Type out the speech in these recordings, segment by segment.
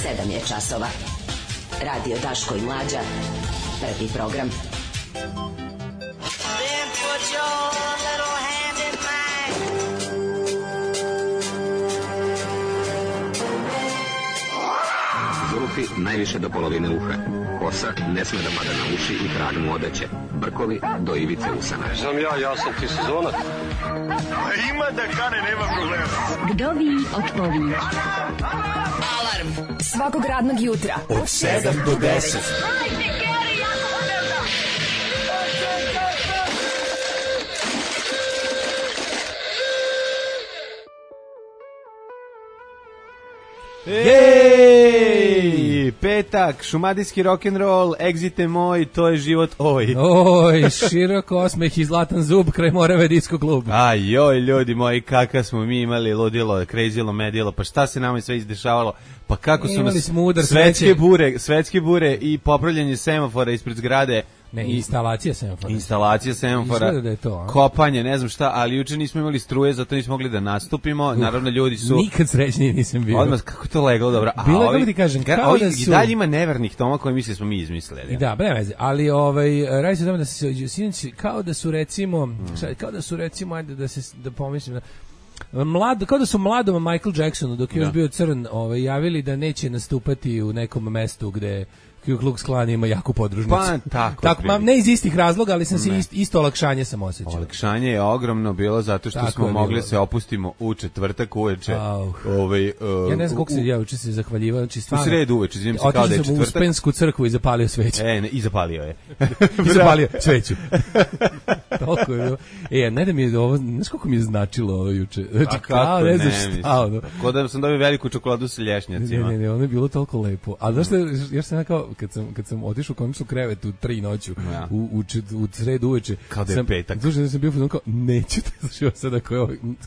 7 je časova. Radio Daško i Mlađa. Prvi program. Zulufi najviše do polovine uha. Kosa ne sme da pada na uši i trag mu odeće. Brkovi do ivice usana. Znam ja sam ti sezonac. Ima da kane, nema problema. Vdovi od povijek. Alarm svakog radnog jutra od 7 do 10. Jej! Petak, šumadijski rock'n'roll, egzite moj, to je život oj. Oj, širok osmeh i zlatan zub kraj Morave disko klub. Aj, joj, ljudi moji, kakav smo mi imali ludilo, krezilo, medilo, pa šta se nama sve izdešavalo, pa kako su nas svetske bure i popravljanje semafora ispred zgrade. Ne, instalacija semafora. Instalacija semafora, da je to, kopanje, ne znam šta, ali juče nismo imali struje, zato nismo mogli da nastupimo. Naravno, ljudi su... Nikad srećniji nisam bio. Odmah, kako to leglo, dobro. Bilo je, kako ti kažem, kao da su... I dalje ima nevernih toma koje misle smo mi izmislili. Da, bre veze, ali radi se o tome da se sinoć, kao da su recimo, ajde da pomislim, kao da su mladom Michael Jacksonu dok je još bio crn javili da neće nastupati u nekom mestu gde Ku Klux Klan ima jaku podružnicu. Pa, tako ne iz istih razloga, ali sam se isto olakšanje sam osjećao. Olakšanje je ogromno bilo zato što tako smo mogli se opustimo u četvrtak uveče. Ja ne znam kako se juče se zahvaljivao, znači stvarno. U sredu uveče, izvinim se kao da je četvrtak. Otišao sam u Uspensku crkvu i zapalio sveću. I zapalio je. I zapalio sveću. Toliko je bilo. Ne da mi je ovo, znaš koliko mi je značilo ovo juče. Znači, kako ne znam šta. Ko da sam dobio veliku čokoladu sa lješnjacima. Ne, ono je bilo toliko lepo. A znaš što, jer sam kao kad sam otišao konačno u krevet u 3 noću u sredu uveče, kao da je petak. Slušaj, sam bio kao neću da slušam sada koji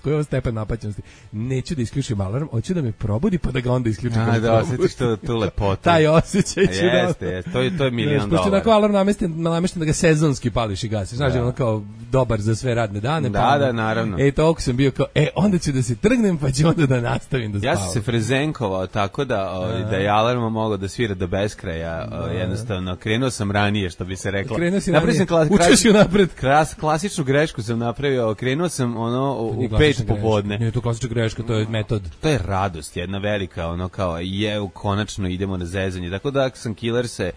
je ovo stepen napaćenosti. Neću da isključim alarm, hoću da me probudi pa da ga onda isključim. Da osjetiš tu lepotu. Taj osjećaj ću da. Jeste, to je $1.000.000. Pošto tako alarm namešten da ga sezonski pališ i gasiš. Znaš, ono kao dobar za sve radne dane. Da, naravno. Toliko sam bio kao, onda ću da se trgnem pa ću onda da nastavim da spavam. Ja sam se frezenkovao tako da je alarm mogao da svira do beskraja. Jednostavno, krenuo sam ranije, što bi se reklo. Učeš ju napred. Klasičnu grešku sam napravio, krenuo sam u 5 popodne. Nije to klasična greška, to je metod. To je radost, jedna velika, kao konačno idemo na zezanje. Tako da sam Killerse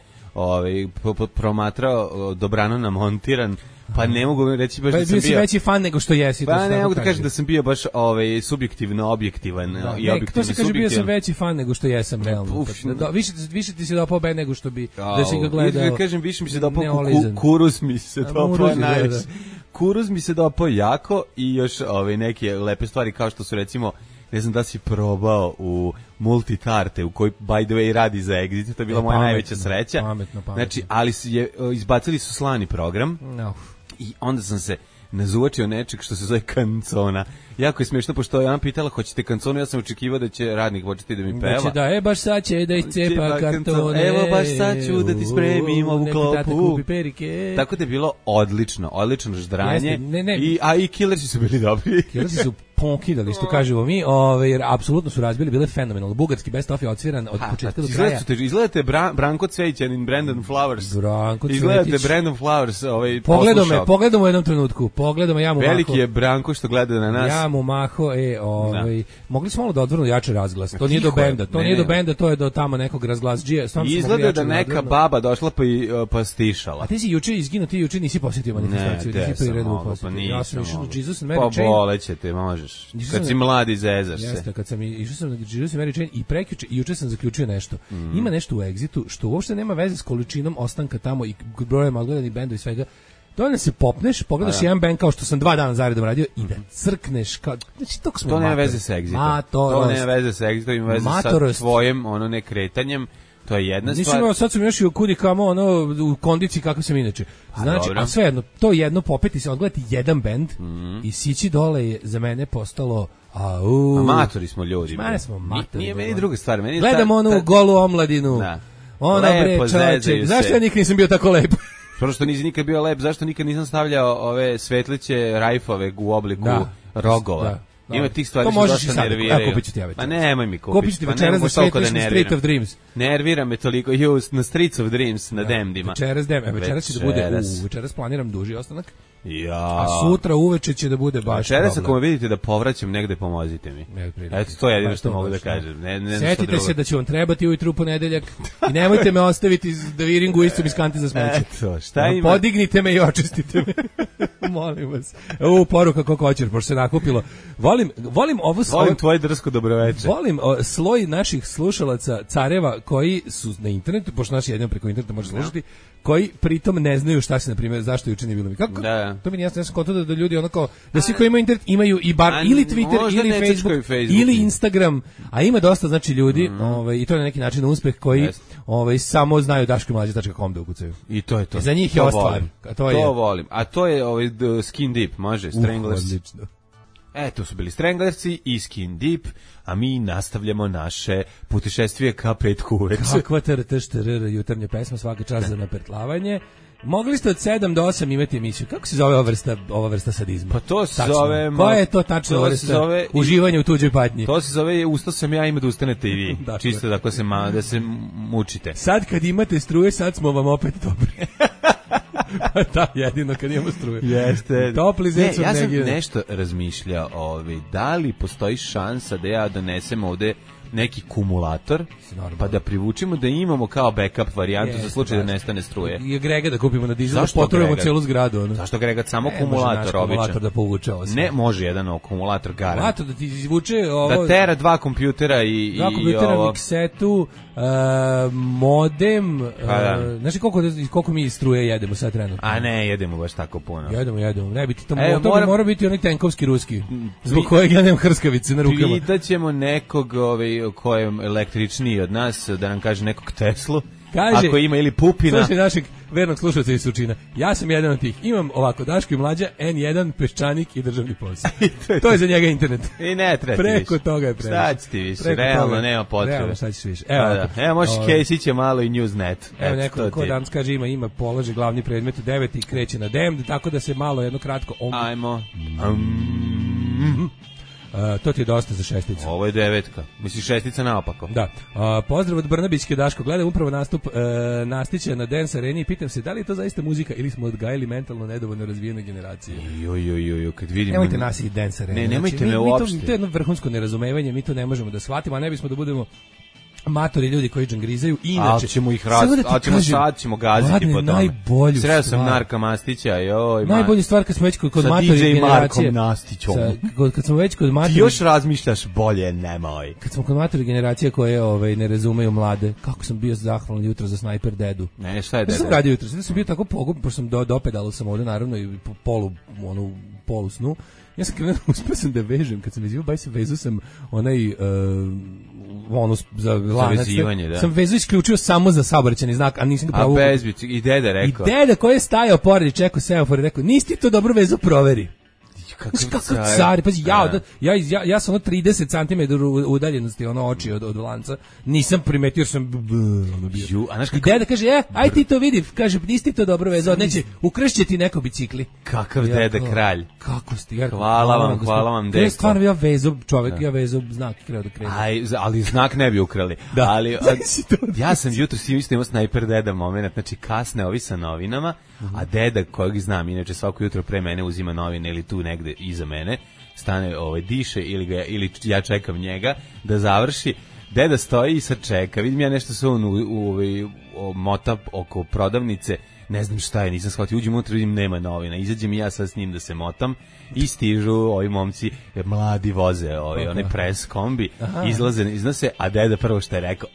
promatrao, dobrano namontiran. Pa ne mogu reći baš da sam bio... si veći fan nego što jesi. Pa ne mogu da kažem da sam bio baš subjektivno objektivan. To se kaže bio sam veći fan nego što jesam, realno. Više ti se dopao Ben nego što bi da si ga gledao. Kažem, više mi se dopao Kuruz mi se dopao najviše. Kuruz mi se dopao jako i još neke lepe stvari kao što su recimo, ne znam da si probao u Multitarte u kojoj by the way radi za Exit, to je bila moja najveća sreća. Pametno. Znači, ali izbacili su slani program. I onda sam se nazuvačio nečeg što se zove kancona. Jako je smiješno, pošto je ona pitala hoćete kanconu, ja sam očekivao da će radnik početi da mi peva. Baš sad će da iscepa kartone. Evo baš sad ću da ti spremim ovu klopu. Tako da je bilo odlično ždranje. A i Killersi su bili dobri. Killersi su ponkidali, što kažemo mi, jer apsolutno su razbili, bile fenomenalno. Bugarski best of je odsviran od početka do kraja. Izgledate Branko Cvejćanin, Brandon Flowers. Izgledate Brandon Flowers, Pogledamo u jednom trenutku. Ja mu veliki je Branko što gleda na nas. Ja mu maho, mogli smo malo da odvrnu jače razglas. To nije do benda, to je do tamo nekog razglasđija. Izgleda da neka baba došla pa stišala. A ti si juče izginuo, ti juče nisi posjetio manifestaciju, nisi priredbu posjetio. Ja sam išao na Jesus and Mary Chain. Pa bolećete, možeš. Kad si mladi zezaš se. Jeste, kad sam išao sam na Jesus and Mary Chain i prekjuče i juče sam zaključio nešto. Ima nešto u Exitu što uopšte nema veze s količinom ostanka tamo i brojem odgledanih bendova i svega. Dovoljno se popneš, pogledaš jedan band kao što sam 2 dana zaredom radio i da crkneš kao, znači toko smo to nema veze sa Exitom. To nema veze sa Exitom, ima veze sa tvojim nekretanjem. To je jedna stvar. Nisam, sad sam još i u kudi kamo u kondiciji kako sam inače. Znači, a svejedno, to jedno popeti se, odgledati jedan band i sići dole je za mene postalo amatori smo ljudi. Smo matori. Nije meni druga stvar. Gledam onu golu omladinu. Ona bre, čoveče, zašto ja nikad nisam bio tako lep? Prvo što nisi nikad bio lep, zašto nikad nisam stavljao ove svetliće rajfove u obliku rogova? Ima tih stvari što dosta nerviraju. Kupit ću ti ja večeras. Pa nemoj mi kupiti. Kupit ću ti večeras da svetiš na Street of Dreams. Nervira me toliko, na Streets of Dreams, na Demdima. Večeras će da bude, večeras planiram duži ostanak. Ja. A sutra uveče će da bude baš problem. Večeras ako me vidite da povraćam negde, pomozite mi. Eto, to je jedino što mogu da kažem. Setite se da će vam trebati ujutru u ponedeljak i nemojte me ostaviti da viringu istom iz kanti za smeće. Eto, šta ima? Podignite me i očistite me. Molim vas. Poruka kokoćer, pošto se nakupilo. Volim tvoje drsko dobroveče. Volim sloj naših slušalaca careva koji su na internetu, pošto naš jedino preko interneta može slušati, koji pritom ne znaju šta se, na primjer, zašto juče nije bilo mi. Kako? Da. To mi nije jasno, ja sam kontao da ljudi onako, da svi koji imaju internet imaju i bar ili Twitter, ili Facebook, ili Instagram, a ima dosta, znači, ljudi, i to je na neki način uspeh koji samo znaju daškomlađa.com da ukucaju. I to je to. Za njih je ovo stvar. To volim. A to je Skin Deep, može, Stranglers. Odlično. To su bili Stranglersi i Skin Deep, a mi nastavljamo naše putešestvije ka petku uveče. Kakva TRT-TRR jutarnja pesma, svaka čast za napertlavanje. Mogli ste od 7 do 8 imati emisiju. Kako se zove ova vrsta sadizma? Pa to se zove... Koja je to tačno vrsta uživanja u tuđoj patnji? To se zove ustao sam ja, ima da ustanete i vi. Čisto da se mučite. Sad kad imate struje, sad smo vam opet dobri. Da, jedino kad imamo struje. Jeste. Topli zec. Ja sam nešto razmišljao, da li postoji šansa da ja donesem ovde neki kumulator, pa da privučimo da imamo kao backup varijantu za slučaj da nestane struje. I agregat da kupimo na dizel, da potrujemo celu zgradu. Zašto agregat? Samo kumulator običan. Kumulator da povuče ovo sve. Ne, može jedan akumulator garant. Kumulator da ti izvuče ovo... Da tera dva kompjutera i dva kompjutera, ovo... miksetu, modem... Znaš koliko mi struje jedemo sad trenutno? A ne, jedemo baš tako puno. Jedemo. Ne biti to mora biti onaj tenkovski ruski. Zbog kojeg ja nemam hrskavice na rukama. Pitaćemo nekog ko je električniji od nas, da nam kaže nekog Teslu, kaže, ako ima ili Pupina. Slušaj našeg vernog slušalca iz Surčina. Ja sam jedan od tih. Imam ovako Daško i Mlađa, N1, Peščanik i državni posao. To je za njega internet. I ne treba ti preko više. Toga je previše. Šta će ti više? Realno nema potrebe. Realno šta ćeš više. Evo možeš Kesić je malo i Newsnet. Evo neko ko danas kaže ima položi glavni predmet 9 i kreće na DEM, tako da se malo jedno kratko... Ajmo. To ti je dosta za šesticu. Ovo je 9. Misliš šestica naopako. Da. Pozdrav od Brnabićke, Daško. Gledam upravo nastup Nastića na Dance Areni i pitam se da li je to zaista muzika ili smo odgajili mentalno nedovoljno razvijene generacije. Kad vidim... Nemojte nas i Dance Arena. Ne, nemojte me uopšte. To je jedno vrhunsko nerazumevanje, mi to ne možemo da shvatimo, a ne bismo da budemo matori ljudi koji džangrizaju i inače ali ćemo ih sad ćemo gaziti po tome. Sreo sam Narka Mastića, najbolja stvar kad smo već kod matori generacije. Kad smo već kod matori. Ti još razmišljaš bolje, nemoj. Kad smo kod matori generacije koje ne razumeju mlade, kako sam bio zahvalan jutro za Sniper Dedu. Ne, šta je Deda? Ja sam radio jutro, sam bio tako pogubljen, pošto sam dopedalo sam ovde naravno i polu snu. Ja sam krenuo, uspio sam da vežem, kad sam vezio, vezu sam onaj za lanac. Sam vezu isključio samo za saobraćajni znak, a nisam ga pravo. A bezbić, i deda rekao. I deda koji je stajao pored i čekao semafor i rekao, nisi ti to dobro vezu, proveri. Kako car, pazi, ja sam 30 cm udaljenosti oči od lanca, nisam primetio jer sam bio. I deda kaže, aj ti to vidi, kaže, nisi to dobro vezao, neće, ukršće ti neko bicikli. Kakav deda kralj. Kako ste, hvala vam, deko. Stvarno, ja vezao čovek, ja vezao znak i kreo da krenu. Ali znak ne bi ukrali. Ali, ja sam jutro isto imao Sniper Deda moment, znači kasne ovi sa novinama, a deda kojeg znam, inače svako jutro pre mene uzima novine ili tu negde iza mene, stane diše ili ja čekam njega da završi. Deda stoji i sad čeka. Vidim ja nešto se on mota oko prodavnice, ne znam šta je, nisam shvatio. Uđem unutra, vidim nema novina. Izađem i ja sad s njim da se motam i stižu ovi momci, mladi voze, onaj pres kombi, iznose, a deda prvo što je rekao,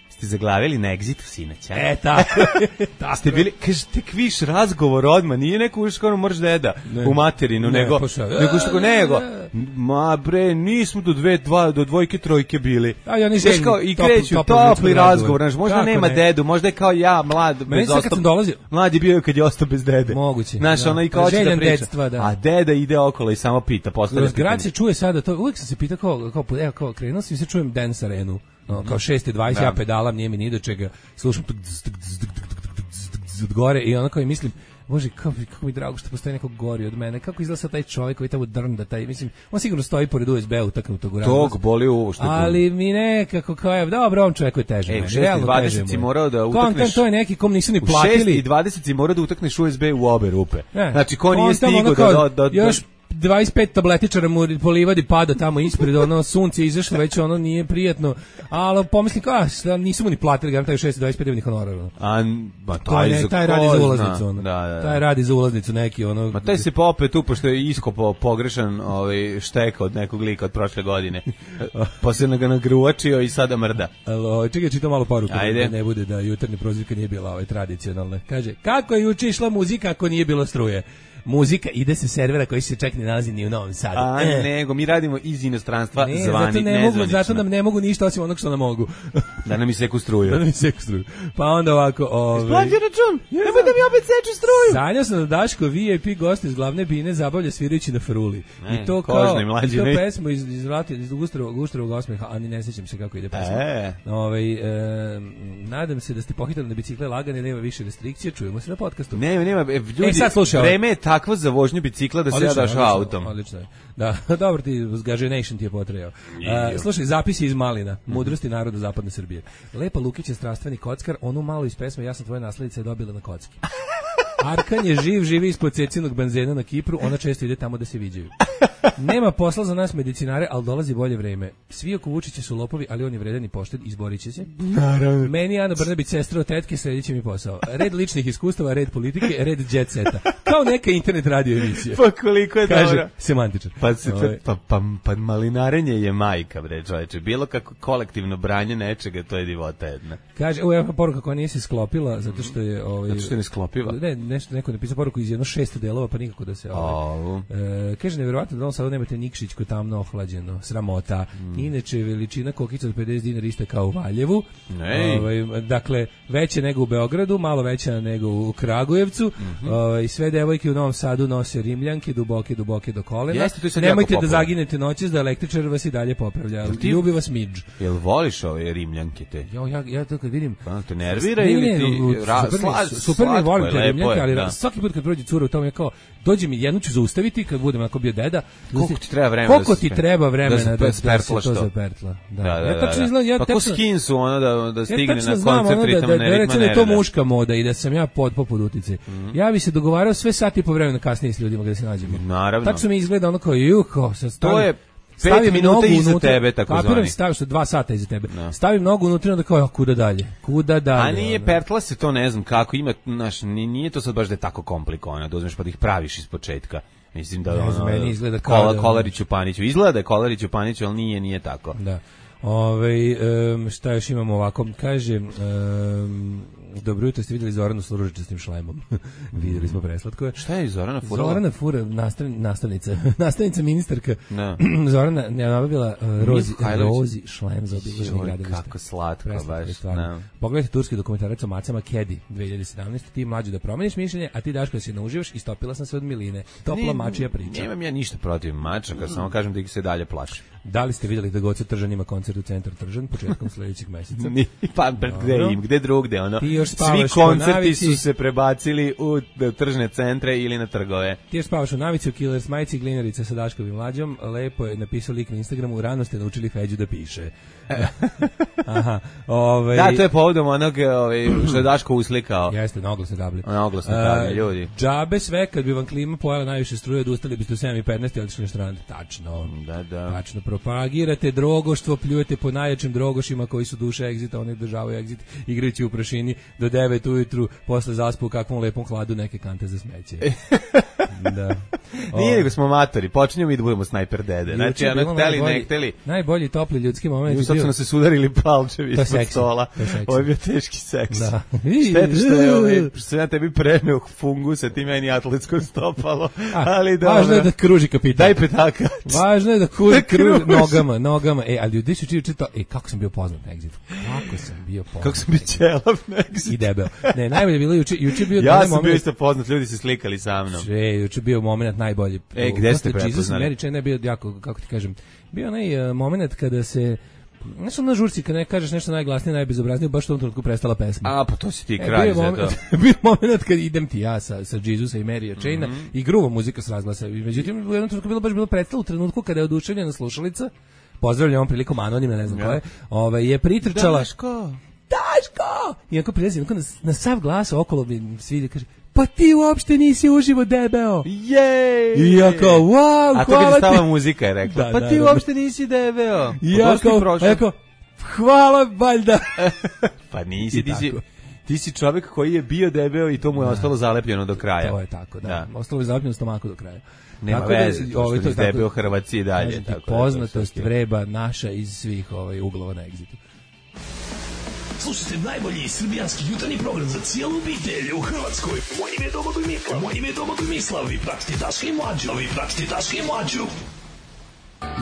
ste zaglavili na Exitu sinoća. Tako. Ste bili, kaže, tek viš razgovor odmah, nije neko uviš kao moraš deda u materinu, nego ma bre, nismo do dvojke, trojke bili. Ja ne želim. I kreću topli razgovor, možda nema dedu, možda je kao ja, mlad, bez ostao. Mlad je bio kad je ostao bez dede. Moguće. Znaš, ono i kao će da priča. A deda ide okolo i samo pita, postavlja pitanje. Grad se čuje sada, to uvijek sam se pitao kao krenuo sam i se čujem Dance Arenu. Kao 6:20, ja pedalam, nije mi ni do čega, slušam od gore i onako i mislim, Bože, kako mi drago što postoji neko gori od mene. Kako izgleda taj čovjek koji tamo drnda, taj, mislim, on sigurno stoji pored USB-a utaknutog u ravnost. Tog boli u što. Ali mi nekako kao je, dobro, on čovjek je teže. U 6:20 si morao da utakneš. To je neki kom nisu ni platili. U 6:20 si morao da utakneš USB u obe rupe. Znači, ko nije stigao da još 25 tabletičara mu po livadi pada tamo ispred, ono sunce izašlo, već ono nije prijatno, ali pomislim kao, nisu mu ni platili, ga taj 625 dnevnih honorara. Taj radi za ulaznicu, ono. Taj radi za ulaznicu neki, ono. Ma taj se popet tu, pošto je iskopao pogrešan šteka od nekog lika od prošle godine. Pa se ga nagruvačio i sada mrda. Čekaj, čitam malo poruku, da ne bude da jutarnja prozivka nije bila tradicionalna. Kaže, kako je juče išla muzika ako nije bilo struje? Muzika ide se servera koji se čak ne nalazi ni u Novom Sadu. Nego, mi radimo iz inostranstva zato nam ne mogu ništa osim onog što nam mogu. Da nam iseku struju. Pa onda ovako... Isplati račun! Nemoj da mi opet seče struju! Sanjao sam da Daško VIP gost iz glavne bine zabavlja svirajući na fruli. I to kao... I to pesmu iz Guštrovog osmeha, ali ne sećam se kako ide pesma. Nadam se da ste pohitali na bicikle lagane, nema više restrikcije, čujemo se na podcastu. Nema, ljudi, vreme je takvo za vožnju bicikla da se ja daš autom. Odlično je. Da, dobro ti, Gaženation ti je potrejao. Slušaj, zapisi iz Malina, mudrosti naroda zapadne Srbije. Lepa Lukić je strastveni kockar, onu malo iz pesme Ja sam tvoja nasledica je dobila na kocki. Arkan je živi ispod cecinog benzena na Kipru, ona često ide tamo da se viđaju. Nema posla za nas medicinare, ali dolazi bolje vreme. Svi oko Vučića su lopovi, ali on je vredan i pošten, izborit će se. Naravno. Meni Ana Brnabić, sestra od tetke, sljedeći će mi posao. Red ličnih iskustava, red politike, red jet seta. Kao neka internet radio emisija. Pa koliko je dobro. Kaže, semantičar. Pa malinarenje je majka, bre, čoveče. Bilo kako kolektivno branje nečega, to je divota jedna. Kaže, evo poruka koja nije se sklopila, zato što je... Zato što je ne sklopiva? Ne, neko napisao poruku iz jedno 6 delova, pa nikako da se... Kaže, nevjerovatno da on sad nemate Nikšić ko tamno ohlađeno, sramota. Inače, veličina kokica od 50 dinara iste kao u Valjevu. Dakle, veće nego u Beogradu, malo veća nego u Kragujevcu. Sve devojke u Novom Sadu nose rimljanke, duboke do kolena. Nemojte da zaginete noćas, da električar vas i dalje popravlja. Ljubi vas midž. Jel voliš ove rimljanke te? Ja to kad vidim... Te nervira ili ti... Super mi volim te rimljanke, ali svaki put kad prođe cura u tom je kao, dođe mi, jednu ću zaustaviti kad budem ako bio deda. Koliko ti treba vremena da se to zapertla? Ja tačno izgledam... Pa ko skin su ono da stigne na koncert ritama nervira. Da je to muška moda i da sam ja poput utice. Ja bi se dogovarao sve sati i po vremena kasnije s ljudima kada se nađemo. Naravno. Tačno mi izgleda ono kao, to je 5 minuta iza tebe, tako zvani. Kapiram, staviš 2 sata iza tebe. Stavim nogu unutra i onda kao, kuda dalje? A nije pertla se to, ne znam kako, ima, nije to sad baš da je tako komplikovano, da uzmeš pa da ih praviš iz početka. Mislim da meni izgleda kao Kolariću Paniću. Izgleda da je Kolariću Paniću, ali nije tako. Da. Šta još imamo ovako? Kaže, dobro jutro, ste vidjeli Zoranu s ružičastim šlemom. Vidjeli smo preslatko. Šta je Zorana furala? Zorana fura, nastavnica ministarka. Zorana je nabavila rozi šlem za obilaženje gradilišta. Kako slatko, baš. Pogledajte turski dokumentarac o macama Kedi 2017. Ti mlađu da promeniš mišljenje, a ti Daško da se nauživaš i stopila sam se od miline. Topla mačija priča. Nemam ja ništa protiv mača, kad samo kažem da ih se dalje plašim. Da li ste vidjeli da Goce Tržan ima koncert u centru Tržan početkom sledećeg meseca? Pa gde drugde, ono. Svi koncerti su se prebacili u tržne centre ili na trgove. Ti još spavaš u navici, u Killers majici, Glinerica sa Daškovim mlađom. Lepo je napisao lik na Instagramu, rano ste naučili Feđu da piše. Aha. Da, to je povodom onog što je Daško uslikao. Jeste, na oglasne table. Na oglasne table, ljudi. Džabe sve, kad bi vam klima pojela najviše struje, odustali biste u 7:15 i otišli na štrand. Tačno. Da. Tačno. Propagirate drogoštvo, pljujete po najjačim drogošima koji su duše egzita, oni državaju egzit, igrajući u prašini do 9 ujutru, posle zaspu u kakvom lepom hladu neke kante za smeće. Da. Nije nego smo matori, počinjemo i da budemo snajper dede. Znači, hteli, ne hteli. Najbolji topli ljudski moment. I sad su nas se sudarili palčevi ispod stola. Ovo je bio teški seks. Da. Šteta što sam ja tebi preneo fungusa, ti meni atletsko stopalo. Ali dobro. Važno je da kruži kapitan. Daj petaka. Važno je da kruži nogama. Ali ljudi su čitao, kako sam bio poznat na Exitu. Kako sam bio ćelav na Exitu. I debel. Ne, najbolje je bilo juče bio ja sam bio isto poznat, ljudi se slikali sa mnom. Juče bio moment najbolji. Gde ste prepoznali? Jesus Mary Chain je bio jako, kako ti kažem, bio onaj moment kada se Znaš na žurci kad ne kažeš nešto najglasnije, najbezobraznije, baš u tom trenutku prestala pesma. A, pa to si ti kralj za to. Bio moment kad idem ti ja sa Jezusa i Marya Chaina i grubo muzika s razglasa. Međutim, u jednom trenutku bilo predstava u trenutku kada je oduševljena slušalica, pozdravljam ovom prilikom anonimna, ne znam ko je pretrčala. Daško! I ako prilazi, na sav glas okolo mi svi kaže, pa ti uopšte nisi uživo debeo. Jej! I ja kao, wow, a to kad je stala muzika je rekla, pa ti uopšte nisi debeo. I ja kao, hvala, valjda. Pa nisi, ti si čovjek koji je bio debeo i to mu je ostalo zalepljeno do kraja. To je tako, da. Ostalo je zalepljeno u stomaku do kraja. Nema veze, što je debeo Hrvatski i dalje. Poznatost vreba naša iz svih uglova na Exitu. Slušajte najbolji srbijanski jutarnji program za cijelu obitelj u Hrvatskoj. Moje ime je Domagoj Mislav. Vi pratite Daška i Mlađu.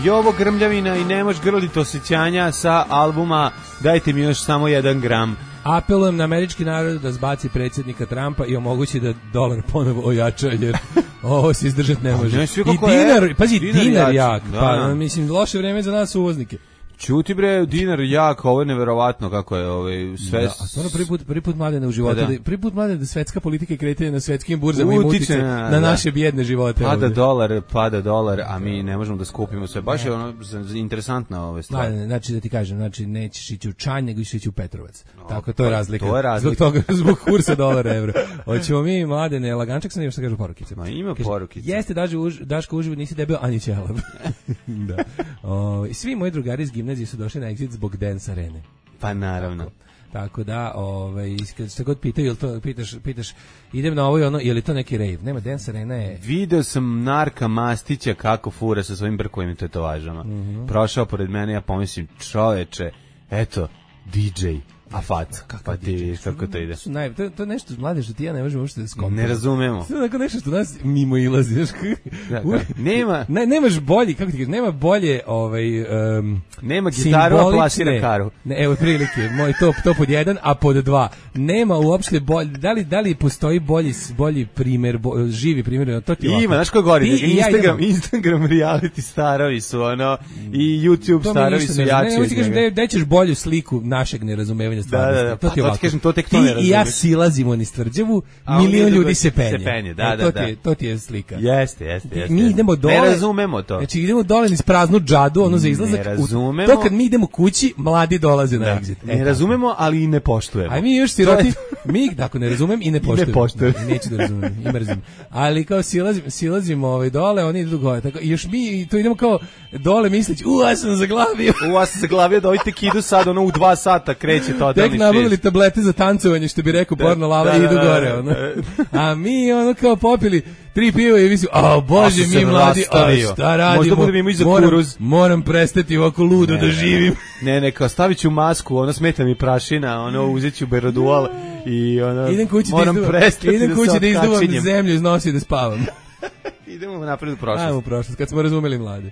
Jovo Grmljavina i Nemoš grliti osjećanja sa albuma Dajte mi još samo 1 gram. Apelujem na američki narod da zbaci predsjednika Trumpa i omogući da dolar ponovo ojača, jer ovo se izdržati ne može. I dinar jak. Pa, mislim, loše vreme za nas uvoznike. Čuti bre, dinar jak, ovo je neverovatno kako je sve. Da, a stvarno prvi put Mladene u životu, prvi put Mladene da svetska politika i kretanje na svetskim burzama utiče na naše bijedne živote. Pada dolar, a mi ne možemo da skupimo sve. Baš je ono interesantna ove stvari. Znači da ti kažem, nećeš ići u Čanj, nego ćeš ići u Petrovac. Tako to je razlika. Zbog kursa dolara evra. Hoćemo mi Mladene, lagančak sam, što kažu porukice. Ma ima porukice. Jeste Daško uživo, nisi debeo ani ćelav. Da. Svi moji drugari iz gimnazije su došli na Exit zbog Dance Arene. Pa naravno. Tako da, kad se god pitaju, pitaš, idem na ovo i ono, je li to neki rave? Nema, Dance Arena je... Video sam Narka Mastića kako fura sa svojim brkovim tetovažama. Prošao pored mene, ja pomislim, čoveče, eto, DJ. A faca, pa ti vidiš kako to ide. To je nešto mlade što ti ja ne možemo uopšte da skontamo. Ne razumemo. To je tako nešto što nas mimo ilazi. Nemaš bolji, kako ti kažeš, nema bolje nema gitaru, a plasira karu. Evo prilike, moj to pod 1, a pod 2. Nema uopšte bolji, da li postoji bolji primjer, živi primjer, to ti ovako. Ima, znaš ko gori, Instagram reality starovi su ono, i YouTube starovi su jači. Ne, ti kažem, da ćeš bolju sliku našeg nerazumevanja. Da, to ti ovako. Kažem, to tek to ne razumiješ. I ja silazimo niz Tvrđavu, milion ljudi se penje. To ti je slika. Jeste. Mi idemo dole. Ne razumemo to. Znači idemo dole niz praznu džadu, ono za izlazak. Ne razumemo. To kad mi idemo kući, mladi dolaze na Exit. Ne razumemo, ali i ne poštujemo. A mi još siroti, tako ne razumem i ne poštujem. Neću da razumem, i mrzim. Ali kao silazimo dole, oni idu gore. Tako, još mi to idemo kao dole misleći, ja sam zaglavio. Da ovite kidu sad, ono u 2 sata kreće to. Tek nabavili tablete za tancovanje, što bi rekao porno lava, i idu gore. Ono. A mi ono kao popili 3 piva i mislim, bože, mi mladi, šta radimo? Moram prestati ovako ludo da živim. Ne, kao stavit ću masku, ono smeta mi prašina, ono uzet ću Berodual i ono, moram prestati idem kući da izduvam zemlju iz nosa i da spavam. Idemo napred u prošlost. Ajmo u prošlost, kad smo razumeli mladi.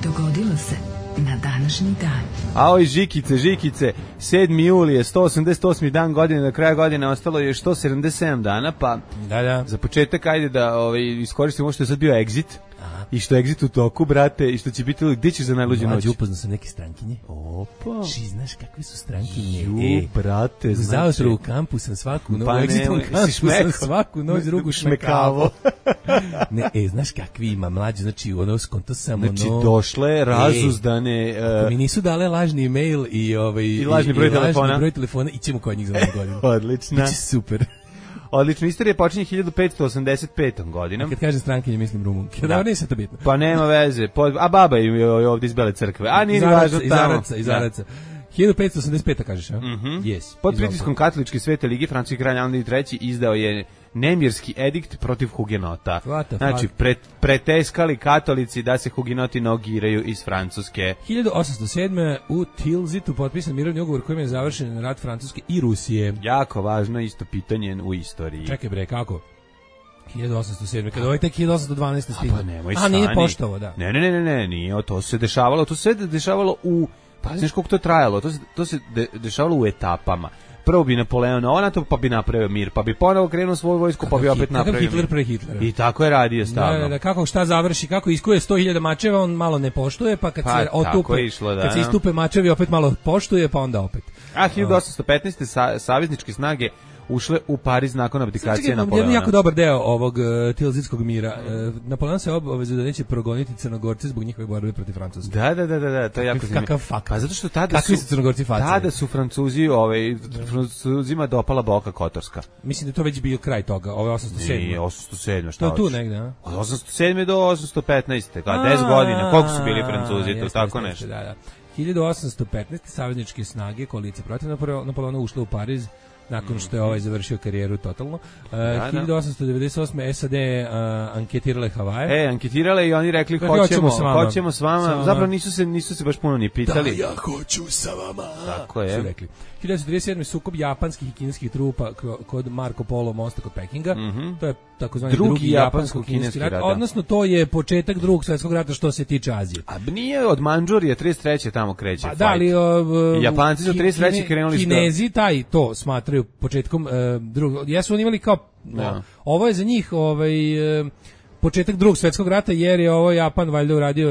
Dogodilo se na današnji dan. A oj, Žikice, 7. juli je 188. dan godine, do kraja godine ostalo je još 177 dana, pa za početak ajde da iskoristimo što je sad bio Exit. I što je Exit u toku, brate, i što će biti, gdje ćeš za najluđu noć? Upoznao sam neke strankinje. Opa. Znaš kakve su strankinje? Brate, znači. Zaotro u kampu sam svaku noć, svaku noć drugu šmekavo. Znaš kakvi ima mlađe, znači ono skonto sam ono... Znači došle, razuzdane... Ako mi nisu dale lažni e-mail i lažni broj telefona, ićemo kod njih za ovu godinu. Odlično. Biće super. Odlično, istorija počinje 1585. godinom. Kad kažem strankinje, mislim Rumunke. Da, nije se to bitno. Pa nema veze. A baba je ovdje iz Bele crkve. A nije važno tamo. Iz Araca. 1585. kažeš, a? Yes. Pod pritiskom katoličke Svete lige, francuski kralj Andrij III izdao je nemirski edikt protiv hugenota. Znači, preteskali katolici da se hugenoti nogiraju iz Francuske. 1807. u Tilzitu potpisan mirovni ugovor kojim je završen rat Francuske i Rusije. Jako važno isto pitanje u istoriji. Čekaj bre, kako? 1807. Kada ovaj tek 1812. stigao. Pa nemoj stani. Nije poštovo, da. Ne, nije, to se dešavalo u... Pa znaš koliko to trajalo, to se dešavalo u etapama. prvo bi Napoleon ovo NATO, pa bi napravio mir, pa bi ponovo krenuo svoju vojsku, pa bi opet napravio Hitler pre Hitlera. I tako je radio stalno. Da, kako šta završi, kako iskuje 100.000 mačeva, on malo ne poštuje, pa kad se otupe, kad se istupe mačevi, opet malo poštuje, pa onda opet. A 1815. savezničke snage ušle u Pariz nakon abdikacije Napoleona. Jedan jako dobar deo ovog Tilzitskog mira. Napoleon se obavezao da neće progoniti Crnogorce zbog njihove borbe protiv Francuske. Da, to je jako zanimljivo. Pa zato što tada su Crnogorci facali. Tada su Francuzi, Francuzima dopala Boka Kotorska. Mislim da to već bio kraj toga, ovo je 807. Nije 807, šta to je tu negde, a? Od 807 do 815. Kao 10 godina, koliko su bili Francuzi, to tako nešto. Da. 1815. savezničke snage koalicije protiv Napoleona ušle u Pariz nakon što je ovaj završio karijeru totalno. 1898. SAD anketirale Havaje. Anketirale i oni rekli hoćemo s vama. Zapravo nisu se baš puno ni pitali. Da, ja hoću sa vama. Tako je. Su rekli. 1937. sukob japanskih i kineskih trupa kod Marko Polo mosta kod Pekinga. To je takozvani drugi japansko-kineski rat. Odnosno to je početak Drugog svjetskog rata što se tiče Azije. A nije od Mandžurije 33. tamo kreće. Pa da, ali Japanci su 33. krenuli Kinezi to smatraju početkom drugog. Jesu oni imali kao ovo je za njih početak Drugog svjetskog rata, jer je ovo Japan valjda uradio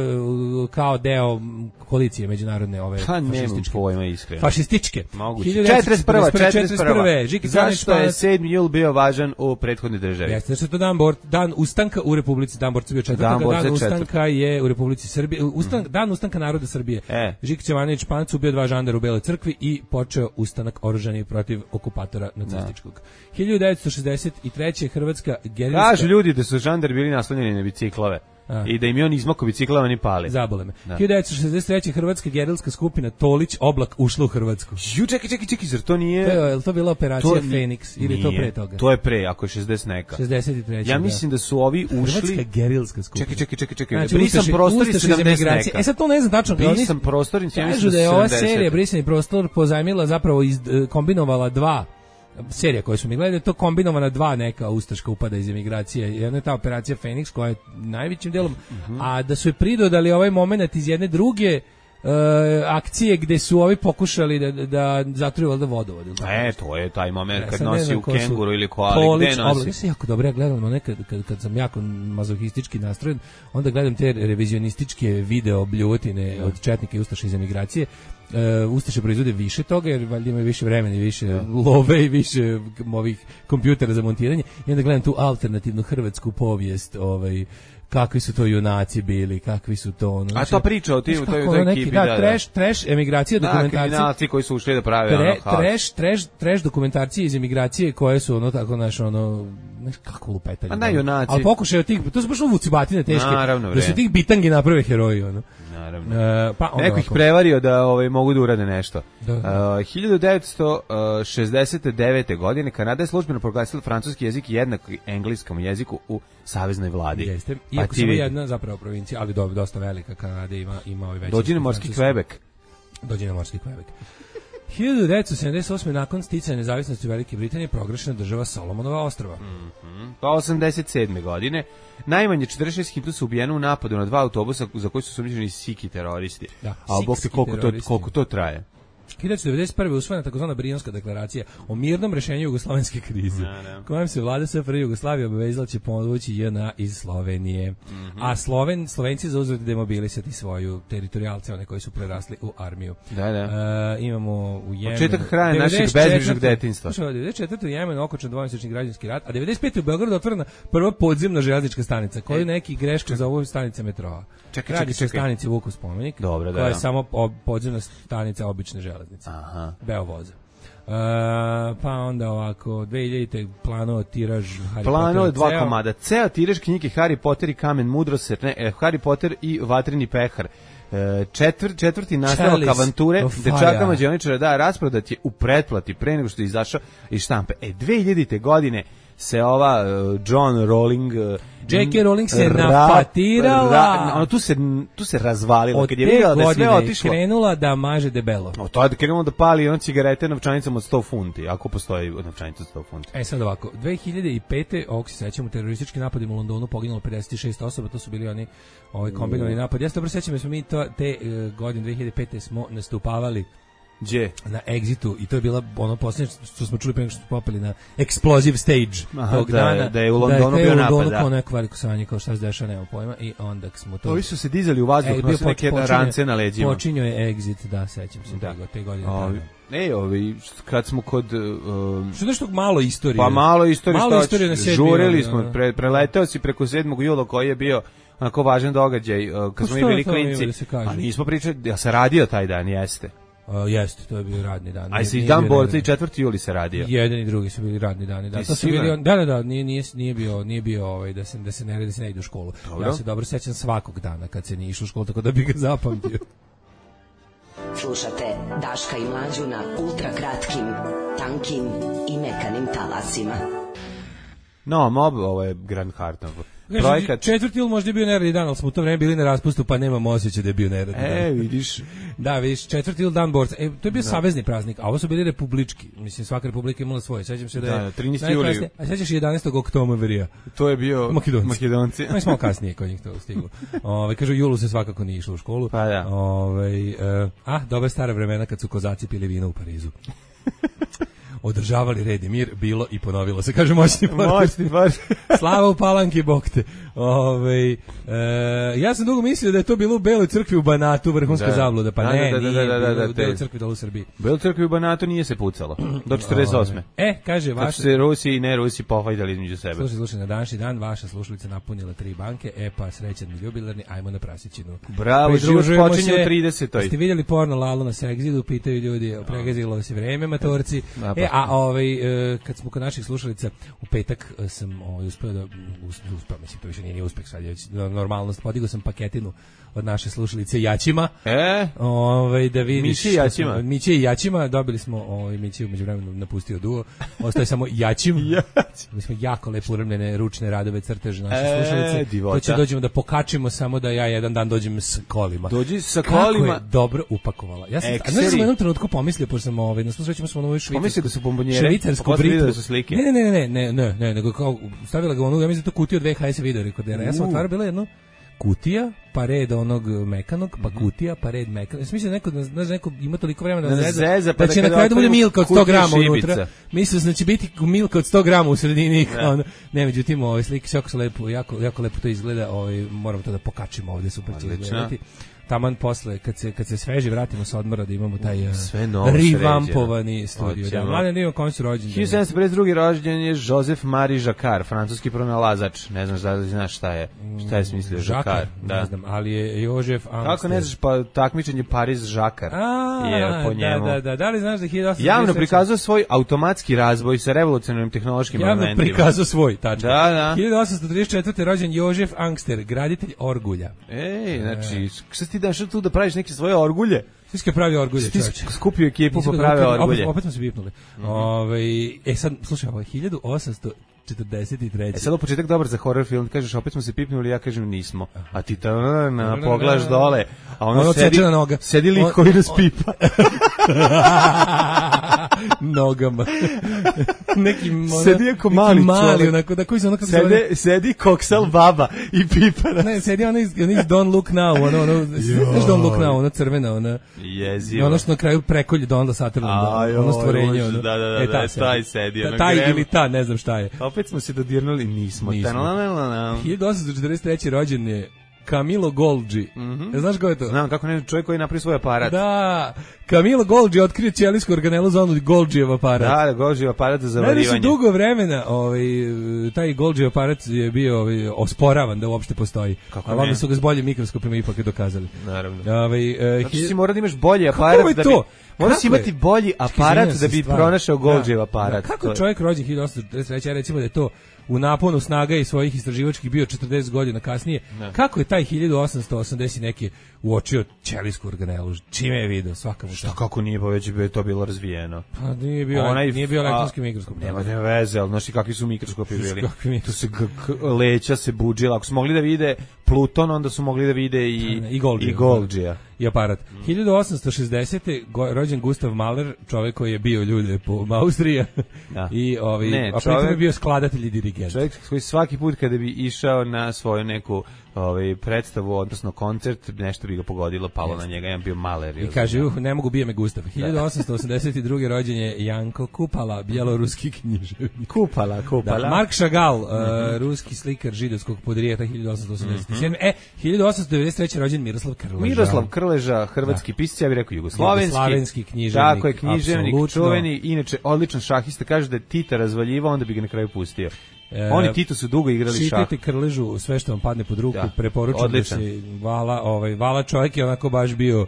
kao deo koalicije međunarodne fašističke. Pojma iskreno. Fašističke. 41. Zašto je 7. jul bio važan u prethodnoj državi? Jeste, što je to dan ustanka u Republici, dan borca bio 4. Dan ustanka je u Republici Srbije, dan ustanka naroda Srbije. Žika Ćevanović Španac ubio 2 žandara u Beloj crkvi i počeo ustanak oružani protiv okupatora nacističkog. 1963. Hrvatska gerilska... Kažu ljudi da su žandari bili naslanjeni na biciklove. I da im je on izmako biciklava ni pali. Zabole me. 1963. Hrvatska gerilska skupina Tolić Oblak ušla u Hrvatsku. Čekaj, zar to nije... Je li to bila operacija Feniks ili to pre toga? To je pre, ako je 60 neka. 63. Ja mislim da su ovi ušli... Hrvatska gerilska skupina. Čekaj. Znači, Brisan prostor i 70 neka. Sad to ne znam tačno. Brisan prostor i 70 neka. Kažu da je ova serija Brisani prostor pozajmila zapravo kombinovala 2 serija koje su mi gledali, to kombinovana 2 neka ustaška upada iz emigracije. Jedna je ta operacija Feniks koja je najvećim delom, a da su je pridodali ovaj moment iz jedne druge akcije gde su ovi pokušali da zatruju valjda vodovod. To je taj moment kad nosi u kenguru ili koali, gde nosi. Ja sam jako dobro, ja gledam nekad kad sam jako mazohistički nastrojen, onda gledam te revizionističke video bljuvotine od četnika i ustaša iz emigracije. Ustaše proizvode više toga jer valjda imaju više vremena i više love i više ovih kompjutera za montiranje i onda gledam tu alternativnu hrvatsku povijest kakvi su to junaci bili, kakvi su to... A to priča o toj ekipi, trash emigracija dokumentacije. Kriminalci koji su ušli da prave trash dokumentacije iz emigracije koje su kako lupetanje. A ne junaci. Ali pokušaj od tih, to su baš vucibatine teške. Naravno, da su tih bitangi naprave heroji, Naravno. Neko ih prevario da mogu da urade nešto. 1969. godine Kanada je službeno proglasila francuski jezik jednak engleskom jeziku u saveznoj vladi. Jeste. Iako samo jedna zapravo provincija, ali dosta velika, Kanada ima ovaj veći. Dođi na morski Quebec. 1978. nakon sticanja nezavisnosti Velike Britanije proglašena država Solomonova ostrva. Pa 87. godine najmanje 46 Hitlusa ubijeno u napadu na 2 autobusa za koji su sumnjičeni Siki teroristi. A bog te koliko to traje. 1991. usvojena takozvana Brionska deklaracija o mirnom rešenju jugoslovenske krize, kojom se vlada SFRJ Jugoslavije obavezala će pomoći JNA iz Slovenije. A Slovenci zauzvrat demobilisati svoju teritorijalce, one koji su prerasli u armiju. Imamo u Jemenu... Početak kraja našeg bezbrižnog detinjstva. 94. u Jemenu okončan dvomesečni građanski rat, a 95. u Beogradu otvorena prva podzemna železnička stanica, koju neki greška za ovu stanice metroa. Radi se o stanici Vukov spomenik, koja je samo podzemna stanica obične železnice. Beovoza. Pa onda ovako 2000. planovo tiraž Harry Potter 2 komada. Ceo tiraž knjige Harry Potter i Kamen mudrosti, Harry Potter i Vatreni pehar. Četvrti nastavak avanture dečaka mađioničara rasprodat je u pretplati pre nego što je izašao iz štampe. 2000. godine se ova John Rowling J.K. Rowling se nafatirala. Tu se razvalila kad je vidjela da je sve otišlo. Krenula da maže debelo. To je krenula da pali cigarete novčanicama od 100 funti, ako postoji novčanica od 100 funti. Sad ovako, 2005. ovog se sećamo, teroristički napadima u Londonu poginulo 56 osoba, to su bili oni kombinovani napad. Ja se dobro sećam, jer smo mi te godine 2005. smo nastupavali Gdje? Na Exitu i to je bila ono posljednje što smo čuli pre nego što smo popeli na Explosive Stage tog dana. Da je u Londonu bio napad, kao neko veliko sanje, kao šta se dešava, nema pojma i onda smo to... Ovi su se dizali u vazduh, nosili neke rance na leđima. Počinio je Exit, da, sećam se te godine. Kad smo kod... Što nešto malo istorije? Pa malo istorije na sjedmi. Žurili smo, preleteo si preko 7. jula koji je bio onako važan događaj, kad smo bili klinci. A nismo pričali, ja sam radio taj dan, jeste. Jeste, to je bio radni dan. A se i dan borca i 4. juli se radio. Jedan i drugi su bili radni dani. Da, to su bili, da, nije bio da se ne ide u školu. Dobro. Ja se dobro sećam svakog dana kad se nije išlo u školu, tako da bih ga zapamtio. Slušate Daška i Mlađu na ultrakratkim, tankim i mekanim talasima. No, ovo je Grand Hartnov. Projekat 4. jul možda je bio neradni dan, ali smo u to vreme bili na raspustu, pa nemamo osjećaj da je bio neradni dan. Vidiš. Da, vidiš, 4. jul dan borca. To je bio savezni praznik, a ovo su bili republički. Mislim, svaka republika imala svoje. Sećam se da je 13. juli. A sećaš 11. oktoberija? To je bio Makedonci. Mi smo kasnije kod njih to stiglo. Kažu, julu se svakako nije išlo u školu. Pa da. Dobre stare vremena kad su kozaci pili vino u Parizu. Održavali red i mir, bilo i ponovilo se, kaže moćni part. Slava u Palanki, bog te. Ja sam dugo mislio da je to bilo u Beloj crkvi u Banatu, vrhunska zabluda, pa nije u Beloj crkvi dole u Srbiji. U Beloj crkvi u Banatu nije se pucalo, do 48. Kaže, vaša... se Rusi i ne Rusi pofajdali između sebe. Slušaj, na današnji dan vaša slušalica napunila 3 banke, pa srećan mi jubilarni, ajmo na prasićinu. Bravo, život počinje u 30. Ste vidjeli porno Lalo na Sexidu, pitaju ljudi, pregazilo se vreme, matorci. Kad smo kod naših slušalica, u petak sam uspeo da mislim, to više nije uspeh, sad je normalnost, podigao sam paketinu od naše slušalice Jaćima. Da vidiš. Miće i Jaćima, dobili smo, Miće umeđu vremenu napustio duo, ostaje samo Jaćim. Mi smo jako lepo uremljene ručne radove crteže naše slušalice. To će dođemo da pokačimo, samo da ja jedan dan dođem s kolima. Dođi sa kolima. Kako je dobro upakovala. Ja sam u jednom trenutku pomislio, pošto sam na svu sreću smo na ovoj pomislio da su bombonjere, švicarsku britu. Da su slike. Ne, nego kao stavila ga ja mislim da to kutiju od VHS video rekordera. Ja sam otvarao, bila jedno kutija, pa red onog mekanog, pa kutija, pa red mekanog. Ja mislim da neko ima toliko vremena da zeza, da će na kraju da bude milka od 100 grama unutra. Mislim da će biti milka od 100 grama u sredini. Ne, međutim, slike jako su lepo, jako lepo to izgleda. Moramo to da pokačimo ovdje, super će izgledati. Taman posle, kad se sveži vratimo sa odmora, da imamo taj revampovani studio. Da, mladen, ima kom su rođeni. 1752. rođen je Joseph Marie Jacquard, francuski pronalazač. Ne znam da li znaš šta je smislio Jacquard. Ne znam, ali je Joseph Angster. Kako ne znaš, pa takmičenje Paris-Jacquard je po njemu. Da li znaš da 1833... Javno prikazao svoj automatski razvoj sa revolucionarnim tehnološkim elementima. Javno prikazao svoj, tačka. Da. 1834. rođen Joseph Angster, graditelj orgulja. Znači, ti daš tu da praviš neke svoje orgulje? Svi pravi orgulje, čovječe. Skupio ekipu pa prave orgulje. Opet smo se bipnuli. Sad, slušaj, 1843. Sad u početak dobar za horror film, kažeš opet smo se pipnuli, ja kažem nismo. A ti pogledaš dole, a ono sedi lik koji nas pipa. Nogama. Sedi ako mali čovjek. Sedi koksal baba i pipa. Ne, sedi ono iz Don't Look Now, znaš Don't Look Now, ono crvena, ona. Jezivo. Ono što na kraju prekolje Donalda Sutherlanda, ono stvorenje. Da, taj sedi. Taj ili ta, ne znam šta je. Opet smo se dodirnuli, nismo. 1843. rođen je Camillo Golgi. Znaš ko je to? Znam, kako ne, čovjek koji napravi svoj aparat. Da, Camillo Golgi otkrio ćelijsku organelu za onu Golgijev aparat. Da, Golgijev aparat za zavarivanje. Ne, dugo vremena taj Golgijev aparat je bio osporavan da uopšte postoji. Ali onda su ga s boljim mikroskopima ipak je dokazali. Naravno. Znači si mora da imaš bolji aparat da bi... Moraš imati bolji aparat da bi pronašao Golgijev aparat. Kako čovjek rođen 1843, recimo da je to u naponu snaga i svojih istraživačkih bio 40 godina kasnije. Kako je taj 1880 neki uočio ćelijsku organelu? Čime je video? Svaka mu šta. Kako nije, pa već bi to bilo razvijeno. Pa nije bio elektronski mikroskop. Nema veze, ali znaš kakvi su mikroskopi bili. Tu se leća se budžila. Ako su mogli da vide Pluton, onda su mogli da vide i Golgija. I aparat. 1860. rođen Gustav Mahler, čovjek koji je bio ljude po Austriji. I a pritom je bio skladatelj i dirigent. Čovjek koji svaki put kada bi išao na svoju neku predstavu, odnosno koncert, nešto bi ga pogodilo, palo na njega, jedan bio maler. I kaže, ne mogu, bije me Gustav. 1882. rođen je Janko Kupala, bjeloruski književnik. Kupala. Da, Mark Chagall, ruski slikar židovskog podrijeta, 1887. 1893. rođen Miroslav Krleža. Miroslav Krleža, hrvatski pisac, ja bih rekao jugoslovenski književnik. Tako je, književnik, čuveni, inače odličan šahista, kaže da je Tita razvaljivao, onda bi ga na kraju pustio. Oni i Tito su dugo igrali šah. Čitajte Krležu, sve što vam padne pod ruku, preporučujem da se Vala čovjek je onako baš bio,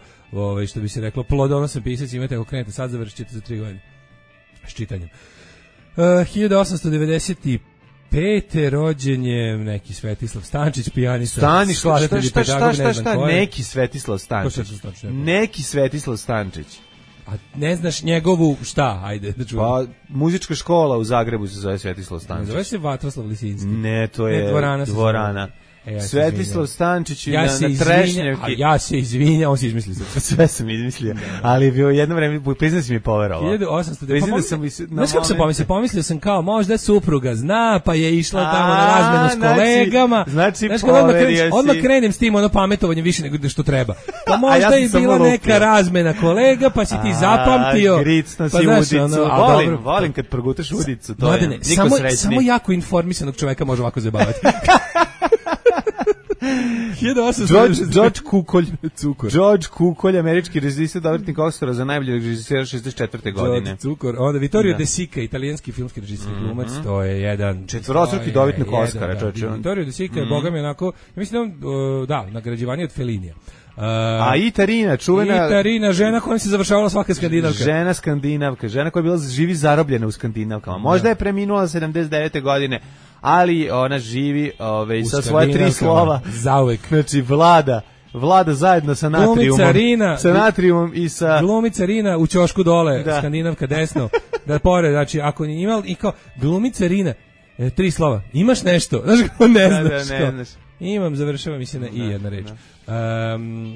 što bi se reklo, plodonosan pisac, imate ako krenete sad, završit ćete za 3 godine s čitanjem. 1895. rođen je neki Svetislav Stančić, pijanista. Šta, neki Svetislav Stančić. Neki Svetislav Stančić. A ne znaš njegovu šta, ajde da čujem. Pa, muzička škola u Zagrebu se zove Svetislav Stančić. Zove se Vatroslav Lisinski. Ne, to je Dvorana. Svetislav Stančić na Trešnjevki. Ja se izvinjam, on se izmislio. Sve sam izmislio, ali je bio jedno vreme, priznam si mi poverovao. 1800. Znaš kako sam pomislio? Pomislio sam kao, možda supruga zna, pa je išla tamo na razmenu s kolegama. Znači poverio si. Odmah krenem s tim pametovanje više nego što treba. Pa možda je bila neka razmena kolega, pa si ti zapamtio. Gricno si udicu. Volim kad progutaš udicu. Samo jako informisanog čoveka može ovako zabavati. George Kukolj, američki režisir, dobitnik Oscara za najboljeg režisera 64. godine. Onda Vittorio De Sica, italijanski filmski režisir i glumac, to je jedan četvorostruki dobitnik Oscara, čoveče. Vittorio De Sica je bogami onako, mislim da, nagrađivanje od Fellinija. A Itarina, čuvena... Itarina, žena kojom se završavala svaka skandinavka. Žena skandinavka, žena koja je bila živi zarobljena u skandinavkama. Možda je preminula 79. godine, ali ona živi sa svoje 3 slova. Zauvek. Znači, Vlada zajedno sa natriumom i sa... Glumica Rina u ćošku dole, skandinavka desno. Da pored, znači, ako ni imali, i kao, glumica Rina, 3 slova. Imaš nešto? Znaš kako ne znaš. Imam, završava mi se na i jedna reč.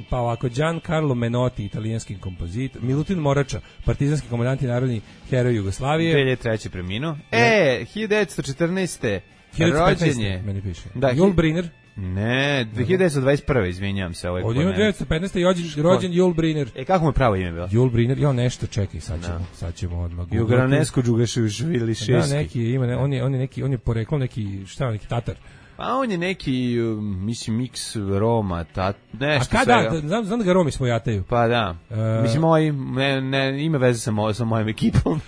Pa ovako, Giancarlo Menotti, italijanski kompozitor, Milutin Morača, partizanski komandant i narodni heroj Jugoslavije. 2003. preminuo. 1914. rođen je. Meni piše. Jul Briner. Ne, 1921. izvinjam se. Od 1915. rođen Jul Briner. Kako mu je pravo ime bilo? Jul Briner, nešto, čekaj, sad ćemo odmah. Jugranesko Đugaševili šesti. Da, neki ima, on je poreklom neki Tatar. Pa on je neki, mislim, miks Roma, nešto sve. A kada, znam da ga Romi svojataju. Pa da, mislim, ima veze sa mojom ekipom.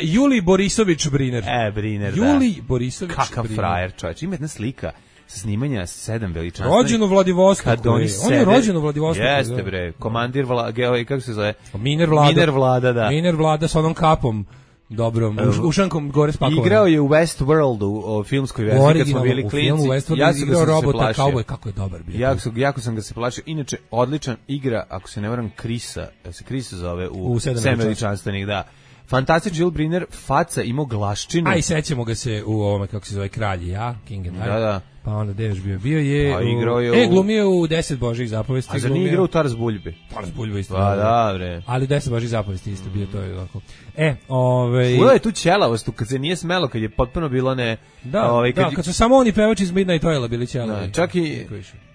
Juli Borisović Briner. Briner, Juli Borisović Briner. Kakav frajer, čovječ, ima jedna slika sa snimanja 7 veličanstvenih. Rođen u Vladivostoku. On je rođen u Vladivostoku. Jeste bre, komandir kako se zove? Miner Vlada, da. Miner Vlada sa onom kapom. Dobro, ušankom gore spakovano. Igrao je u Westworldu, o filmskoj verziji, kad smo bili klinci. Ja sam igrao robota Cowboy, kako je dobar bio. Jako sam ga se plašio. Inače, odličan igra, ako se ne varam, Krisa zove u 7 veličanstvenih, da. Fantastičan Jul Briner, faca, imao glaščinu. I sećamo ga se u ovome, kako se zove, Kralji, King and I. Da. Pa onda gde još bio je... Pa igrao je glumio u 10 Božjih zapovesti. A za nije igrao u Taras Buljbi? Taras Buljba isto. Pa da, bre. Ali 10 Božjih zapovesti isto bio, to je ovako. Ula je tu ćelavost, kad se nije smelo, kad je potpuno bilo ne... kad su samo oni pevači iz Midnight Oila bili ćelavi.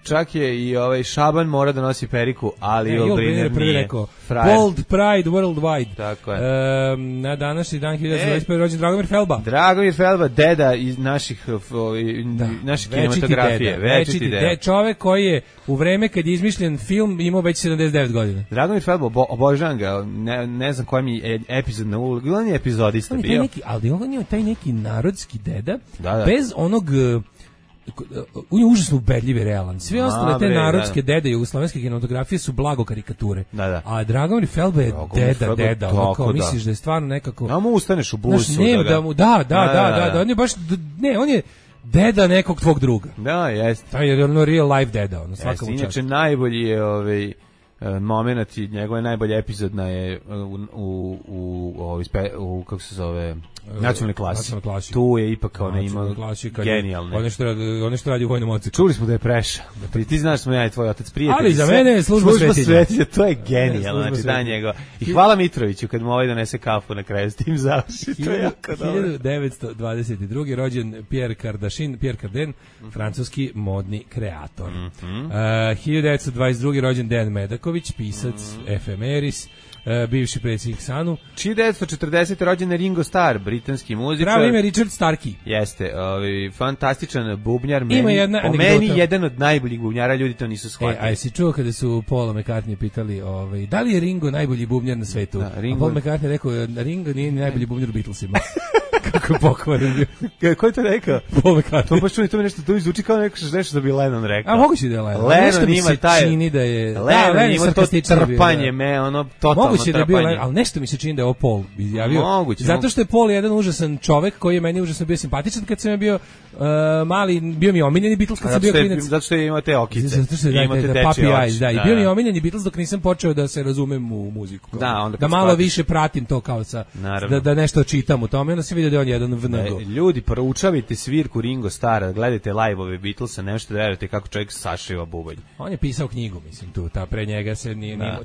Čak je i Šaban mora da nosi periku, ali Jul Briner nije. Bold Pride Worldwide. Tako je. Na današnji dan 1925. rođen Dragomir Felba. Dragomir Felba, deda iz naših kinematografije. Večiti deda. Čovek koji je u vreme kad je izmišljen film imao već 79 godina. Dragomir Felba, obožavam ga, ne znam koja mi je epizod na ulogu, on je epizodista bio. Ali on je taj neki narodski deda, bez onog... On je užasno ubedljiv i realan. Sve ostale te narodske dede jugoslovenske kinematografije su blago karikature. A Dragomir Felba je deda. Kao misliš da je stvarno nekako... Da mu ustaneš u busu. Da. On je baš... Ne, on je deda nekog tvog druga. Da, jeste. To je ono real life deda. Inače najbolji je moment i njegove najbolje epizodna je u kako se zove nacionalnoj klasi. Tu je ipak ona ima genijalne. One što radi u vojnom odseku. Čuli smo da je Preša. Ti znaš smo ja i tvoj otac prijatelji. Ali za mene je služba svetilja. To je genijalno. Znači da njega. I hvala Mitroviću kad mu ovaj donese kafu na kraju s tim završi. To je jako dobro. 1922. rođen Pierre Cardin, francuski modni kreator. 1922. rođen Dejan Medaković, pisac, efemeris, bivši predsjednik SANU. 1940. rođen Ringo Starr, britanski muzičar. Pravo ime Richard Starkey. Jeste, fantastičan bubnjar, meni jedan od najboljih bubnjara, ljudi to nisu shvatili. A jesi čuo kada su Paula McCartney pitali, da li je Ringo najbolji bubnjar na svetu? Da, a Paul McCartney rekao, Ringo nije ni najbolji bubnjar u Beatlesima. Kako je pokvaren. Ko je to rekao? Paul McCartney. To baš čuli, to mi nešto zvuči kao nešto da bi Lennon rekao. A moguće da je Lennon. Lennon ima taj... čini da je... Lennon ima to trpanje, totalno moguće da je bio Lennon, ali nešto mi se čini da je ovo Paul izjavio. Moguće. Zato što je Paul jedan užasan čovek koji je meni užasno bio simpatičan kad sam je bio mali, bio mi omiljeni Beatles kad sam bio klinac. Zato što je imao te okice. Zato što je puppy eyes, da. I bio mi je omiljeni Beatles dok nisam počeo da se razumem u muziku. Da malo više pratim to kao sa... Da nešto čitam u tome. Onda se vidio da je on jedan vnego. Ljudi, proučavajte svirku Ringo Starra, gledajte live-ove Beatlesa, nešto da verujete kako čovjek sašiva bubanj. On je pisao knjigu, mislim, tu, pre njega se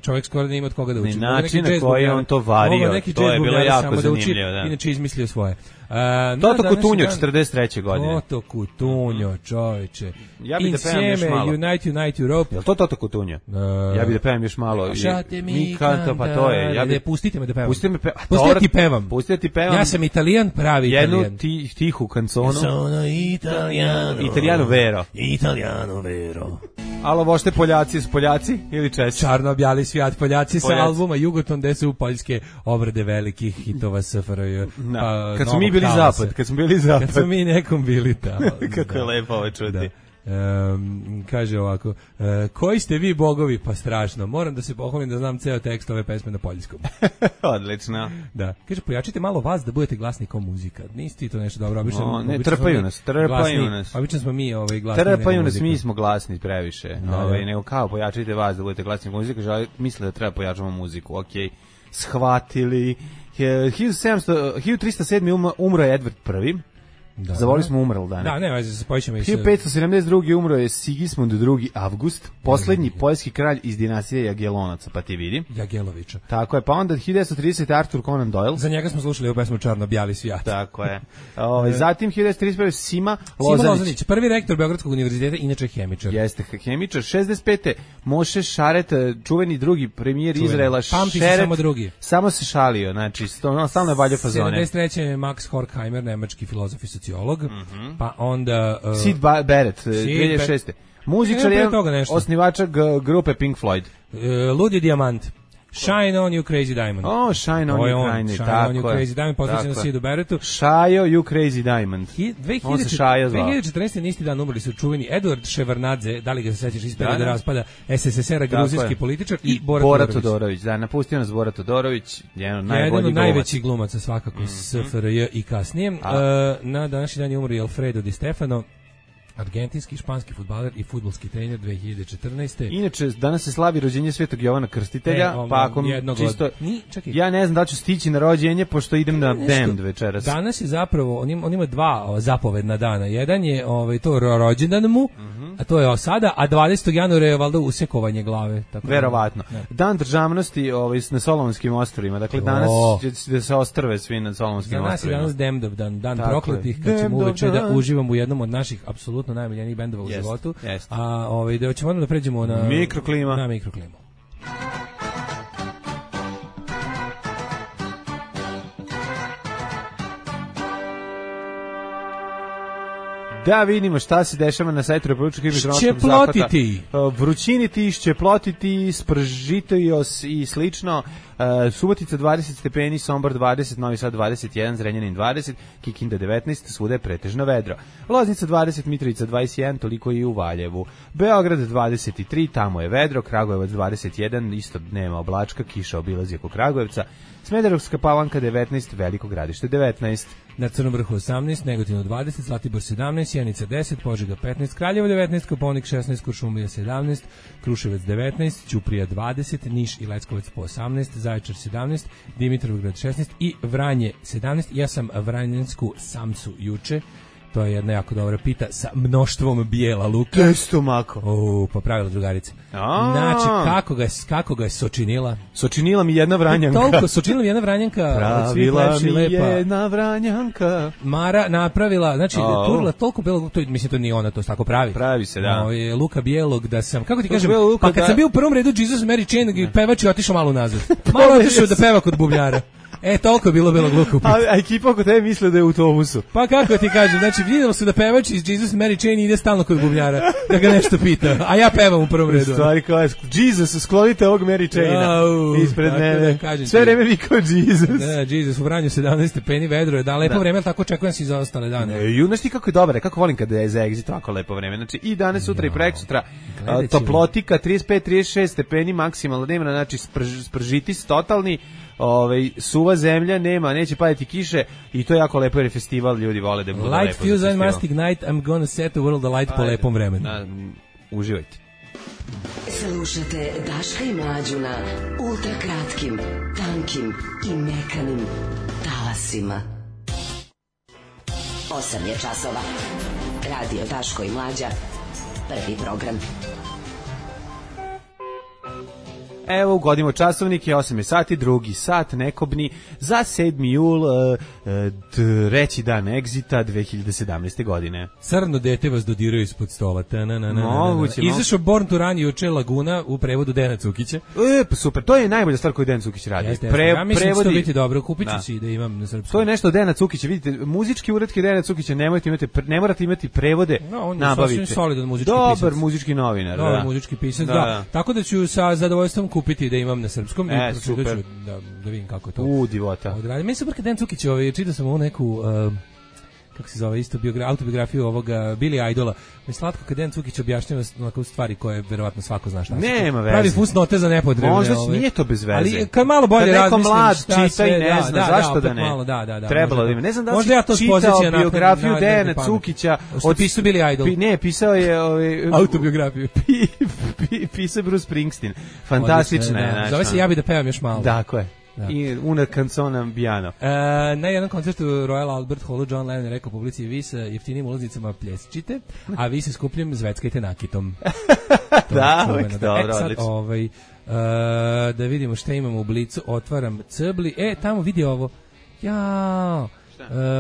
čovjek skoro nije imao od koga da uči. Način na koji je on to vario, to je bilo jako zanimljivo. Inače izmislio svoje. Toto Kutunjo, 43. godine. Toto Kutunjo, čoveče. Ja bih da pevam još malo. Unite Europe. Jel to Toto Kutunjo? Ja bih da pevam još malo. Šate mi kanta, pa to je. Pustite me da pevam. Pustite da ti pevam. Ja sam Italijan, pravi Italijan. Jednu tihu kanconu. Sono Italiano vero. Alo, vošte Poljaci, su Poljaci ili Česi? Čarno-bjali svijet, Poljaci sa albuma Jugoton, gde su poljske obrade velikih hitova SFRJ. Kad smo mi bili zapad. Kad smo mi nekom bili tamo. Kako je lepo ovo čuti. Kaže ovako, koji ste vi bogovi? Pa strašno, moram da se pohvalim da znam ceo tekst ove pesme na poljskom. Odlično. Da, kaže, pojačite malo vas da budete glasni kao muzika. Nisi ti to nešto dobro? Trpaju nas. Obično smo mi glasni. Trpaju nas, mi smo glasni previše. Nego kao pojačite vas da budete glasni kao muzika, misle da treba pojačamo muziku. Okej, shvatili. 1307. umro je Edward I. Zavolili smo umrl dane. Da, ne, se pojićemo i 1572. umro je Sigismund II. Avgust, poslednji poljski kralj iz dinastije Jagelonaca, pa ti vidi. Jagelovića. Tako je, pa onda 1930. Arthur Conan Doyle. Za njega smo slušali ovu pesmu Čarno-bjali svijet. Tako je. Zatim 1931. Sima Lozanić. Prvi rektor Beogradskog univerziteta, inače hemičar. Jeste, hemičar. 65. Moše Šaret, čuveni drugi premijer Izraela. Pamti se samo drugi. Samo se šalio, znači, stalno je valjao fazone. 73. Max Horkheimer, nemački filozof i sociolog, pa onda... Sid Barrett, 2006. Muzičar je osnivača grupe Pink Floyd. Ludi Dijamant. Shine on you crazy diamond. Shine on you crazy diamond, posvećen na Sidu Barrettu. Shayo you crazy diamond. 2014. isti dan umrli su čuveni Eduard Ševarnadze, da li ga se sećaš iz perioda raspada SSSR-a, gruzijski političar, i Bora Todorović. Da, napustio nas Bora Todorović, jedan od najvećih glumaca svakako SFRJ i kasnije. Na današnji dan je umro Alfredo Di Stefano, argentinski, španski fudbaler i fudbalski trener 2014. Inače, danas se slavi rođenje Svetog Jovana Krstitelja, pa ako čisto... Ja ne znam da ću stići na rođenje, pošto idem na Damned večeras. Danas je zapravo, on ima dva zapovedna dana. Jedan je to rođendan mu, a to je sada, a 20. januara je valjda usekovanje glave. Tako verovatno. Da. Dan državnosti na Solomonskim ostrvima. Dakle, danas će da se ostrve svi na Solomonskim ostrvima. Danas je danas Damned dan prokletih, kad ćemo uveče da uživamo u jednom od naših apsolutno najmiljenijih bendova u životu. A da ćemo da pređemo na Mikroklima. Na Mikroklimu. Da vidimo šta se dešava na sajtu Republičkog hidrometeorološkog Ščeplotiti. Vrućiniti, ščeplotiti, spržitojos i slično. Subotica 20 stepeni, Sombor 20, Novi Sad 21, Zrenjanin 20, Kikinda 19, svuda je pretežno vedro. Loznica 20, Mitrovica 21, toliko i u Valjevu. Beograd 23, tamo je vedro, Kragujevac 21, isto nema oblačka, kiša obilazi oko Kragujevca. Smederevska Palanka 19, Veliko Gradište 19. na Crnom Vrhu 18, Negotinu 20, Zlatibor 17, Sjenica 10, Požega 15, Kraljevo 19, Kopaonik 16, Kuršumlija 17, Kruševac 19, Ćuprija 20, Niš i Leskovac po 18, Zaječar 17, Dimitrovgrad 16 i Vranje 17. Ja sam vranjensku samsu juče. To je jedna jako dobra pita sa mnoštvom bijela luka. Testo mako. Popravila drugarica. Znači, kako ga je sočinila? Sočinila mi jedna vranjanka. Sočinila mi jedna vranjanka. Pravila mi jedna vranjanka. Mara napravila, znači, turila toliko bijelog, mislim, to nije ona, to tako pravi. Pravi se, da. Luka bijelog, da sam, kako ti kažem, pa kad sam bio u prvom redu Jesus Mary Chain, pevač je otišao malo nazad. Malo otišao da peva kod bubnjara. Toliko je bilo belog luka u pitanju. A ekipa oko tebe misle da je u autobusu. Pa kako ti kažem, znači vidjelo se da pevač iz Jesus Mary Chain ide stalno kod bubnjara, da ga nešto pita, a ja pevam u prvom redu. Stvari kao, Jesus, sklonite ovog Mary Chaina ispred mene. Sve vreme vi kao Jesus. Da, Jesus, u Vranju 17 stepeni, vedro je, da, lepo vreme, ali tako očekujem se i za ostale dane. Znaš ti kako je dobro, kako volim kada je za exit ovako lepo vreme. Znači i danas, sutra i preksutra, toplotika, 35-36 stepeni maksimalno dnevna, znači spržitis totalni. Suva zemlja, neće padati kiše i to je jako lepo jer je festival, ljudi vole da bude lepo. Light fuse I must ignite, I'm gonna set the world alight po lepom vremenu. Uživajte. Slušate Daška i Mlađu na ultra kratkim, tankim i mekanim talasima. 8 je časova. Radio Daško i Mlađa. Prvi program. Evo, ugodimo časovnike, 8 sati, drugi sat, nekobni, za 7. jul, treći dan egzita 2017. godine. Crno dete vas dodiraju ispod stola. Moguće. Izašao Born to Run juče Laguna u prevodu Dena Cukića. Pa super, to je najbolja stvar koju Dejan Cukić radi. Ja mislim da će to biti dobro, kupit ću si da imam na srpskom. To je nešto Dena Cukića, vidite, muzički uretke Dena Cukića ne morate imati prevode, nabavite. On je solidan muzički pisac. Dobar muzički novinar. Dobar muzički pisac, da. Tako da ću sa zadovoljstvom kupiti da imam na srpskom i super. Da vidim kako je to. Divota. Meni super kad Dejan Cukić, čitao sam ovu neku kako se zove, isto autobiografiju ovoga Billy Idola. Mi slatko kad Dejan Cukić objašnjava onako stvari koje verovatno svako zna šta. Nema veze. Pravi fusnote za nepotrebne. Možda nije to bez veze. Ali kad malo bolje razmislim, mlad čita i ne zna zašto da ne. Malo, trebalo da ima. Ne znam da li si čitao biografiju Dejana Cukića. Pisao Billy Idol. Ne, pisao je autobiografiju. Pisao Bruce Springsteen. Fantastična je. Zove se Ja bi da pevam još malo. Tako je. I una canzona piano. Na jednom koncertu Royal Albert Hallu John Lennon je rekao publici: vi sa jeftinim ulaznicama plješćite, a vi se skupljim zveckajte nakitom. Da, dobro, odlično. Da vidimo šta imamo u blicu. Otvaram cebli. Tamo vidi ovo. Jao.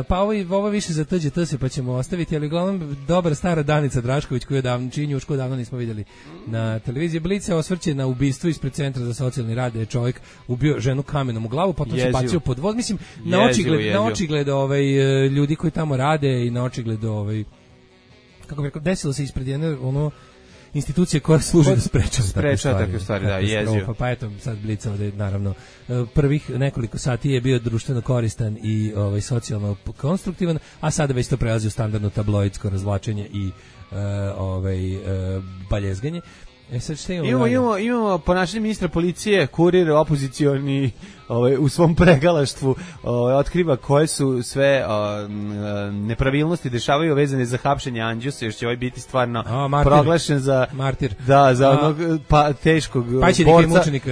Pa ovo više za TGT se pa ćemo ostaviti, ali uglavnom dobra stara Danica Drašković koju čiji njušku davno nismo vidjeli na televiziji. Blice osvrće na ubistvo ispred Centra za socijalni rad, je čovjek ubio ženu kamenom u glavu, potom se bacio pod voz. Mislim, na očigled ljudi koji tamo rade i na očigled kako bi rekao, desilo se ispred jedne institucije koja služi da sprečava takve stvari, da, jezio. Pa eto, sad Blic ovde, naravno, prvih nekoliko sati je bio društveno koristan i socijalno konstruktivan, a sada već to prelazi u standardno tabloidsko razvlačenje i baljezganje. Sad šta imamo ponašanje ministra policije, kurir opozicioni u svom pregalaštvu otkriva koje su sve nepravilnosti dešavaju vezane za hapšenje Anđusa, još će biti stvarno proglašen za martir. Da, za onog teškog borca,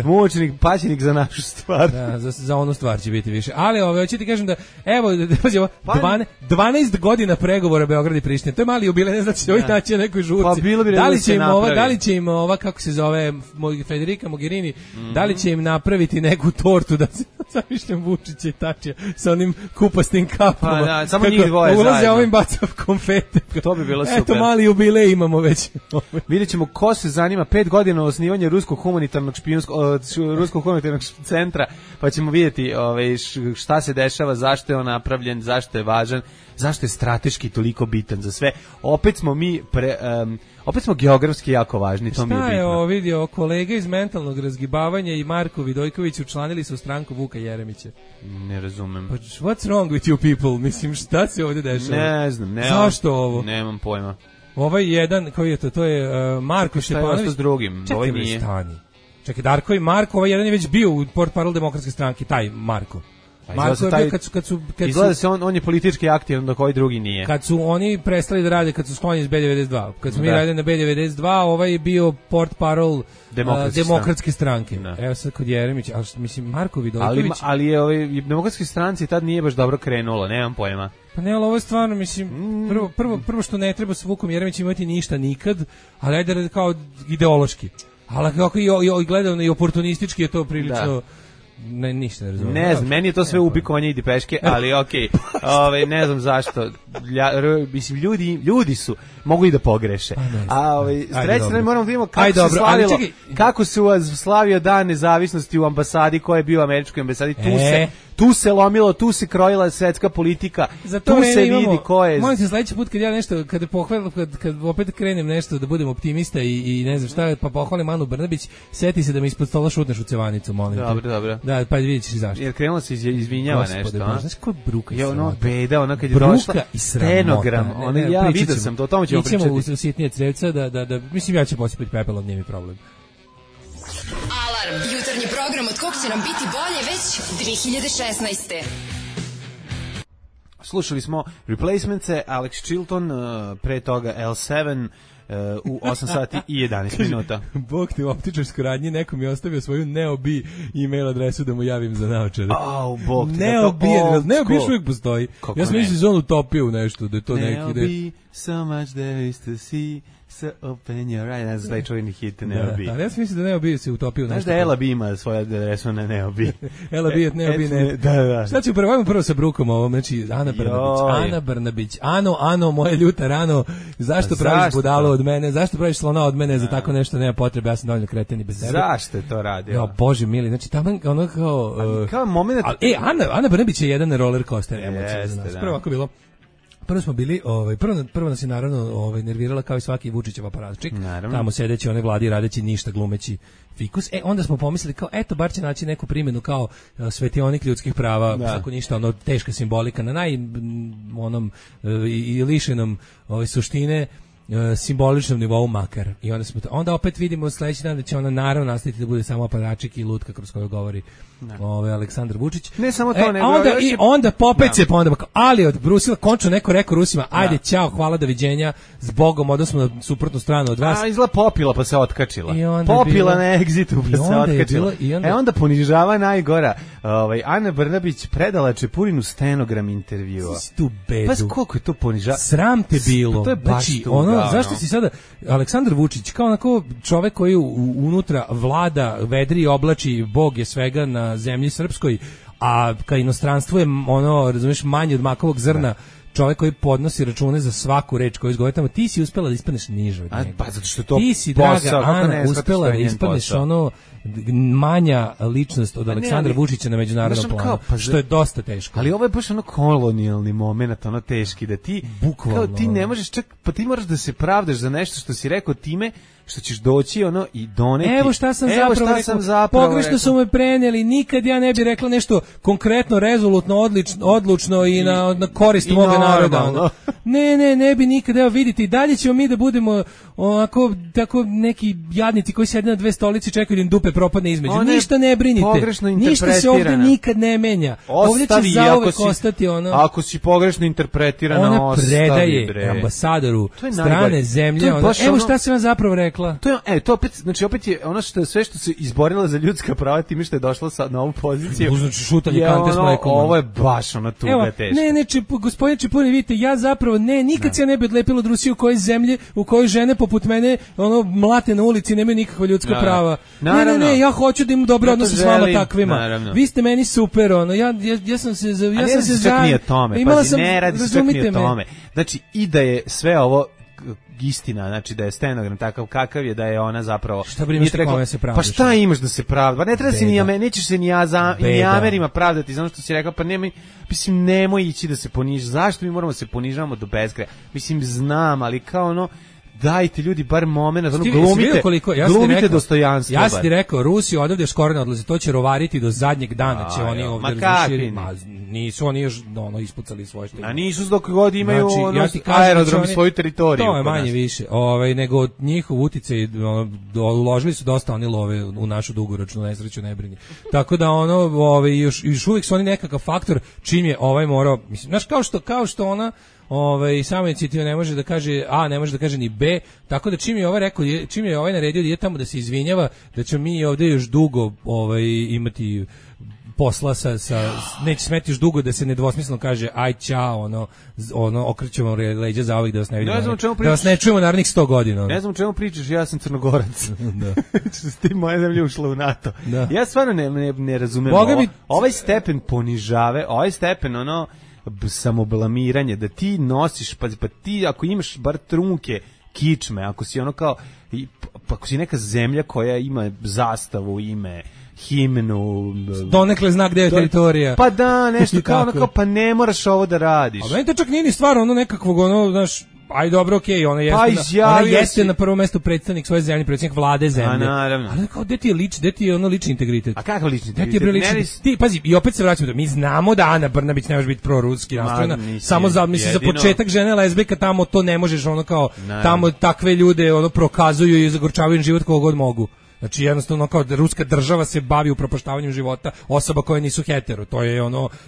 mučenik, paćenik za našu stvar. Da, za onu stvar će biti više. Ali hoću ti kažem da evo 12 godina pregovora Beograd i Priština. To je mali jubilej, ne znači ovih naći na nekoj žurci. Pa bilo bi da li će im ova kako se zove Federica Mogherini, da li će im napraviti neku tortu da se zamišljam Vučića i Tačija sa onim kupastim kapama. Pa da, samo njih dvoje zajedno. Ulaze ovim bacav konfete. To bi bilo super. Eto, mali jubilej imamo već. Vidjet ćemo ko se zanima 5 godina osnivanja Ruskog humanitarnog centra, pa ćemo vidjeti šta se dešava, zašto je on napravljen, zašto je važan, zašto je strateški toliko bitan za sve. Opet smo geografski jako važni, to mi je bitno. Šta je vidio, kolega iz mentalnog razgibavanja i Marko Vidojković učlanili se u stranku Vuka Jeremića? Ne razumem. Pa what's wrong with you people? Mislim, šta se ovdje dešava? Ne znam. Zašto ovo? Nemam pojma. Ovaj jedan, koji je to je Marko Šepanović. Šta je s drugim? Čekaj, nije. Čekaj, Darko i Marko, ovaj jedan je već bio u portparol Demokratske stranke, taj Marko. Marko je bio izgleda se on je politički aktivan dok ovaj drugi nije. Kad su oni prestali da rade, kad su sklonjeni iz B92, kad smo mi radili na B92, ovaj je bio portparol Demokratske stranke. Evo sad kod Jeremića, ali mislim Marko Vidojković. Ali je ovaj Demokratske stranci tad nije baš dobro krenulo, nemam pojma. Pa ne, ali ovo je stvarno, mislim, prvo što ne treba s Vukom Jeremićem imati ništa nikad, ali ajde kao ideološki. Ali kako i gledano i oportunistički je to prilično... Ne, ništa ne razumijem. Ne znam, meni je to sve ubikovanje i dipeške, ali okej. Ne znam zašto. Mislim, ljudi su, mogu i da pogreše. A s treće strane moramo da vidimo kako se slavio dan nezavisnosti u ambasadi, ko je bio u američkoj ambasadi. Tu se lomilo, tu se krojila svetska politika, tu se vidi ko je... Molim te, sledeći put kad ja nešto, kad opet krenem nešto da budem optimista i ne znam šta, pa pohvalim Anu Brnabić, seti se da mi ispod stola šutneš u cevanicu, molim te. Dobro. Da, pa vidjet ćeš zašto. Jer krenula se izvinjava nešto, a? Znaš ko bruka i sramota? Ono beda, ona kad je došla, stenogram, ja vidio sam to, o tome ćemo pričati. Ićemo u sitnije crevca, da, mislim ja ću posipati pepelom, nije mi problem. Alarm, jutarnji program od kog će nam biti bolje već 2016. Slušali smo Replacements-e, Alex Chilton, pre toga L7, u 8 sati i 11 minuta. Bog te u optičarskoj radnji, neko mi je ostavio svoju Neobi email adresu da mu javim za naočare. Bog te. Neobi još uvijek postoji. Ja sam mislio zonu utopio u nešto, da je to neki... Neobi, so much there is to see, so open your eyes. Ne znam, čuveni hit Neobi. Ali ja sam mislio da Neobi se utopio u nešto. Znaš da Ela B ima svoju adresu na Neobi. Ela B, Neobi, ne. Da. Šta ću prvo sa Brukom ovom, znači Ana Brnabić. Ano, moja ljuta rano, zašto praviš budalo od mene, zašto praviš slona od mene, za tako nešto nema potrebe, ja sam dovoljno kreten i bez tebe. Zašto je to radio? Jo, Bože mili, znači tamo ono kao moment... Ana Brnabić je jedan roller coaster emocija za nas. Prvo ako bilo... Prvo smo bili, prvo nas je naravno nervirala kao i svaki Vučićev aparatčik, tamo sedeći one vladi radeći ništa, glumeći fikus. Onda smo pomislili kao, eto, bar će naći neku primjenu kao svetionik ljudskih prava, tako ništa, teška simbolika na onom i lišenom suštine, simboličnom nivou makar. I onda opet vidimo sledeći dan da će ona naravno nastaviti da bude samo aparačik i lutka kroz koju govori Aleksandar Vučić. Ne samo to, nego onda popet se ali od Brusila končno neko rekao Rusima, ajde, ćao, hvala, doviđenja, s Bogom, odnosno na suprotnu stranu od vas. Izla popila pa se otkačila. Popila na egzitu pa se otkačila. Onda ponižava najgora. Ana Brnabić predala Čepurinu stenogram intervjua. Pa koliko je to ponižava? Sram te bilo. To je baš zašto si sada Aleksandar Vučić kao onako čovek koji unutra vlada, vedri i oblači, Bog je svega na zemlji srpskoj, a ka inostranstvu je razumiješ, manje od makovog zrna, čovek koji podnosi račune za svaku reč koju izgovori tamo, ti si uspela da ispadneš niže od njega. Pa zato što to ti si, draga Ana, uspela da ispadneš manja ličnost od Aleksandra Vučića na međunarodnom planu, što je dosta teško. Ali ovo je baš kolonijalni moment, teški, da ti bukvalno, kao ti ne možeš čak, pa ti moraš da se pravdaš za nešto što si rekao time što ćeš doći i doneti. Evo šta sam zapravo pogrešno su me preneli, nikad ja ne bih rekla nešto konkretno, rezolutno, odlučno i na korist moga naroda. Ne bi nikad, evo vidite, i dalje ćemo mi da budemo onako, tako neki jadnici koji sede na dve stolici čekaju da im dupe propadne između. Ništa ne brinite, ništa se ovdje nikad ne menja. Ovdje će zauvek ostati ako si pogrešno interpretirana, ona predaje ambasadoru strane zemlje. Evo šta sam vam zapravo rekla. To opet je ono što sve što se izborila za ljudska prava time što je došla na ovu poziciju. Znači šutanje kante s mlekom. Ovo je baš tuga teška. Gospodine Čepurin, vidite, ja zapravo nikad se ne bi odlepila od Rusije u kojoj žene poput mene mlate na ulici, nemaju nikakva ljudska prava. Ne, ja hoću da imam dobre odnose s vama takvima. Vi ste meni super, ja sam se ne radi se čak ni o tome. Znači i da je sve ovo istina, znači da je stenogram takav kakav je, da je ona zapravo... Šta brineš kome se pravdaš? Pa šta imaš da se pravda? Pa ne treba se nećeš se ni Amerima pravdati za ono što si rekao, pa nemoj ići da se ponižaš. Zašto mi moramo se ponižavamo do beskraja? Mislim, znam, ali kao dajte ljudi bar momenat, glumite dostojanstvo. Ja sam ti rekao, Rusi odavde skoro ne odlaze, to će rovariti do zadnjeg dana, će oni ovdje razrušiti. Nisu oni još ispucali svoje što imaju. A nisu dok god imaju aerodrom i svoju teritoriju. To je manje više. Nego njihov uticaj, uložili su dosta oni love u našu dugoročnu nesreću, ne brini. Tako da još uvijek su oni nekakav faktor čim je morao, mislim, znaš, kao što ona sama inicijativa ne može da kaže A, ne može da kaže ni B, tako da čim je ovaj naredio da ide tamo da se izvinjava, da ćemo mi ovdje još dugo imati posla neće smeti još dugo da se nedvosmisleno kaže aj ćao, okrećemo leđa za ovih da vas ne vidimo, da vas ne čujemo narednih 100 godina. Ne znam o čemu pričaš, ja sam Crnogorac. Što ste moja zemlja ušla u NATO. Da. Ja stvarno ne razumem ovaj stepen ponižave, ovaj stepen samoblamiranje, da ti nosiš, pa ti ako imaš bar trunke kičme, ako si ako si neka zemlja koja ima zastavu, ime, himnu, donekle znak gde je teritorija. Pa da, nešto kao pa ne moraš ovo da radiš. A meni to čak nije ni stvar nekakvog, znaš, aj dobro, okej, ona jeste na prvo mesto predstavnik svoje zemlje, predstavnik vlade zemlje. Ali kao, gde ti je lični integritet? A kakav lični integritet? Ti, pazi, i opet se vraćamo, mi znamo da Ana Brnabić ne može biti proruski nastrojena, samo za početak žene lezbijka tamo to ne možeš, tamo takve ljude prokazuju i zagorčavaju život koga god mogu. Znači jednostavno kao da ruska država se bavi upropaštavanjem života osoba koje nisu hetero, to je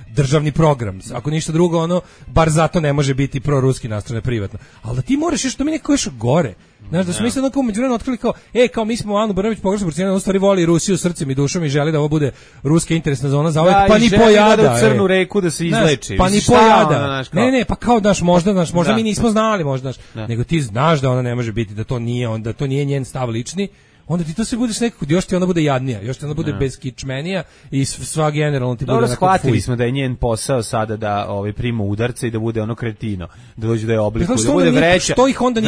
državni program. Ako ništa drugo, bar zato ne može biti proruski nastrojena privatno. Ali da ti moraš još, to mi neko još gore. Znaš, da smo mi sad kao međuvremenu otkrili kao mi smo Anu Brnabić pogrešno procenili, u stvari voli Rusiju srcem i dušom i želi da ovo bude ruska interesna zona za ovaj, pa ni pojada. Da u Crnu reku da se izleči. Pa ni pojada. Ne, pa kao možda mi nismo znali, možda, nego ti znaš da ona ne može biti, da to nije njen stav lični. Onda ti to se budeš nekako, još ti ona bude jadnija, još ti ona bude beskičmenija i sva generalno ti bude onako fuj. Dobro, shvatili smo da je njen posao sada da prima udarce i da bude kretino, da dođe da je obliku, da bude vreća. Što ih onda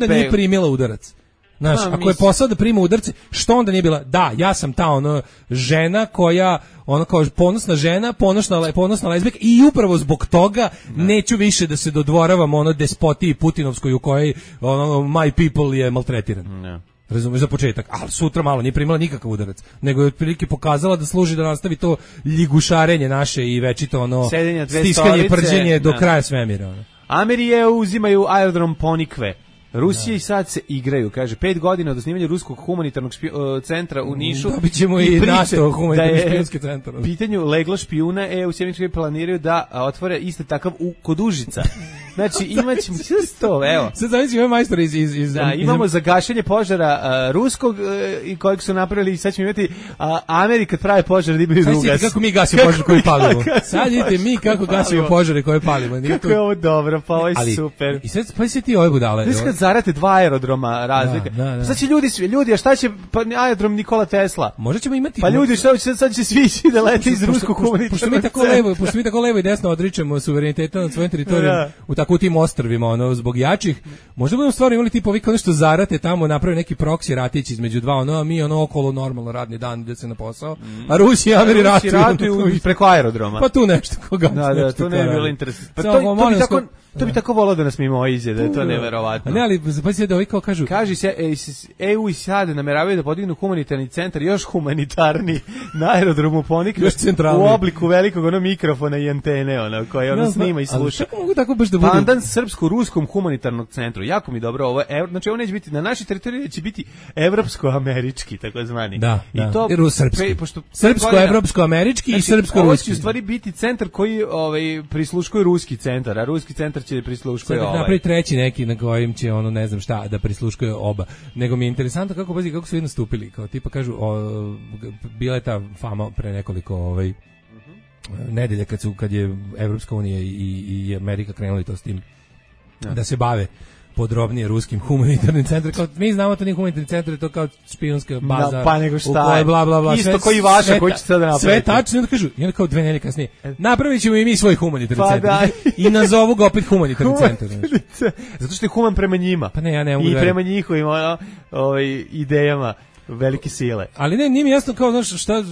nije primila udarac? Znaš, ako je posao da prima udarce, što onda nije bila? Da, ja sam ta žena koja, kao ponosna žena, ponosna lezbijka i upravo zbog toga neću više da se dodvoravam despotiji Putinovskoj u kojoj my people je maltretiran. Ne. Razumeš, za početak, ali sutra malo nije primila nikakav udarac, nego je otprilike pokazala da služi da nastavi to ligušarenje naše i večito stiskanje i prđenje do kraja svemira. Amerije uzimaju aerodrom Ponikve. Rusija i sad se igraju, kaže, 5 godina od osnivanja ruskog humanitarnog centra u Nišu. Dobit ćemo i NATO humanitarni špijunski centar. U pitanju leglo špijuna, u Sjemičkoj planiraju da otvore isto takav kod Užica. Znači, imaćemo čisto, evo. Sad zavisi ovaj majstor iz imamo za gašenje požara ruskog i kojeg su napravili, sad ćemo imati Amerika prave požar da imaju drugas. Sad kako mi gasimo požar koji palimo. Sad vidite mi kako gasimo požare koje palimo. Kako je ovo dobro, pa ovo je super. I sad, pa si ti ove budale. Zarate 2 aerodroma razlike. Sad će ljudi, a šta će aerodrom Nikola Tesla? Možda ćemo imati. Pa ljudi, sad će svi ići da lete iz ruskog humanitarnog. Pošto mi tako levo i desno odričemo suvereniteta nad svojim teritorijom u tim ostrvima, zbog jačih, možda budemo stvarno imali tipa ovih nešto zarate tamo, napravi neki proksi ratić između dva, a mi okolo normalno radni dan ide se na posao, a Rusi i Ameri ratuju preko aerodroma. Pa tu nešto koga. Da, to ne bi bilo interesantno. Pa to bi tako volao da nas mimo iđe, da je to neverovatno. Ne, ali pa se da ovi kao kažu. Kaže se EU i sad nameravaju da podignu humanitarni centar, još humanitarni na aerodromu Ponikve u obliku velikog mikrofona i antene, koja snima i sluša. Kako mogu tako baš da budu? Pandan srpsko-ruskom humanitarnog centru. Jako mi dobro ovo. Znači ovo neće biti na našoj teritoriji, će biti evropsko-američki, takozvani. Da, i to srpsko-evropsko-američki i srpsko-ruski. Ovo će u stvari biti centar koji prisluškuje ruski centar, a ruski centar će prisluškuje ovaj. Sad napravi treći neki na kojem će ne znam šta da prisluškuje oba. Nego mi je interesantno kako su vi nastupili, kao tipa kažu bila je ta fama pre nekoliko nedelja kad je Evropska unija i Amerika krenuli to s tim da se bave podrobnije ruskim humanitarnim centrom. Kao, mi znamo to nije humanitarni centar, to kao špijunska baza. Pa nego šta je? Bla, bla, bla, isto koji vaša, koji će sada napraviti. Sve tačno, i onda kao 2 nedelje kasnije. Napravit ćemo i mi svoj humanitarni centar. I nazovu ga opet humanitarni centar. Zato što je human prema njima. Pa ne, ja ne mogu i prema njihovim idejama. velike sile. Ali ne, nije mi jasno kao, znaš, šta,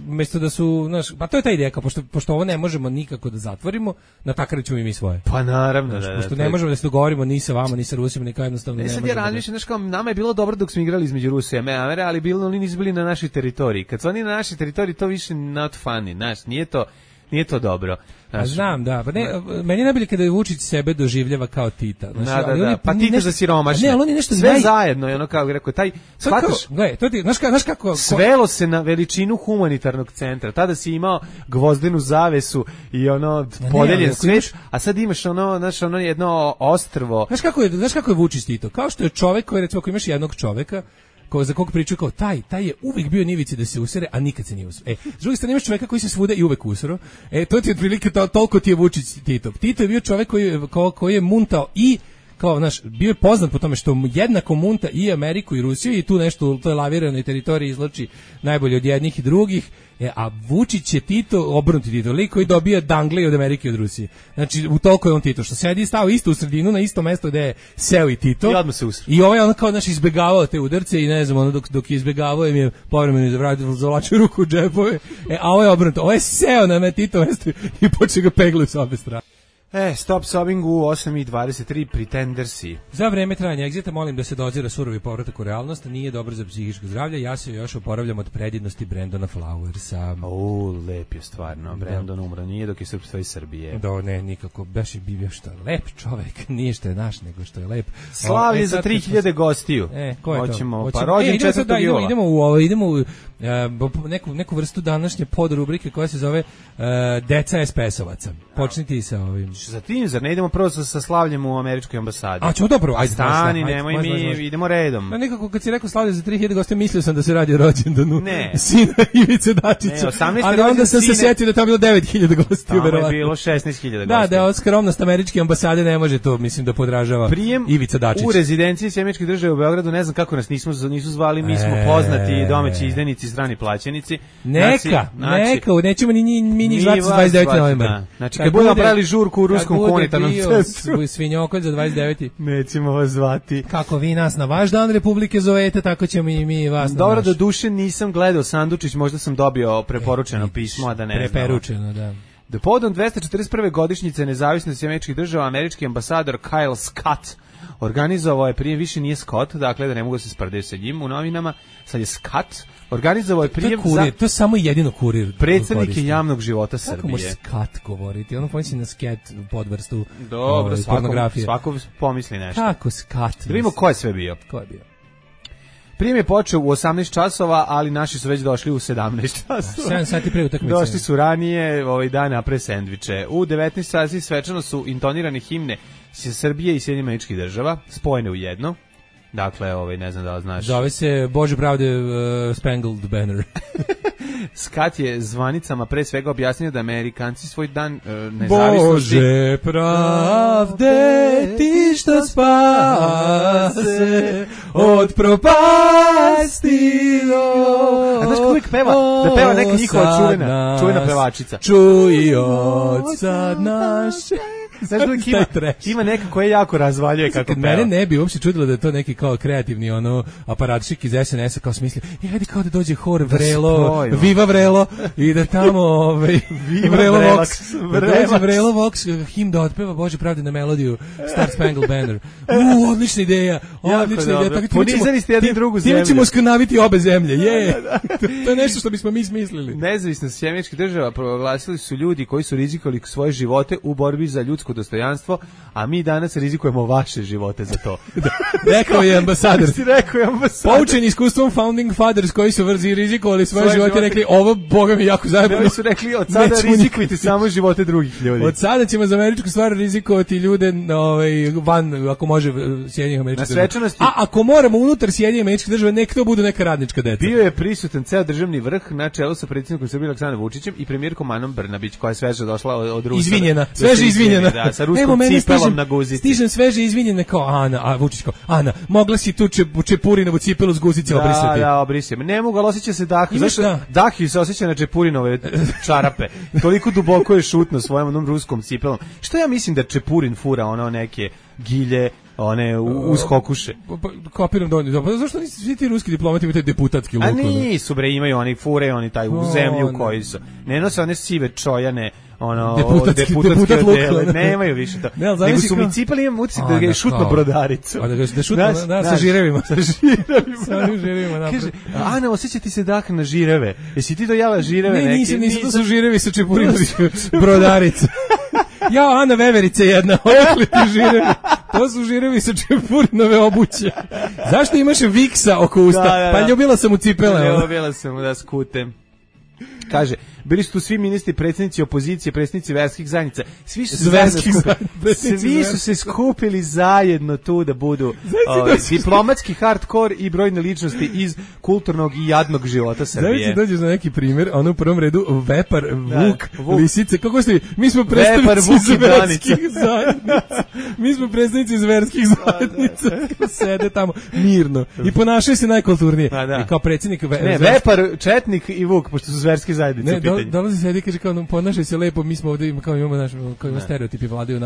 mesto da su, znaš, pa to je ta ideja, kao, pošto ovo ne možemo nikako da zatvorimo, na takav ćemo i mi svoje. Pa naravno, znaš, pošto ne možemo da se dogovorimo ni sa vama, ni sa Rusima, ni kao jednostavno ne sad možemo. Ja razmišljam, znaš, kao, nama je bilo dobro dok smo igrali između Rusije i Amerike, ali bilo oni nisu bili na našoj teritoriji. Kad su oni na našoj teritoriji, to više not funny, znaš, nije to dobro. Znaš, znam, da, pa ne, meni je najbolje kada je Vučić sebe doživljava kao Tita. Znaš, da, pa Tita za siromašne. Ne, ali on je nešto sve zajedno, je ono kao rekao, taj, shvataš, to ti, znaš kako... Svelo se na veličinu humanitarnog centra. Tada si imao gvozdenu zavesu i ono podeljen svet, a sad imaš ono jedno ostrvo. Znaš kako je Vučić Tito? Kao što je čovek koji, recimo, ako imaš jednog čoveka, za koga pričaju kao taj je uvijek bio nivici da se usere, a nikad se nije usere. S druge strane imaš čoveka koji se svuda i uvek usero. To ti je otprilike toliko ti je Vučić Tito. Tito je bio čovek koji je muntao i kao, znaš, bio je poznat po tome što jednako munta i Ameriku i Rusiju i tu nešto u toj laviranoj teritoriji izloči najbolje od jednih i drugih. A Vučić je Tito, obrnuti Tito, lik koji dobija dangle od Amerike i od Rusije. Znači, u toliko je on Tito, što sedi i stao isto u sredinu, na isto mesto gde je seo i Tito. I odmah se usre. I ovaj on kao, znaš, izbegavao te udarce i ne znam, ono dok je izbegavao im je povremeno zavlačio ruku u džepove. A ovo je obrnuto, ovo je seo na me Tito mesto i počeo ga peglu s obe strane. Stop sobbing u 8:23 Pretendersi. Za vreme trajanja egzita molim da se dozira surovi povratak u realnost, nije dobro za psihičko zdravlje, ja se još oporavljam od predivnosti Brandona Flowersa. Lep je stvarno, Brandon umro, nije dok je srpstvo iz Srbije. Da, ne, nikako, baš je bio što je lep čovek, nije što je naš, nego što je lep. Slavlje za 3000 gostiju. Ko je to? Pa rođen 4. jula. Idemo u neku vrstu današnje podrubrike koja se zove Deca SPS-ovaca. Počniti sa ovim. Za tim, zar ne idemo prvo sa slavljem u američkoj ambasadi? A ćemo dobro, ajde. Stani, nemoj mi, idemo redom. Nekako kad si rekao slavlje za 3000 gostiju, mislio sam da se radi o rođendanu sina Ivice Dačića. Ali onda sam se setio da je tamo bilo 9000 gostiju. Tamo je bilo 16.000 gostiju. Da je skromnost američke ambasade ne može to, mislim, da podražava Ivica Dačić. U rezidenciji Sjemeničke države u Beogradu, ne znam kako nas nisu zvali, mi smo poznati domaći izdajnici, strani plaćenici. Neka, nećemo ni njih zvati 29. novembra. Znači, kad budemo pravili žurku u ruskom humanitarnom centru. Svinjokolj za 29. Nećemo vas zvati. Kako vi nas na vaš dan Republike zovete, tako ćemo i mi vas na naš. Dobro, do duše nisam gledao Sandučić, možda sam dobio preporučeno pismo, a da ne znam. Preporučeno, da. Do povodom 241. godišnjice nezavisnosti Američkih država, američki ambasador Kyle Scott organizovao je, prije više nije Scott, dakle da ne mogu se sprdeti sa njim u novinama, sad je Scott, organizovao je prijem za... To je samo jedino kurir. Predstavnike javnog života Srbije. Kako može Scott govoriti? Ono pomisli na sket podvrstu pornografije. Svako pomisli nešto. Kako Scott? Da vidimo ko je sve bio. Ko je bio? Prijem je počeo u 18 časova, ali naši su već došli u 17 časova. 7 sati pre utakmice. Došli su ranije dan napre sendviče. U 19 sati svečano su intonirane himne Srbije i Sjedinjenih Američkih Država, spojene u jedno. Dakle, ne znam da li znaš. Zove se Bože pravde Spangled Banner. Scott je zvanicama pre svega objasnio da Amerikanci svoj dan nezavisnosti... Bože pravde, ti što spase od propasti. A znaš kako uvijek peva? Da peva neka njihova čuvena pevačica. Čuj od sad naše. Znaš da ima neka koja jako razvaljuje kako peva. Mene ne bi uopšte čudilo da je to neki kao kreativni aparatčik iz SNS-a kao smisli, ajde kao da dođe hor Vrelo, Viva Vrelo i da tamo Vrelo Vox, Vrelo Vox him da otpeva Bože pravde na melodiju Star Spangled Banner. Odlična ideja, odlična ideja. Ponizali ste jednu drugu zemlju. Time ćemo skanaviti obe zemlje, to je nešto što bismo mi smislili. Nezavisnost Sjemeničkih država proglasili su ljudi koji su rizikovali svoje živote u borbi za ljudsko dostojanstvo, a mi danas rizikujemo vaše živote za to. Rekao je ambasador. Poučeni iskustvom Founding Fathers koji su rizikovali svoje živote, rekli ovo boga mi jako zajebano. Oni su rekli od sada rizikujte samo živote drugih ljudi. Od sada ćemo za američku stvar rizikovati ljude van, ako može, Sjedinjenih Američkih Država. A ako moramo unutar Sjedinjenih Američkih Država, nek to bude neka radnička deca. Bio je prisutan ceo državni vrh na čelu sa predsjednikom Srbije Aleksandrom Vučićem i premijerkom Anom Brnabić, koja je sveže došla od Rusa. Sveže izvinjena. Da, sa ruskom cipelom na guzici. Stižem sveže izvinjene kao Ana, a Vučić kao Ana, mogla si tu Čepurinovu cipelu s guzice obrisati. Da, obrisati. Ne mogu, ali osjeća se Dahi. Zašto? Dahi se osjeća na Čepurinove čarape. Toliko duboko je šutno svojom onom ruskom cipelom. Što ja mislim da Čepurin fura neke gilje, one uskokuše. Kapiram da oni, pa zašto nisi svi ti ruski diplomati imaju taj deputatski luk? A nisu bre, imaju oni fure, oni taj u zemlju koji su. Ne nose one sive čojane, ono deputatski odele, nemaju više to. Nego su mi cipali, imam utisak da ga je šutno brodaricu. A da šutno, sa žirevima. Sa žirevima. Kaže, Ana, osjeća ti se dah na žireve. Jesi ti dojela žireve neke? Nisam, to su žirevi sa čepurinovih brodarica. Ja, Ana Veverice jedna, odakle ti žirevi? To su žirevi sa čepurinove obuće. Zašto imaš viksa oko usta? Pa ljubila sam u cipele. Ljubila sam da skutem. Kaže, bili su tu svi ministri, predsjednici opozicije, predsjednici verskih zajednica. Svi su se skupili zajedno tu da budu diplomatski hardkor i brojne ličnosti iz kulturnog i jadnog života Srbije. Znači, dođeš na neki primjer, ono u prvom redu Vepar, Vuk, Lisice. Kako ste vi? Mi smo predstavnici iz verskih zajednica. Mi smo predstavnici iz verskih zajednica. Sede tamo mirno i ponašaju se najkulturnije. I kao predsjednik Vepar, Četnik i Vuk, pošto su verske zajednice. Dolazi sedi, kaže kao ponašaj se lepo, mi smo ovdje imamo naš stereotipi vladaju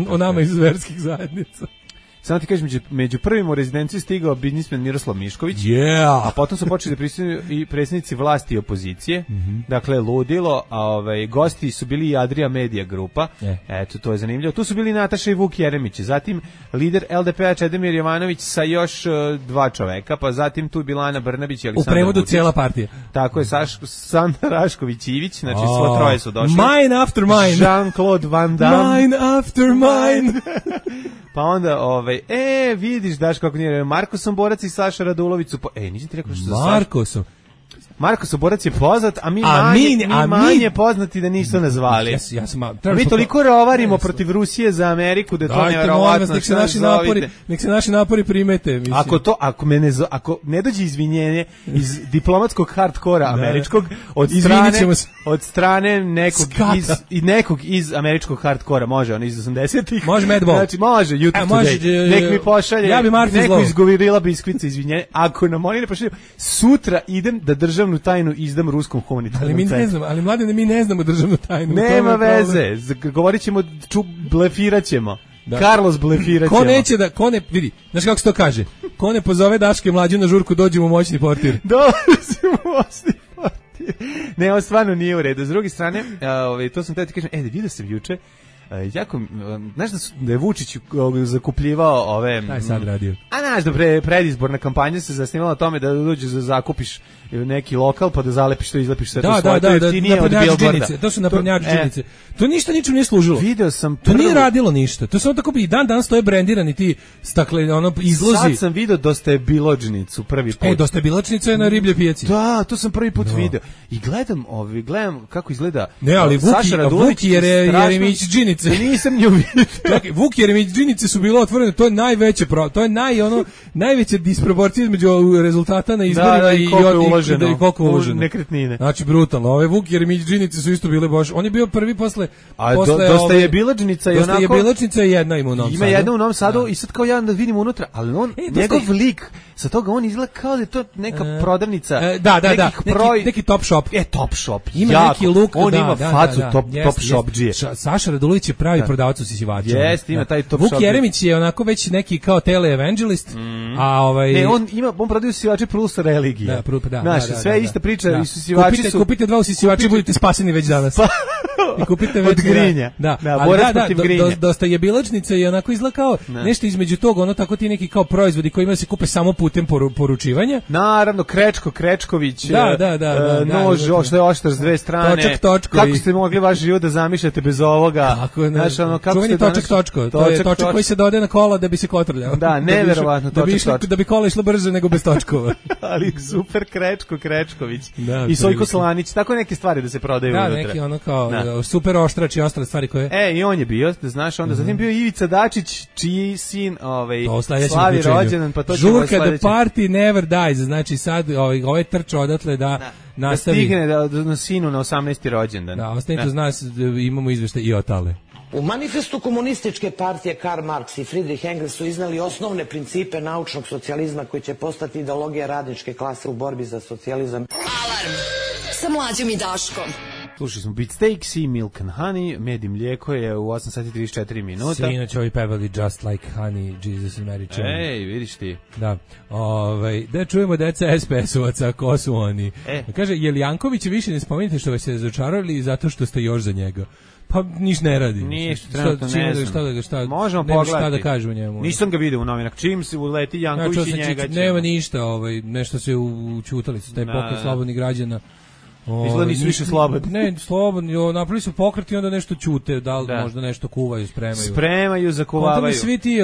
o nama iz verskih zajednica. Samo ti kažem, među prvim u rezidenciju stigao biznismen Miroslav Mišković, a potom su počeli da prisutuju i predsjednici vlasti i opozicije, dakle ludilo, a gosti su bili i Adria Media grupa, eto, to je zanimljivo. Tu su bili Nataša i Vuk Jeremić, zatim lider LDP-a Čedomir Jovanović sa još dva čoveka, pa zatim tu je bila Ana Brnabić i Aleksandar u prevodu Vučić. Cijela partija. Tako je, Sandra Rašković-Ivić, znači svo troje su došli. Mine after mine. Jean-Claude Van Damme. Mine after mine. Pa onda, vidiš, daš kako nije, Marko Somborac i Saša Radulović su, nisam ti rekao što Marko Somborac je poznat, a mi manje poznati da nisu nazvali. Mi toliko rovarimo protiv Rusije za Ameriku da to nevjerovatno. Nek se naši napori primete. Ako ne dođe izvinjenje iz diplomatskog hardkora američkog od strane nekog iz američkog hardkora, može on iz 80-ih. Može Madball. Znači može YouTube Today. Nek mi pošalje neko iz Govirila Biskvica izvinjenje. Ako nam oni ne pošalju, sutra idem da državnu tajnu izdam ruskom humanitarnom centru. Ali mladine, mi ne znamo državnu tajnu. Nema veze, govorit ćemo, blefirat ćemo. Carlos blefirat ćemo. Vidi, znaš kako se to kaže? Ko ne pozove Daške Mlađu na žurku, dođemo u moćni portir. Dođemo u moćni portir. Ne, ovo stvarno nije u redu. S druge strane, to sam te ti kažem, vidio sam juče, jako, znaš da je Vučić zakupljivao ove... Šta je sad radio? A znaš da predizborna kampanja se zasnivala na tome da dođeš da zakupiš neki lokal pa da zalepiš to, izlepiš sve to svoje, to je jeftinije od billboarda. To su naprednjačke džinice. To ništa ničemu nije služilo. Video sam to nije radilo ništa. To samo tako i dan stoje brendirani ti izlozi. Sad sam video Dosta je biločnicu prvi put. Dosta je biločnica je na riblje pijaci. Da, to sam prvi put video. I gledam kako izgleda. Ne, ali Vuk Jeremić džinice. Nisam nju vidio. Čekaj, Vuk Jeremić džinice su bilo otvorene, to je najveće, to je najveća disproporcija između rezultata na izborima i koliko uloženo. Nekretnine. Znači brutalno. Ove Vuk Jeremić džinice su isto bile baš. On je bio prvi posle. Dosta je biločnica i onako. Dosta je biločnica jedna ima u Novom Sadu. Ima jedna u Novom Sadu i sad kao ja da vidim unutra, ali on njegov lik sa toga on izgleda kao da je to neka prodavnica. Neki top shop. Top shop. Ima neki luk, on ima facu top shop džije. Saša Radulović je pravi prodavac u sisivača. Jeste, ima taj top shop. Vuk Jeremić je onako već neki kao tele-evangelist, a Ne, on prodaje sisivače plus religije. Znaš, sve ista priča, isisivači su... Kupite 2 usisivača i budete spaseni već danas. I kupite već... Od grinja. Dosta je biločnica i onako izgleda kao nešto između toga, ono tako ti neki kao proizvodi kojima se kupe samo putem poručivanja. Naravno, Krečković, nož, što je oštar s dve strane. Kako ste mogli vaš život da zamišljate bez ovoga? Čuveni točak. To je točak koji se dodaje na kola da bi se kotrljao. Da, neverovatno točak. Da bi kola išlo brže nego bez točkova. Ali super Krečković. I Sojko Slanić, tako neke stvari da se prodaju unutra. Da, neki ono kao super oštrač i ostale stvari koje... I on je bio, da znaš, onda zatim bio Ivica Dačić, čiji sin slavi rođendan, pa to ćemo sledeće. Žurka the party never dies, znači sad ovaj trčao odatle da nastavi. Da stigne na sinu na 18. rođendan. Da, ostanite uz nas, imamo izveštaj i o tale. U manifestu komunističke partije Karl Marx i Friedrich Engels su iznali osnovne principe naučnog socijalizma koji će postati ideologija radničke klase u borbi za socijalizam. Alarm sa Mlađom i Daškom. Slušali smo Beatsteaks i Milk and Honey, med i mlijeko je u 8 sati 34 minuta. Sinoć ovi pevali Just Like Honey, Jesus and Mary Chain. Ej, vidiš ti. Da. Da čujemo deca SPS-ovaca, ko su oni. Kaže, je li Janković više ne spomenite što vas se razočarali zato što ste još za njega? Pa niš ne radi. Ništa, trenutno ne znam. Možemo pogledati. Šta da kažu o njemu. Nisam ga vidio u novinama. Čim se uleti Janković i njega će... Nema ništa, nešto se učutali su, taj pokret slobodnih građana. Izgleda nisu više slobodni. Ne, slobodni, napravili su pokret i onda nešto ćute, da li možda nešto kuvaju, spremaju. Spremaju, zakuvavaju. Onda svi ti,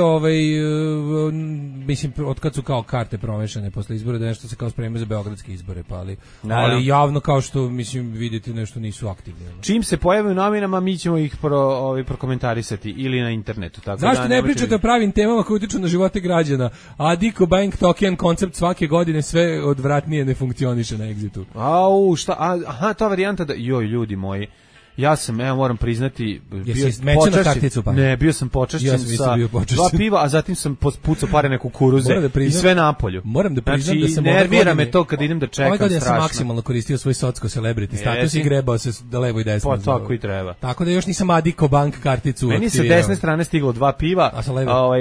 mislim, od kad su kao karte promešane posle izbora, da nešto se kao spremaju za beogradske izbore, pa ali javno kao što, mislim, vidite, nešto nisu aktivni. Čim se pojave u novinama, mi ćemo ih prokomentarisati ili na internetu. Tako zašto ne pričate o pravim temama koje utiču na živote građana? Adiko Bank Token koncept svake godine sve odvratnije ne funkcioniše na Exitu. Au, šta? Aha, ta varijanta da... Joj, ljudi moji, ja sam, moram priznati, bio sam počašćen sa 2 piva, a zatim sam pucao pare na kukuruze i sve napolju. Moram da priznam znači, da sam nervira me to kad idem da čekam strašno. Ove godine sam maksimalno koristio svoj socko celebrity status i grebao se da levo i desno. Pa tako i treba. Tako da još nisam Adiko Bank karticu meni aktivirao. Sa desne strane stiglo 2 piva,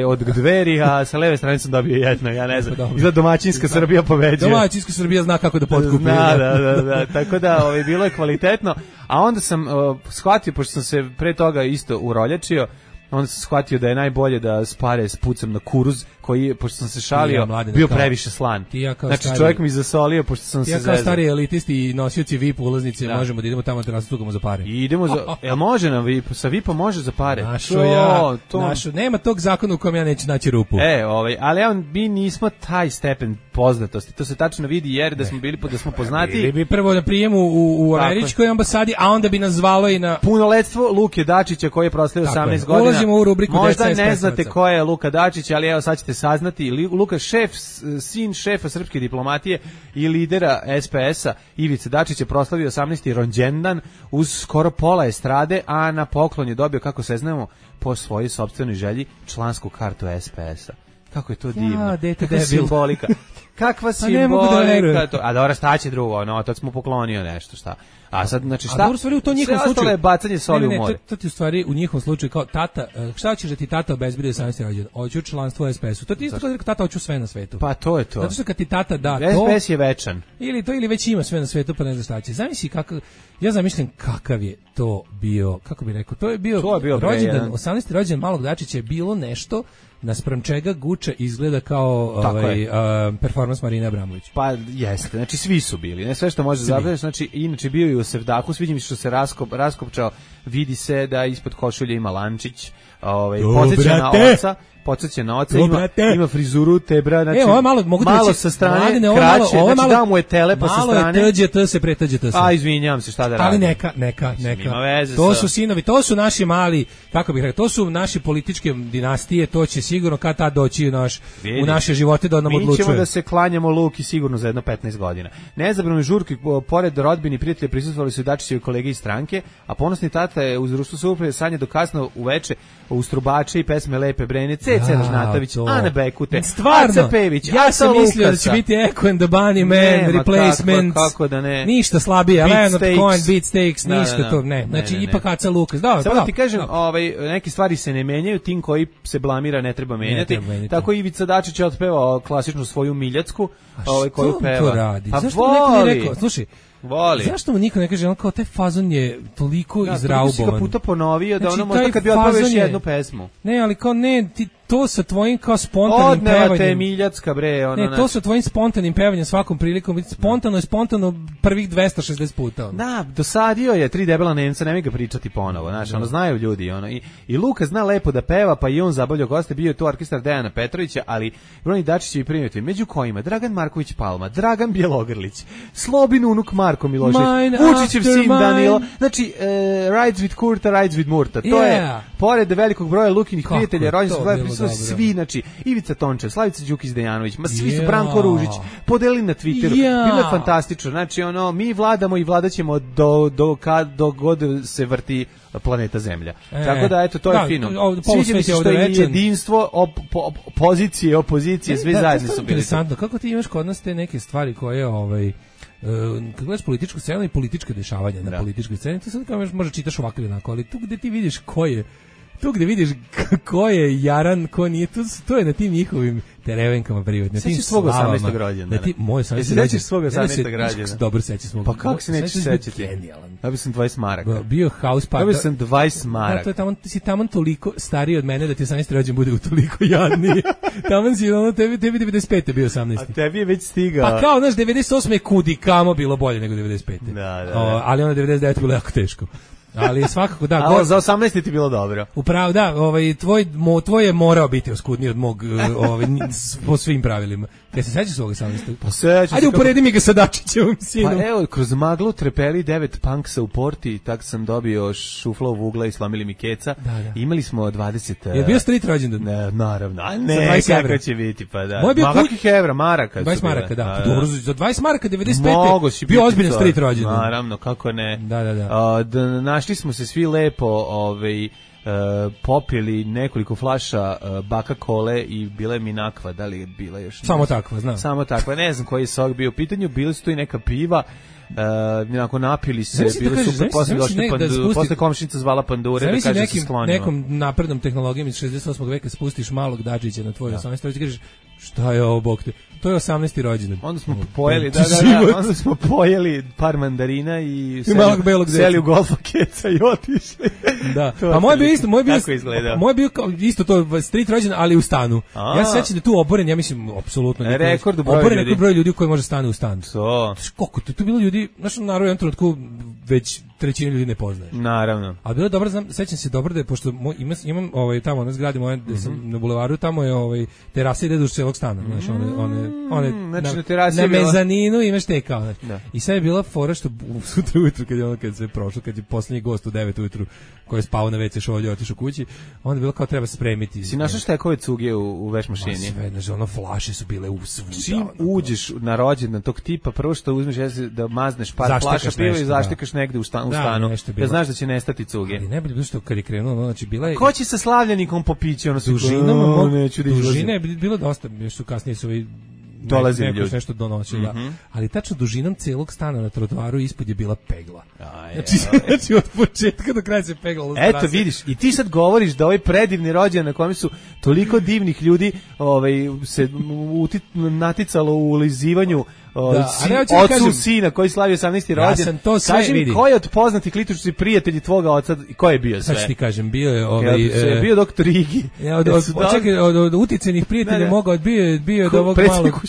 od Dveri, a sa leve strane sam dobio jedno, ja ne znam. Izgleda domaćinska Srbija pobeđuje. Domaćinska Srbija zna kako da potkupi. Da, tako da bilo je kvalitetno, a onda sam shvatio, pošto sam se pre toga isto uroljačio, onda sam shvatio da je najbolje da spare spucam na kuruz, koji, pošto sam se šalio, bio previše slan. Znači, čovjek mi zasolio, pošto sam se zezao. Kao stari elitisti i nosioci VIP ulaznice, možemo da idemo tamo da rastugamo za pare. I idemo jel može nam VIP? Sa VIP-om može za pare? Nema tog zakona u kojem ja neću naći rupu. Ali mi nismo taj stepen poznatosti. To se tačno vidi jer da smo bili, da smo poznati. Bili bi prvo na prijemu u američkoj ambasadi, a onda bi nas zvalo i na... Punoletstvo Luke Dačića koji je proslavio 18 godina. Ulazimo u rubriku možda ne znate ko je Luka Dačić, ali evo sad ćete saznati. Luka, sin šefa srpske diplomatije i lidera SPS-a Ivice Dačić je proslavio 18. rođendan uz skoro pola estrade, a na poklon je dobio, kako se znamo, po svojoj sopstvenoj želji, člansku kartu SPS-a. Kako je to divno. Kakva simbolika. Kakva simbolika. A dobro, šta će drugo? Otac mu poklonio nešto, šta? A sad, znači, šta? A dobro, stvari u to njihovom slučaju je bacanje soli u more. To ti u stvari u njihovom slučaju kao tata, šta ćeš da ti tata obezbedi 18. rođendan? Hoću članstvo u SPS-u. To ti isto kao tata hoću sve na svetu. Pa to je to. Zato što kad ti tata da to, SPS je večan. Ili već ima sve na svetu, pa ne znam šta će. Zamisli kako, ja zamišljam kakav je to bio, kako bih rekao, to je bio rođendan, 18. rođendan malog Dačića je bilo nešto naspram čega Guča izgleda kao performans Marine Abramović. Pa jeste, znači svi su bili, ne sve što može zabrati, znači inače bio i u Sevdahu, sviđa mi što se raskopčao, vidi se da ispod košulje ima lančić, podsjeća na oca, ima frizuru tebra, znači malo sa strane, kraće, znači da mu je telepa sa strane. Malo je TGT se pretađete se. A izvinjavam se, šta da radim. Ali neka. To su sinovi, to su naši mali, kako bih rekao, to su naši političke dinastije, to će sigurno kad tad doći u naše živote da nam odlučuje. Mi ćemo da se klanjamo Luki sigurno za jedno 15 godina. Nezabrano žurki, pored rodbine i prijatelja prisustvovali su i Dačićevi kolege iz stranke, a ponosni tata je uz društvo suprve sanje do kasno uveče uz trubače i pesme Lepe Brene, C.C. Ražnatović, Ana Bekute, Aca Pević, ja sam mislio da će biti Echo and the Bunnymen, Replacements, kako da ne. Ništa slabije, Leonard Cohen, Beatsteaks, ništa to, ne. Znači, ipak Aca Lukas. Samo ti kažem, neke stvari se ne menjaju, tim koji se blamira ne treba menjati. Tako Ivica Dačić je otpevao klasičnu svoju Miljacku, koju peva. To radi? Zašto neko ne rekao? Slušaj, voli. Zašto mu niko ne kaže, kao taj fazon je toliko izraubovan. Ja, toliko si ga puta ponovio da ono možda kad bi otpevao još jednu pesmu. Ne, ali kao ne, to sa tvojim kao spontanim pevanjem. Odneva te Miljacka, bre. Ne, to sa tvojim spontanim pevanjem svakom prilikom. Spontano prvih 260 puta. Da, dosadio je 3 debela Nemca, nemoj ga pričati ponovo. Znaš, znaju ljudi. I Luka zna lepo da peva, pa i on zabavljao goste. Bio je tu orkestar Dejana Petrovića, ali Broni Dačićevi primjetili. Među kojima Dragan Marković Palma, Dragan Bjelogrlić, Slobin unuk Marko Milošević, Vučićev sin Danilo. Znači, Rides with Kurta, Rides with Murta. To je, pored velikog broja Lukinih prijatelja, rođendanskih svi, znači, Ivica Tončev, Slavica Đukić Dejanović, svi su, Branko Ružić, podelili na Twitteru, bilo je fantastično, znači, mi vladamo i vladaćemo do god se vrti planeta Zemlja. Tako da, eto, to je fino. Sviđa mi se što je jedinstvo pozicije, opozicije, svi zajedno su bili. Interesantno, kako ti imaš kod nas te neke stvari koje, kad gledaš političku scenu i političke dešavanja na političkoj sceni, to sad kao možda čitaš ovako ili onako, ali tu gde ti vidiš tu gde vidiš ko je jaran, ko nije, to je na tim njihovim terevenkama privatnim. Sećaš svog 18. rođendana? Moj 18. rođendan. Sećaš svog 18. rođendana? Dobro sećaš svog. Pa kako se nećeš sećati? Genijalan. Ja sam 20 maraka. Bio house party. Ja sam 20 maraka. To je tamo, ti si taman toliko stariji od mene da ti 18. rođendan bude toliko jadniji. Taman si, tebi 95. bio 18. A tebi je već stigao. Pa kao, znaš, 98. je kudi kamo bilo bolje nego 95. Da. Ali ono 99. bilo jako teško. Ali svakako da. Ali za 18 ti bilo dobro. Upravo da, tvoj je morao biti oskudniji od mog po svim pravilima. Kaj se sećaš svog 18? Pa sećam. Ajde uporedi mi ga sa Dačićevom sinom. Pa evo, kroz maglu trepeli 9 punksa u Porti, tak sam dobio šufla u ugla i slomili mi keca. Da. Imali smo 20... Je bio street rođendan? Ne, naravno. A ne, kako će biti, pa da. Moj bio kakvih evra, maraka. 20 maraka, da. Dobro, za 20 maraka 95. Bio ozbiljan street rođendan. Naravno, kako ne. Da. Našli smo se svi lepo, popili nekoliko flaša baka kole i bila je minakva, da li je bila još? Samo takva, znam. Samo takva, ne znam koji je sok bio u pitanju, bili su tu i neka piva, onako napili se, bili su posle komšinica zvala pandure, da kaže se sklonimo. Nekom naprednom tehnologijom iz 68. veka spustiš malog Dačića na tvoj 18. rođendan i kažeš, šta je ovo, bog te? To je 18. rođendan. Onda smo pojeli, onda smo pojeli par mandarina i seli u golfa keca i otišli. Da. A moj bio isto, moj bio isto to street rođendan, ali u stanu. Ja se sećam da tu oboren, ja mislim apsolutno rekord oboren broj ljudi koji može stane u stan. To. Koliko tu bilo ljudi, znači naravno u jednom trenutku već trećinu ljudi ne poznaje. Naravno. A bilo je dobro, sećam se dobro da je, pošto imam tamo na zgradi moje, na bulevaru, tamo je terasa ide duž celog stana, znači na mezaninu imaš te kao, znači. I sad je bila fora što sutra ujutru kad se prošlo, kad je poslednji gost u 9 ujutru koji je spao na WC šolju, otišao kući, onda je bilo kao treba spremiti. Si našao štekove cuge u veš mašini? Sve, znači ono flaše su bile u svuda. Čim uđeš na rođendan tog tipa, prvo što uzmeš jesi da mazneš par flaša piva i zaštikaš negde u stanu. Ja znaš da će nestati cuge. Ali ne bilo što kad je krenulo, znači bila je... Ko će sa slavljenikom popići? Dužina je bilo dosta, još su kasnije su dolazili ljudi. Nešto donosili, ali tačno dužinom celog stana na trotoaru ispod je bila pegla. Znači od početka do kraja se peglalo. Eto vidiš, i ti sad govoriš da ovaj predivni rođendan na kojem su toliko divnih ljudi se naticalo u ulizivanju ocu sina koji slavi 18. rođendan. Kaži mi, ko je od poznatih lituršci prijatelji tvoga oca i ko je bio sve? Sad ću ti kažem, bio je bio doktor Igi. Od uticajnih prijatelja mogao, bio od ovog malog,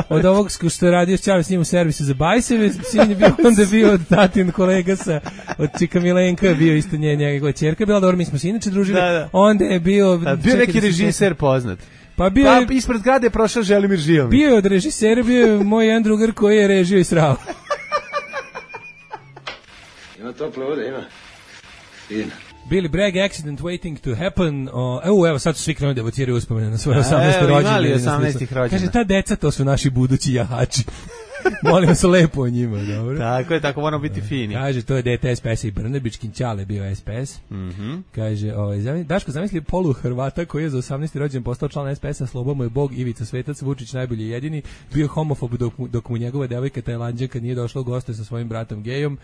od ovog što je radio s Čave s njim u servisu za bajseve, sin je bio, onda je bio od tatin kolega od Čika Milenka, bio isto njegova ćerka, bila dobro, mi smo se inače družili, onda je bio neki režiser poznat. Pa ispred zgrade je prošao Želimir Žilnik. Bio je od režisera, bio je moj jedan drugar koji je režio i srao. Ima tople vode, ima. Fina. Billy Bragg, Accident Waiting to Happen. Evo sad su svi krenuli da evociraju uspomene na svoje 18. rođendan. Kaže, ta deca, to su naši budući jahači. Molim se lepo o njima, dobro. Tako je, tako moramo biti fini. Kaže, to je dete SPS i Brnebićkin Ćale bio SPS. Kaže, Daško, zamisli polu Hrvata koji je za 18. rođendan postao član SPS-a, slobo mu je Bog, Ivica Svetac, Vučić najbolji i jedini, bio homofob dok mu njegova devojka Tajlanđanka nije došla u goste sa svojim bratom gejom.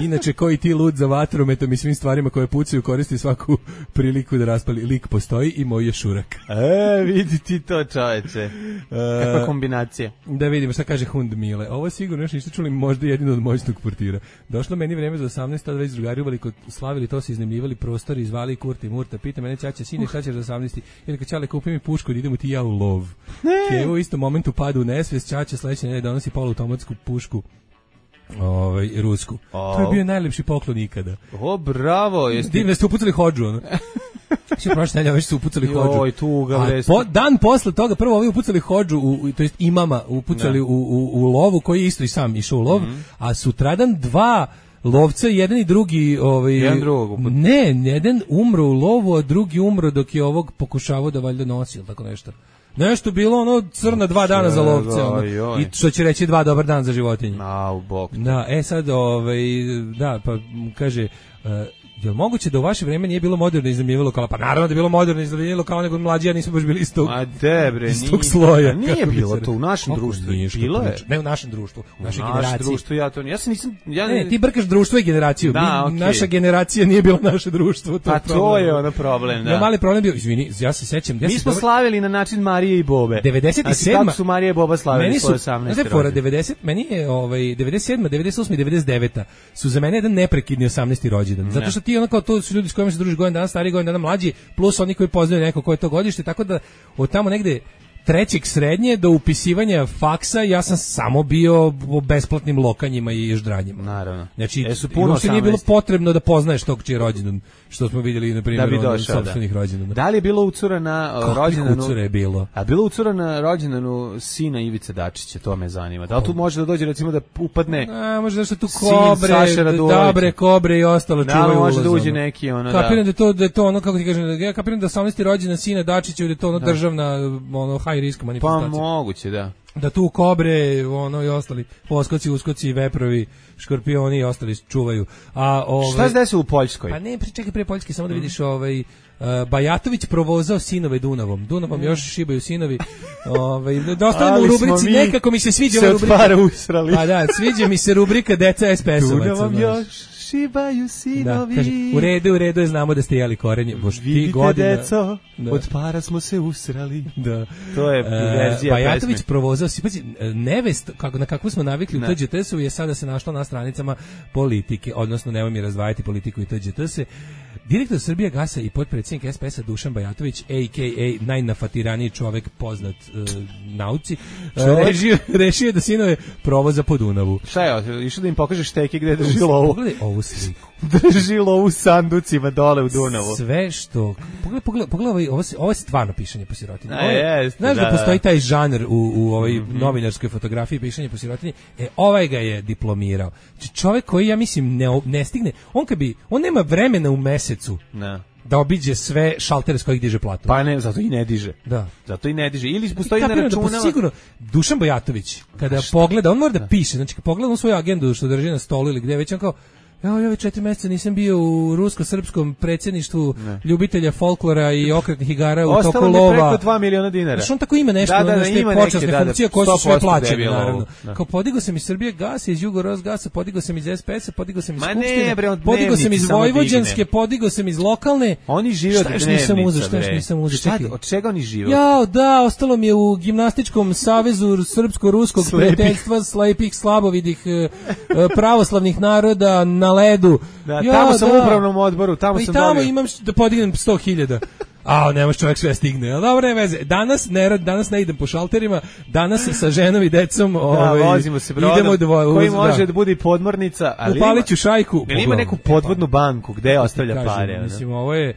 Inače, koji ti lud za vatrometom i svim stvarima koje pucaju, koristi svaku priliku da raspali. Lik postoji i moj je šurak. Vidi ti to, čoveče. Kakva kombinacija. Da vidimo šta kaže Hund Mile. Ovo sigurno još niste čuli, možda jedino od moćnog portira. Došlo meni vreme za 18, tada već drugari slavili to, se iznajmljivali prostori, zvali Kurti Murta, pita mene ćaća, sine, šta ćeš za 18? Ili kad Ćale, kupi mi pušku, da idemo ti ja u lov. Kevo u istom momentu pada u nesvest, ćaća sledeće nedelje donosi poluautomatsku pušku. Rusku. To je bio najlepši poklon ikada. Bravo. Divno ste upucali hodžu, ono. Sve prošle nedelje već su upucali hodžu. Joj, tuga vresti. Dan posle toga, prvo ovi upucali hodžu, to jest imama, upucali u lovu, koji je isto i sam išao u lov, a sutradan dva lovca, jedan i drugi, jedan drugog. Ne, jedan umro u lovu, a drugi umro dok je ovog pokušavao da valjda nosi, ili tako nešto. Nešto bilo ono crna 2 dana za lovce, ono. I što će reći 2 dobar dan za životinje. U bok. Da, sad, da, pa kaže, Jel moguće da u vaše vreme nije bilo moderno iznajmljivanje lokala? Pa naravno da je bilo moderno iznajmljivanje lokala, nego mlađi, ja nismo baš bili iz tog sloja. Nije bilo to u našem društvu. Bilo je. Ne u našem društvu, u našoj generaciji. Društvu, ja se nisam... Ne, ti brkaš društvo i generaciju. Naša generacija nije bilo naše društvo. To je ono problem, da. Mali problem bio, izvini, ja se sećam... Mi smo slavili na način Marije i Bobe. 97. Kako su Marije i Boba slavili svoje 18. rođendan? Meni je 97, 98 i 99 su za mene jedan neprekidni 18. rođendan. Zato što ti ono kao to su ljudi s kojima se družiš godin dana stariji, godin dana mlađi, plus oni koji poznaju neko ko je to godište, tako da od tamo negde trećeg srednje do upisivanja faksa ja sam samo bio u besplatnim lokanjima i ježdranjima. Naravno. Znači, uopšte nije bilo potrebno da poznaješ tog čiji je rođendan, što smo vidjeli, na primjer, od sopstvenih rođendana. Da li je bilo ucura na rođendanu? Ucura je bilo. A bilo ucura na rođendanu sina Ivice Dačića, to me zanima. Da li tu može da dođe, recimo, da upadne može da se tu kobre, kobre i ostalo čuvaju ulazom. Da, može da uđe neki, ono, da. Kapiram da je to ono, kako ti kažem, ja kapiram da 18. rođendan sina Dačića, da je to ono državna, ono, high risk manifestacija. Pa moguće, da. Da tu kobre, ono i ostali poskoci, uskoci, veprovi, škorpioni i ostali čuvaju. Šta se desilo u Poljskoj? Pa ne, čekaj pre Poljske, samo da vidiš Bajatović provozao sinove Dunavom još šibaju sinovi. Da ostavimo u rubrici, nekako mi se sviđa ova rubrika. Se od para usrali. Pa da, sviđa mi se rubrika Deca SPS-ovaca. Dunavom još šibaju sinovi. Da, kaže, u redu je, znamo da ste jeli korenje. Vidite, deco, od para smo se usrali. Da. To je verzija Bajatović pesme. provozao, nevest, na kakvu smo navikli u TGT-u, je sada se našla na stranicama politike, odnosno nemoj mi razdvajati politiku i TGT-se. Direktor Srbija gasa i potpredsjednik SPS-a Dušan Bajatović, a.k.a. najnafatiraniji čovek poznat nauci, rešio je da sinove provoza po Dunavu. Šta je, išao da im pokaže šteke gde drži lovu? Pogledaj ovu sliku. Drži lovu u sanducima dole u Dunavu. Sve što... Pogledaj, ovo je stvarno pišanje po sirotinji. Znaš da postoji taj žanr u ovoj novinarskoj fotografiji pišanje po sirotinji? Ovaj ga je diplomirao. Znači čovek koji, ja mislim, ne stigne... On nema vremena u mesecu da obiđe sve šaltere s kojih diže platu. Pa ne, zato i ne diže. Da. Zato i ne diže. Ili postoji na računama... Sigurno, Dušan Bajatović, kada pogleda, on mora da piše, znači kada pogleda on svoju agendu što drži na stolu ili gde već, on kao, ja ove 4 meseca nisam bio u rusko-srpskom predsjedništvu ljubitelja folklora i okretnih igara u toku lova. Ostalo mi preko 2 miliona dinara. Znači on tako ima nešto, ima počasne funkcije koje su sve plaćene, naravno. Kao podigao sam iz Srbije gas, iz Jugorosgasa, podigao sam iz SPS-a, podigao sam iz Skupštine, podigao sam iz Vojvođanske, podigao sam iz lokalne. Oni žive od dnevnica. Šta nisam uzeo? Od čega oni žive? Jao, da, ostalo mi je u gimnastičkom savezu srpsko-ruskog prijateljstva slepih, slabovidih, pravoslavnih naroda na ledu. Da, tamo sam u upravnom odboru, tamo sam dobio. I tamo imam da podignem 100.000. Ne može čovjek sve stigne. Dobro, ne veze. Danas ne idem po šalterima, danas sa ženom i decom vozimo se brodom, koji može da bude i podmornica. Upalit ću šajku. Ima neku podvodnu banku gde ostavlja pare. Mislim, ovo je...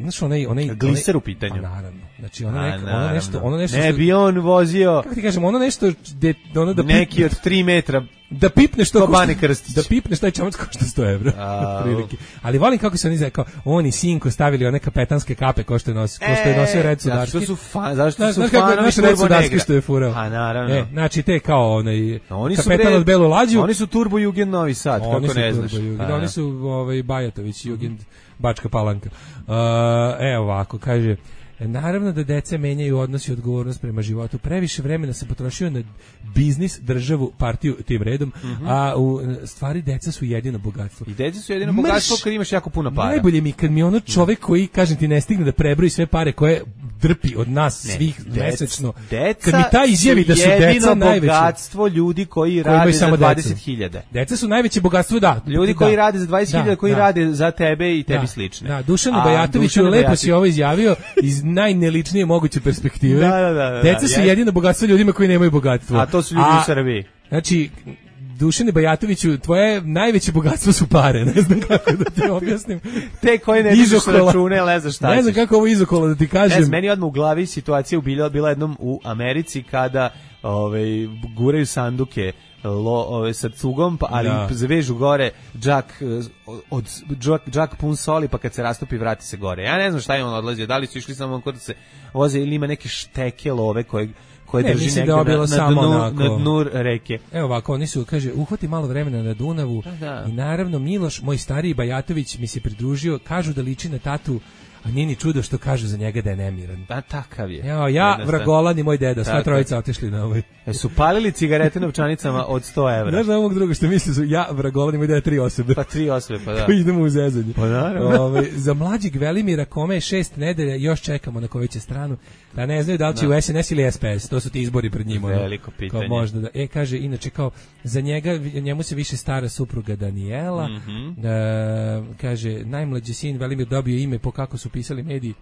Znaš, onaj gliser u pitanju. Naravno. Znači, ono nešto... Ne bi on vozio... Kako ti kažem, ono nešto... Neki od 3 metra... Da pipneš to Bane Krstić. Da pipneš taj čamac košta 100 evra. Ali volim kako se oni kao on i sinko stavili one kapetanske kape ko što je nosio Red Sudarski. Zašto su fanovi Red Sudarski što je furao. A naravno. Znači te kao onaj kapetan od Belu lađu. Oni su Turbo Jugend Novi Sad, kako ne znaš. Oni su Bajatović Jugend Bačka Palanka. Ovako kaže. Naravno da deca menjaju odnos i odgovornost prema životu. Previše vremena se potrošio na biznis, državu, partiju tim redom, a u stvari deca su jedino bogatstvo. I deca su jedino bogatstvo kad imaš jako puno para. Najbolje mi kad mi ono čovek koji, kažem ti, ne stigne da prebroji sve pare koje drpi od nas svih mesečno. Kad mi ta izjavi da su deca najveće bogatstvo ljudi koji rade za 20.000. Deca su najveće bogatstvo, da. Ljudi koji rade za 20.000, koji rade za tebe i tebi slične. Da, Dušanu Bajatoviću lepo si ovo izjavio iz najneličnije moguće perspektive. Da. Deca su jedino bogatstvo ljudima koji nemaju bogatstvo. A to su ljudi u Srbiji. Znači, Dušane Bajatoviću, tvoje najveće bogatstvo su pare, ne znam kako da ti objasnim. Te koje ne dižeš račune, ne znaš šta ćeš. Ne znam kako ovo izokola da ti kažem. Meni odmah u glavi situacija bila jednom u Americi kada guraju sanduke sa cugom, ali zavežu gore džak pun soli, pa kad se rastopi vrati se gore. Ja ne znam šta je on odlazio, da li su išli samo kod da se voze ili ima neke šteke love koje drži negde na dnu reke. Evo ovako, oni su, kaže, uhvati malo vremena na Dunavu i naravno Miloš, moj stariji Bajatović, mi se pridružio, kažu da liči na tatu, a nije ni čudo što kažu za njega da je nemiran. Da, takav je. Ja, Vragolan i moj deda, sva trojica otišli na ovaj. Su palili cigarete novčanicama od 100 evra. Znaš da ovog druga što misli su ja, Vragolan i moj deda 3 osobe. Pa 3 osobe, pa da. Koji idemo u zezanje. Pa naravno. Za mlađeg Velimira, kome je 6 nedelja, još čekamo na koju će stranu. Da ne znaju da li će u SNS ili SPS, to su ti izbori pred njima. Veliko pitanje. Kao možda da, kaže, inače kao, za njemu se više stara supruga Daniela, kaže, najmlađi sin Velimir dobio ime po kako su pisali mediji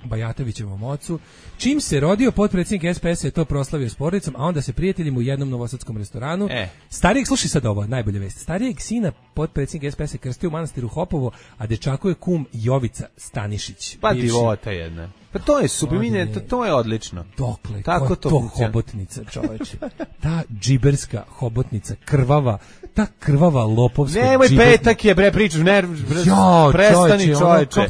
Bajatovićevom ocu. Čim se rodio, potpredsjednik SPS je to proslavio s porodicom, a onda se prijateljima u jednom novosadskom restoranu. Starijeg, slušaj sad ovo, najbolja vest. Starijeg sina potpredsjednik SPS je krstio u manastiru Hopovo, a dečaku je kum Jovica Stanišić. Pa divota jedna. Pa to je super, to je odlično. Dokle, tako to hobotnica, čoveče. Ta džiberska hobotnica, krvava, ta krvava lopovska nemoj petak je, bre, pričaš, prestani, čoveče.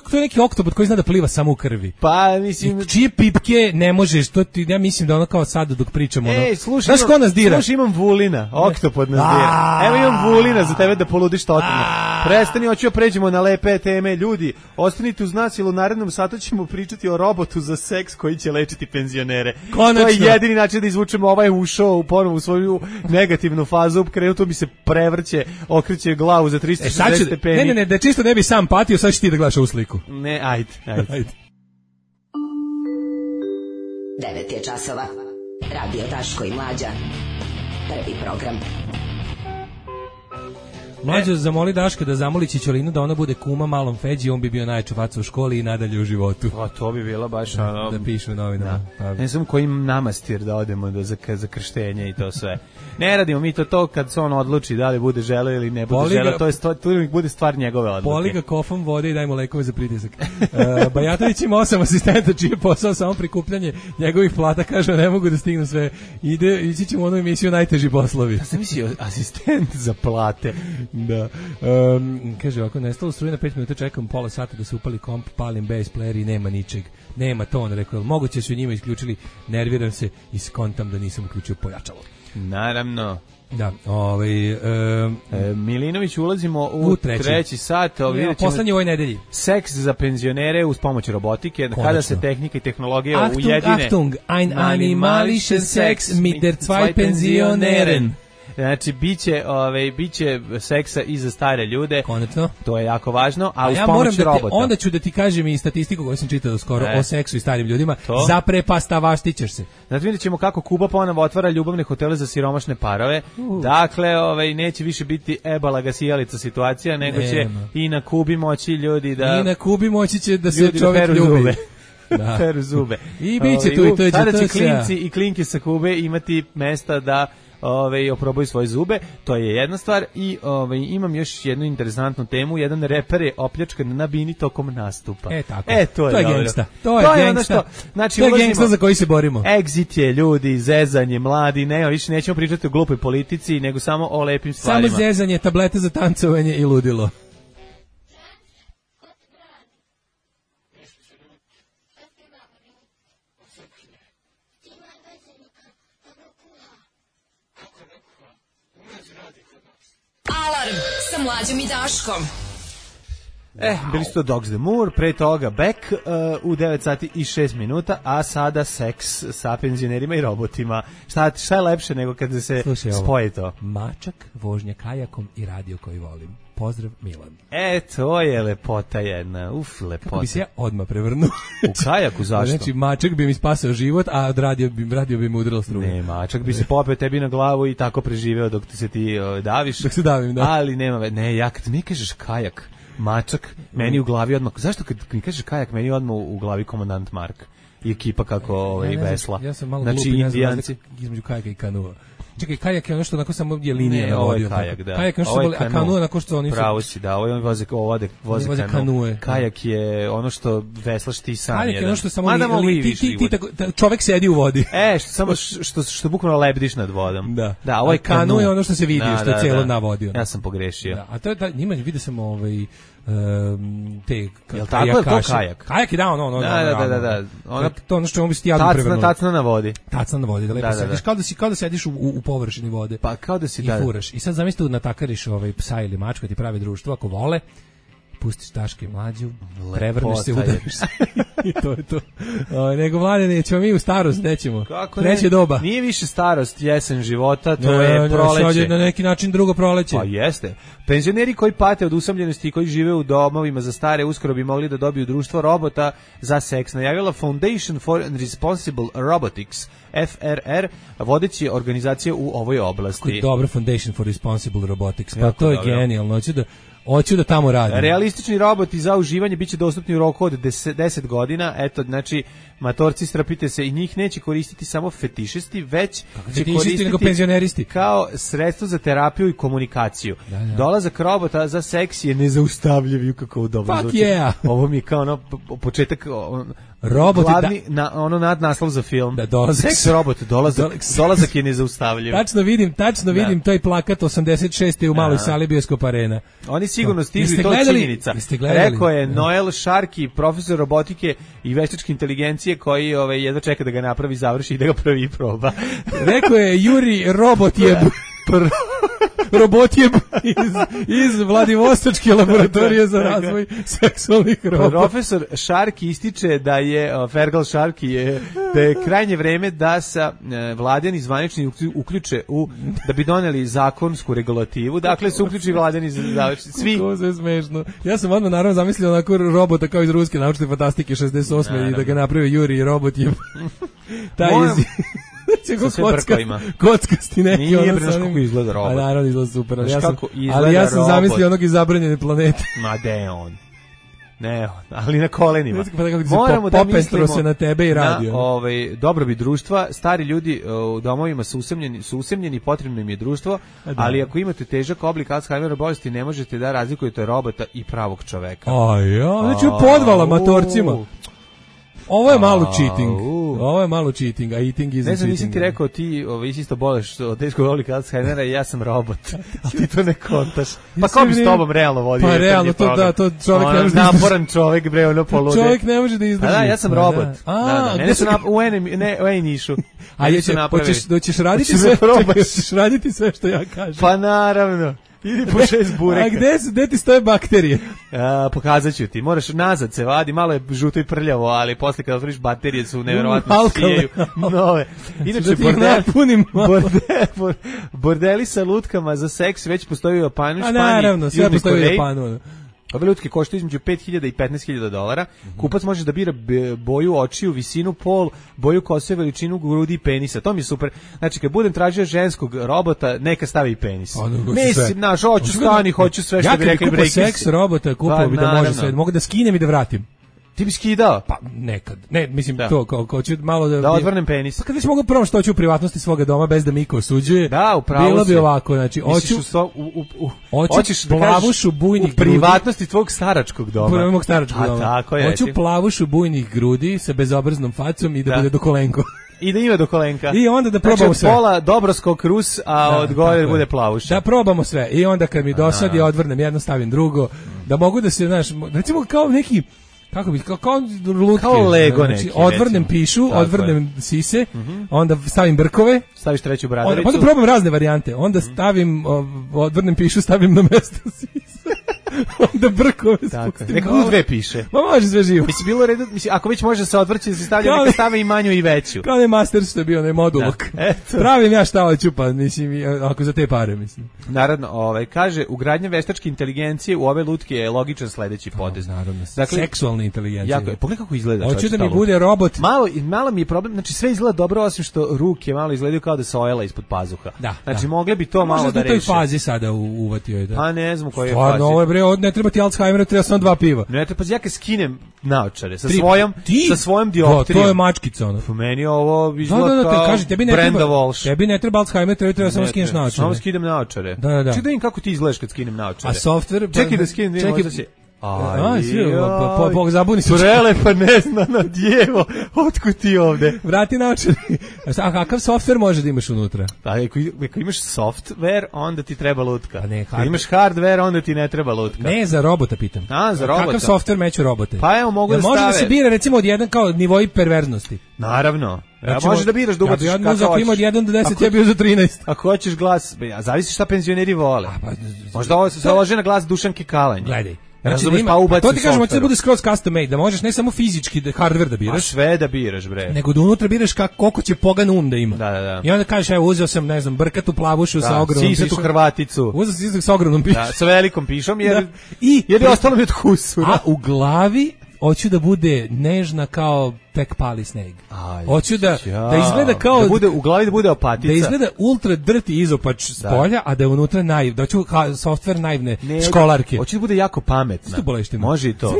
To je neki oktobot koji zna da pliva samo u krvi. Pa, mislim... Čije pipke ne možeš, ja mislim da ono kao sad dok pričamo, slušaj, ko nas dira? Slušaj, imam Vulina, oktopod nas dira. Evo imam Vulina za tebe da poludiš totalno. Prestani, hoću pređemo na lepe teme. Ljudi, ostanite uz nas, jer u narednom satu ćemo pričati o robotu za seks koji će lečiti penzionere. Konačno. To je jedini način da izvučemo ovaj ušao ponovo u svoju negativnu fazu. Krenuto mi se prevrće, okreće glavu za 360 stepeni. Ne, da čisto ne bi sam patio, sad ćeš ti da gledaš ovu sliku. Ne, ajde. 9 je časova. Radio Daško i Mlađa. Prvi program. Mlađo zamoli Daška da zamoli Čičolinu da ona bude kuma malom Feđi, on bi bio najjača faca u školi i nadalje u životu. A to bi bilo baš da pišu u novinama. Ne znam kojim namastir da odemo za krštenje i to sve. Ne radimo mi to kad se on odluči da li bude želeo ili ne bude želeo, to bude stvar njegove odluke. Poli ga kofom vode i daj mu lekove za pritisak. Bajatović ima 8 asistenta čiji je posao samo prikupljanje njegovih plata, kaže ne mogu da stignu sve. Ići ćemo u onu emisiju najteži poslovi. Ja sam mislio asistent za plate. Da. Kaže ovako, nestalo struje na 5 minuta, čekam pola sata da se upali komp, palim bass player i nema ničeg. Nema ton, rekao, moguće su njima isključili, nerviram se i skontam da nisam uključio pojačalo. Naravno. Da, Milinović, ulazimo u treći sat. Poslednji ovoj nedelji. Seks za penzionere uz pomoć robotike. Kada se tehnika i tehnologija ujedine. Achtung, ein animalisches Sex mit der zwei Pensionären. Znači, biće seksa i za stare ljude. Konačno. To je jako važno, a uz pomoć robota. Onda ću da ti kažem i statistiku koju sam čitao skoro o seksu i starim ljudima. Zaprepastavaštićeš se. Znači, vidjet ćemo kako Kuba ponovo otvara ljubavne hotele za siromašne parove. Dakle, neće više biti ebala sijalica situacija, nego će i na Kubi moći ljudi da... I na Kubi moći će da se čovjek ljubi. Peru zube. I bit će tu i to je sada će klinci i klinke sa Kube imati mesta da oprobaju svoje zube, to je jedna stvar. I imam još jednu interesantnu temu. Jedan reper je opljačkan na bini tokom nastupa. Tako. To je gangsta. To je gangsta. Znači, to je gangsta za koji se borimo. Exit je, ljudi, zezanje, mladi, više nećemo pričati o glupoj politici, nego samo o lepim stvarima. Samo zezanje, tablete za tancovanje i ludilo. Alarm sa Mlađom i Daškom. Bili su to Dogs the Moor, pre toga Beck u 9 sati i 6 minuta, a sada seks sa penzionerima i robotima. Šta je lepše nego kada se spoje to? Mačak, vožnja kajakom i radio koji volim. Pozdrav, Milan. To je lepota jedna. Lepota. Kako bi se ja odmah prevrnuo? U kajaku, zašto? Znači, mačak bi mi spasao život, a radio bi mi udarilo struju. Ne, mačak bi se popeo tebi na glavu i tako preživeo dok ti se ti daviš. Dok se davim, da. Ali ja kad mi kažeš kajak, mačak, meni u glavi odmah, zašto kad mi kažeš kajak, meni odmah u glavi komandant Mark i ekipa kako vesla. Ja sam malo glupi, ne znam razlik između kajaka i kanua. Čekaj, kajak je ono što onako samo je linija na vodi. Kajak, da. Kajak je ono što a kanu onako što oni su... Pravo si, da, ovo voze kanue. Kajak je ono što veslaš ti sam. Kajak je ono što samo čovek sedi u vodi. Što bukvalno lebdiš nad vodom. Da, ovo je kanu je ono što se vidi, što je cijelo na vodi. Ja sam pogrešio. A to je, njima vidio sam te kajak? Kajak je ono. Da. To ono što ćemo biti jadno prevrnuti. Tacna na vodi. Tacna na vodi, da lepo sediš, kao da sediš u površini vode. Pa kao da si i furaš. I sad zamislite natakariš psa ili mačku, ti pravi društvo, ako vole, pustiš Daška i Mlađu, prevrneš se, udariš se. I to je to. Nego, Mladene, ćemo mi u starost, nećemo. Treće doba. Nije više starost, jesen života, to je proleće. Na neki način drugo proleće. Pa jeste. Penzioneri koji pate od usamljenosti i koji žive u domovima za stare uskoro bi mogli da dobiju društvo robota za seks. Najavila Foundation for Responsible Robotics, FRR, vodeći organizacije u ovoj oblasti. Koji dobro Foundation for Responsible Robotics, pa to je genijalno. Hoću da tamo radim. Realistični roboti za uživanje biće dostupni u roku od 10 godina. Eto, znači, matorci, strapite se, i njih neće koristiti samo fetišisti, već će koristiti nego penzioneristi kao sredstvo za terapiju i komunikaciju. Dolazak robota za seks je nezaustavljiv, kako u dobro zvuči. Yeah. Ovo mi je kao početak roboti glavni nadnaslov za film. Seks robot, dolazak je nezaustavljiv. Tačno vidim taj plakat 86. u maloj sali bioskop arena. Oni sigurno stižu i to je činjenica. Rekao je Noel Sharkey, profesor robotike i veštačke inteligencije, koji jedva čeka da ga napravi, završi i da ga pravi i proba. Rekao je Juri Robotjeb. Robotjeb iz Vladivostočke laboratorije za razvoj seksualnih robota. Profesor Sharkey ističe da je Fergal Sharkey da je krajnje vreme da se vladeni zvanični uključe da bi doneli zakonsku regulativu. Dakle, se uključi vladeni zvanični svi. To je smešno. Ja sam odmah naravno zamislio onako robota kao iz ruske naučne fantastike 68. i da ga napravio Juri Robotjeb. Taj kockasti neki. Nije bre kako izgleda robot. A naravno izgleda super. Ali ja sam zamislio onog iz Zabranjene planete. Ma de on. Ne, ali na kolenima. Moramo da mislimo se na tebe i radio. Dobrobit društva. Stari ljudi u domovima su usamljeni, potrebno im je društvo, ali ako imate težak oblik Alzheimerove bolesti, ne možete da razlikujete robota i pravog čoveka. Znači podvala matorcima. Ovo je malo cheating, a eating is cheating. Ne znam, nisam ti rekao, ti isto boleš od teškog oblika Alzheimera i ja sam robot. A ti to ne kontaš. Pa ko bi s tobom realno vodio? Pa realno, to čovjek ne može da izdrži. Naporan čovjek, bre, ono polude. Čovjek ne može da izdrži. Da, ja sam robot. Mene su u Enišu. A hoćeš raditi sve što ja kažem? Pa naravno. Idi po 6 bureka. A gde ti stoje bakterije? Pokazat ću ti. Moraš nazad se vadi, malo je žuto i prljavo, ali posle kada otvoriš baterije su nevjerovatno sijaju nove. Inače, bordeli sa lutkama za seks već postoji u Japanu, Španiji. Naravno, sve postoji u Japanu. Ove lutke koštaju između $5.000 i $15.000. Kupac može da bira boju očiju, visinu, pol, boju kose, veličinu grudi i penisa. To mi je super. Znači, kad budem tražio ženskog robota, neka stavi i penis. Mislim, hoću sve što bi rekli breakers. Ja kad seks robota, kupao bi da može sve. Mogu da skinem i da vratim. Ti bi skidao? Pa nekad. Ne, mislim to kao ću malo da odvrnem penis. Pa kad već mogu prvo što hoću u privatnosti svoga doma bez da mi ko osuđuje. Da, upravo. Bilo bi ovako, znači hoću plavušu bujnih u privatnosti tvog staračkog doma. Prvog staračkog doma. Tako je. Hoću plavušu bujnih grudi sa bezobraznom facom i da bude do kolenko. I da ima do kolenka. I onda da probamo sve. Pola dobroskog Rus, a od gore bude plavuša. Da probamo sve. I onda kad mi dosadi odvrnem jedno, stavim drugo, da mogu da se, znaš, recimo kao neki kako bi, kao lutke. Kao Lego neki. Znači, odvrnem pišu, odvrnem sise, onda stavim brkove. Staviš treću bradaricu. Onda probam razne varijante. Onda stavim, odvrnem pišu, stavim na mesto sise. Onda brkove spustim. Neka dve piše. Ma može sve živo. Mislim, bilo redu, ako već može se odvrći, se stavlja, neka stave i manju i veću. Kao ne master što je bio, ne modulok. Pravim ja šta hoću, pa mislim, ako za te pare, mislim. Naravno, kaže, ugradnja veštačke inteligencije u ove lutke je sledeći potez. Naravno, dakle, seksualna inteligencija. Pogledaj kako izgleda. Hoću da mi bude robot. Malo mi je problem, znači sve izgleda dobro, osim što ruke malo izgledaju kao da se ojela ispod pazuha. Znači, mogle bi to malo da reši. Možda u toj fazi sada uvatio. Pa ne znam koje je fazi. Ne treba ti Alzheimer, treba samo 2 piva. Ne treba, ja kad skinem naočare sa svojom dioptrijom. To je mačkica ono. Po meni ovo izgleda kao Brenda Walsh. Tebi ne treba Alzheimer, treba samo skineš naočare. Samo skinem naočare. Da. Čekaj da im kako ti izgledaš kad skinem naočare. A software? Čekaj da skinem, možda će... zabuni se. Prelepa neznana djevo, otkud ti ovde? Vrati naočari. A kakav softver može da imaš unutra? Pa ako imaš software, onda ti treba lutka. Pa ne, ako imaš hardware, onda ti ne treba lutka. Ne, za robota pitam. Za robota. Kakav softver meću robote? Pa evo, mogu da stave. Može da se bira recimo od jedan kao nivoi perverznosti. Naravno. Znači, možeš da biraš da ubaciš kako hoćeš. Ako ima od 1 do 10, ja bio za 13. Ako hoćeš glas, zavisi šta penzioneri vole. Možda ovo se lože na glas Dušanke Kalanj. Gledaj. Znači, pa to ti kažemo, hoće da bude skroz custom made, da možeš ne samo fizički hardware da biraš. A sve da biraš, bre. Nego da unutra biraš koliko će pogan da ima. Da. I onda kažeš, evo, uzeo sam, ne znam, brkatu plavušu sa ogromnom pišom. Sisitu Hrvaticu. Uzeo sam sisitu sa ogromnom pišom. Da, sa velikom pišom, jer je ostalo mi od kusura. A u glavi hoću da bude nežna kao tek pali sneg. Hoću da izgleda kao da bude u glavi, da bude opatica. Da izgleda ultra drti izopač s polja, a da je unutra da hoću softver naivne školarke. Hoću da bude jako pametna. Može i to.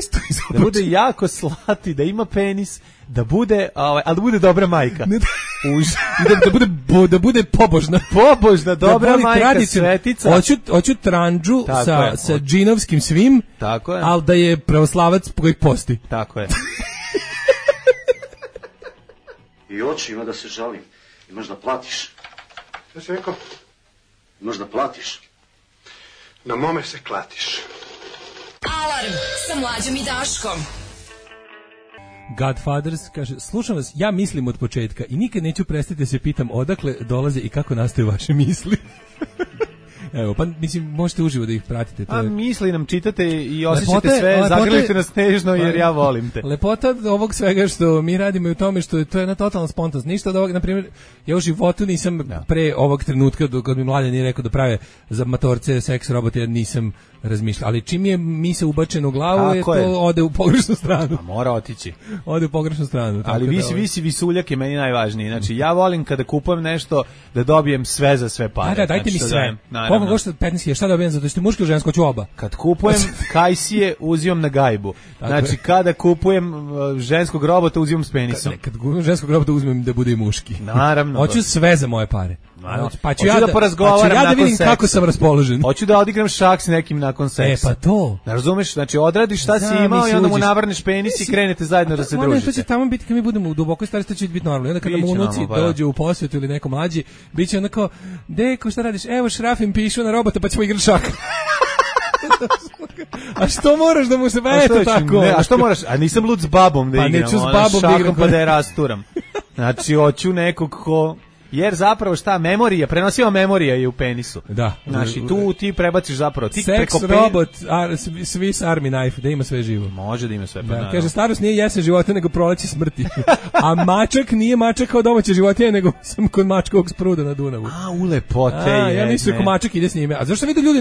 Da bude jako slati, da ima penis, da bude, ali da bude dobra majka. Da bude pobožna. Pobožna, dobra majka, svetica. Hoću tranđu sa džinovskim svim, ali da je pravoslavac koji posti. Tako je. I oči ima da se žalim. Imaš da platiš. Šta si rekao? Imaš da platiš. Na mome se klatiš. Alarm sa Mlađom i Daškom. Godfathers kaže, slušam vas, ja mislim od početka i nikad neću prestati da se pitam odakle dolaze i kako nastaju vaše misli. Evo, pa mislim, možete uživo da ih pratite. A misli nam čitate i osjećate sve, zagrlite nas nežno jer ja volim te. Lepota ovog svega što mi radimo je u tome što je to jedna totalna spontanost. Ništa od ovog, na primjer, ja u životu nisam pre ovog trenutka, kad mi Mladen nije rekao da prave za matorce seks robote, ja nisam razmišljao. Ali čim je misao ubačena u glavu, to ode u pogrešnu stranu. A mora otići. Ode u pogrešnu stranu. Ali visi visuljak je meni najvažniji. Znači, ja volim kada kupujem nešto da dobijem sve za sve pare. Da, dajte mi sve. Koliko košta 15.000, šta dobijem za to? Što muško ili žensko, ću oba. Kad kupujem kajsije, uzimam na gajbu. Znači, kada kupujem ženskog robota, uzimam s penisom. Kad kupujem ženskog robota, uzmem da bude i muški. Naravno. Hoću sve za moje pare. Pa ću ja da porazgovaram nakon seksa. Da vidim kako sam raspoložen. Hoću da odigram šak s nekim nakon seksa. Pa to. Ne razumeš? Znači, odradiš šta si imao i onda mu navrneš penis i krenete zajedno da se družite. To će tamo biti, kad mi budemo u dubokoj starosti, to će biti normalno. I onda kada mu unuci dođe u posvetu ili neko mlađi, bit će onako, deko, šta radiš? Evo, šrafim pišu na robota, pa ćemo igrati šak. A što moraš da mu se eto tako? A što moraš? A nisam lud s babom da igram. Pa neću s babom da igram. Pa da je rasturam. Znači, hoću nekog ko... Jer zapravo šta, memorija, prenosiva memorija je u penisu. Da. Znači, tu ti prebaciš zapravo. Ti Sex robot, Swiss Army knife, da ima sve živo. Može da ima sve. Da, kaže, starost nije jesen života, nego proleće smrti. A mačak nije mačak kao domaće životinje, nego sam kod mačkovog spruda na Dunavu. A, u lepote je. Ja mislim ko mačak ide s njime. A zašto vidio ljudi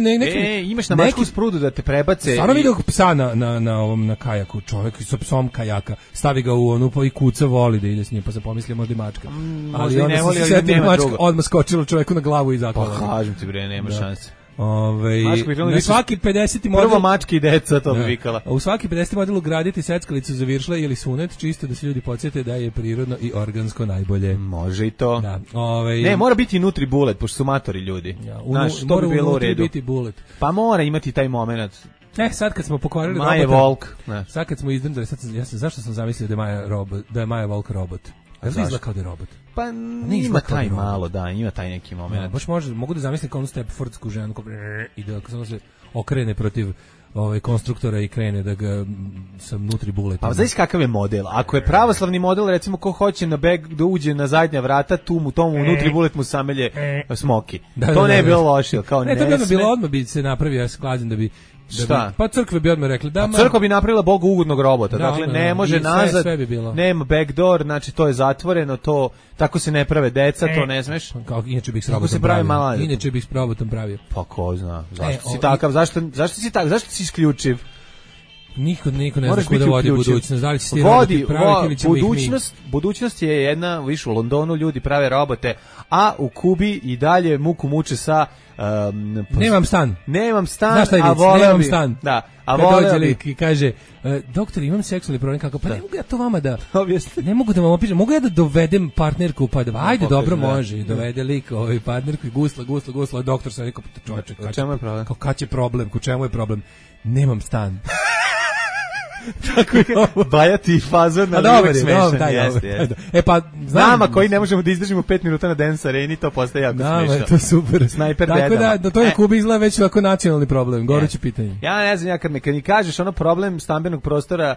imaš na mačku sprudu da te prebace. Stvarno vidio psa na kajaku, čovjek sa psom kajaka, stavi ga u onu i kuca voli da ide s njim, pa se pomislio možda i mačka. Ali ne voli, nema mačka odmah skočila čovjeku na glavu i zaklala. Pa kažem ti bre, nema šanse. Na svaki 50. model... Prvo mačke i deca, to bi vikala. U svaki 50. model ugraditi seckalicu za viršle ili sunet, čisto da se ljudi podsjete da je prirodno i organsko najbolje. Može i to. Da. Ne, mora biti nutri bullet, pošto su matori ljudi. To bi bilo u redu. Biti bullet. Pa mora imati taj moment. Sad kad smo pokvarili Maja Volk. Sad kad smo izdrndali, zašto sam zamislio da je Maja Volk robot? Da li izgleda kao da je robot? Pa ima taj malo, da, ima taj neki moment. Baš mogu da zamislim kao onu Stepfordsku ženu i da se okrene protiv konstruktora i krene da ga sam nutri bullet. Pa znaš kakav je model? Ako je pravoslavni model, recimo ko hoće na beg da uđe na zadnja vrata, tomu nutri bullet mu samelje smoki. To ne bi bilo loše. Ne, to bi bilo odmah bi se napravio, ja se klađem da bi pa crkve bi odmah rekli da crkva bi napravila Bogu ugodnog robota, dakle ne može nazad, sve bi bilo. Nema backdoor, znači to je zatvoreno, to tako se ne prave deca, to ne smeš. Kao inače bih s robotom pravio. Inače bih s robotom pravio. Pa ko zna, zašto si takav, zašto si takav, zašto si isključiv? Niko ne zna kuda vodi budućnost, da li će ti roboti praviti ili ćemo ih mi. Budućnost je jedna, viš u Londonu ljudi prave robote, a u Kubi i dalje muku muče sa Nemam stan, a voleo bi. Da, a voleo bi. I kaže, doktor, imam seksualni problem, kako, pa ne mogu ja to vama da ne mogu da vam opišem, mogu ja da dovedem partnerku, pa da, ajde, dobro, može, dovede lik partnerku i gusla, doktor sam rekao, čovječe, čemu je problem? Kao, kad će problem, ku čemu je problem? Nemam stan. Tako je ovo. Bajati fazon na uvek smešan. Jeste. Pa, nama koji ne možemo da izdržimo 5 minuta na Dance Areni, to postaje jako smešno. Nama je to super. Snajper tako dedama. Da to je Kuba izgleda već ovako nacionalni problem, goruće pitanje. Ja ne znam, kad mi kažeš ono problem stambenog prostora,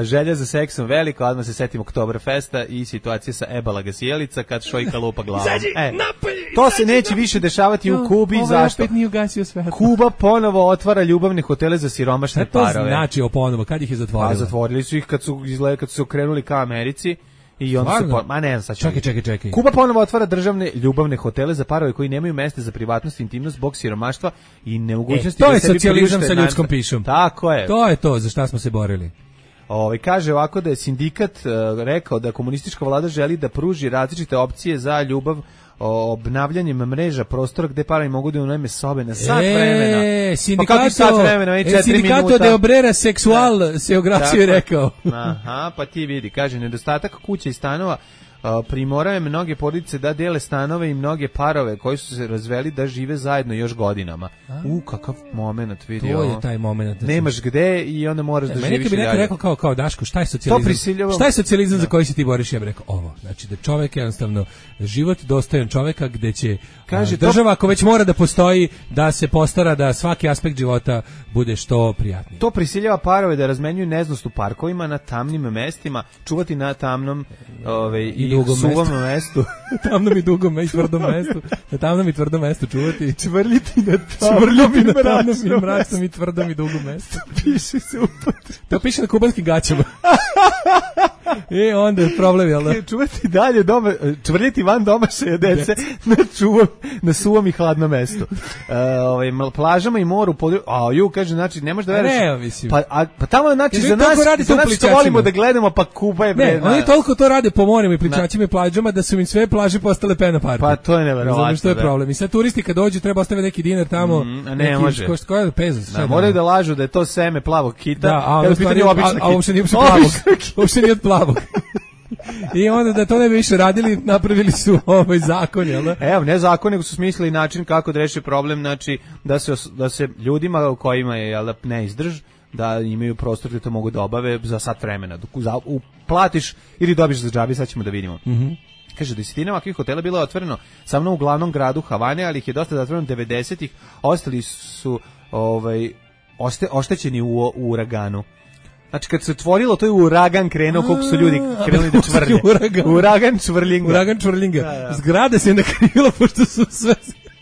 želja za seksom veliko, odmah se setim Oktoberfesta i situacije sa Ebala Sjelica kad šojka lupa glavom. To se neće više dešavati u Kubi, zašto? Opet nije ugasio svetlo. Kuba ponovo otvara ljubavne hotele za siromašne parove. To znači ponovo, kad ih je zatvorila? Pa zatvorili su ih kad su se okrenuli ka Americi i onda se ne znam, sad čekaj. Kuba ponovo otvara državne ljubavne hotele za parove koji nemaju mesta za privatnost i intimnost zbog siromaštva i nemogućnosti to je socijalizam sa ljudskom pišom. Tako je. To je to za šta smo se borili. Kaže ovako da je sindikat rekao da komunistička vlada želi da pruži različite opcije za ljubav obnavljanjem mreža prostora gde parovi mogu da unajme sobe na sat vremena. Sindikato de obrera seksual se oglasio i rekao. Aha, pa ti vidi, kaže, nedostatak kuća i stanova primoraju mnoge porodice da dele stanove i mnoge parove koji su se razveli da žive zajedno još godinama. Kakav moment, vidi. To je taj moment. Nemaš gde i onda moraš da živiš dalje. Meni bi neko rekao kao Daško, šta je socijalizam? Šta je socijalizam za koji se ti boriš? Ja bih rekao ovo. Znači da čovjek jednostavno život dostojan čovjeka gde će država ako već mora da postoji da se postara da svaki aspekt života bude što prijatniji. To prisiljava parove da razmenjuju neznost u parkovima na tamnim mestima, čuvati na tamnom i suvom mestu. Tamnom i dugom i tvrdom mestu. Na tamnom i tvrdom mestu čuvati. Čvrljiti na tamnom i mračnom i tvrdom i dugom mestu. Piše se to piše na kubanskim gaćama. I onda je problem, jel da? Čuvati dalje doma, čvrljiti van domašaja dece na suvom i hladnom mestu. Plažama i moru kaže, znači, ne možeš da veriš. Ne, mislim. Pa tamo, znači, za nas što volimo da gledamo, pa Kuba je Ne, oni toliko to rade po morima i pličačima i plažama da su im sve plaže postale pena park. Pa to je neverovatno. Znam što je problem. I sad turisti kad dođu treba ostaviti neki dinar tamo. Ne može. Koja je pezos? Moraju da lažu da je to seme plavog kita. A uopšte nije plavog. Uopšte nije od plavog. I onda da to ne bi više radili, napravili su ovaj zakon, jel da? Evo, ne zakon, nego su smislili način kako da reši problem, znači da se ljudima u kojima je, jel da, ne izdrž, da imaju prostor gde to mogu da obave za sat vremena. Platiš ili dobiš za džabe, sad ćemo da vidimo. Kaže, desetina ovakvih hotela bilo je otvoreno samo u glavnom gradu Havane, ali ih je dosta zatvoreno 90-ih, ostali su oštećeni u uraganu. Znači, kad se otvorilo, to je uragan krenuo, koliko su ljudi krenuli da čvrlje. Uragan čvrlinga. Zgrada se nakrivila, pošto su sve...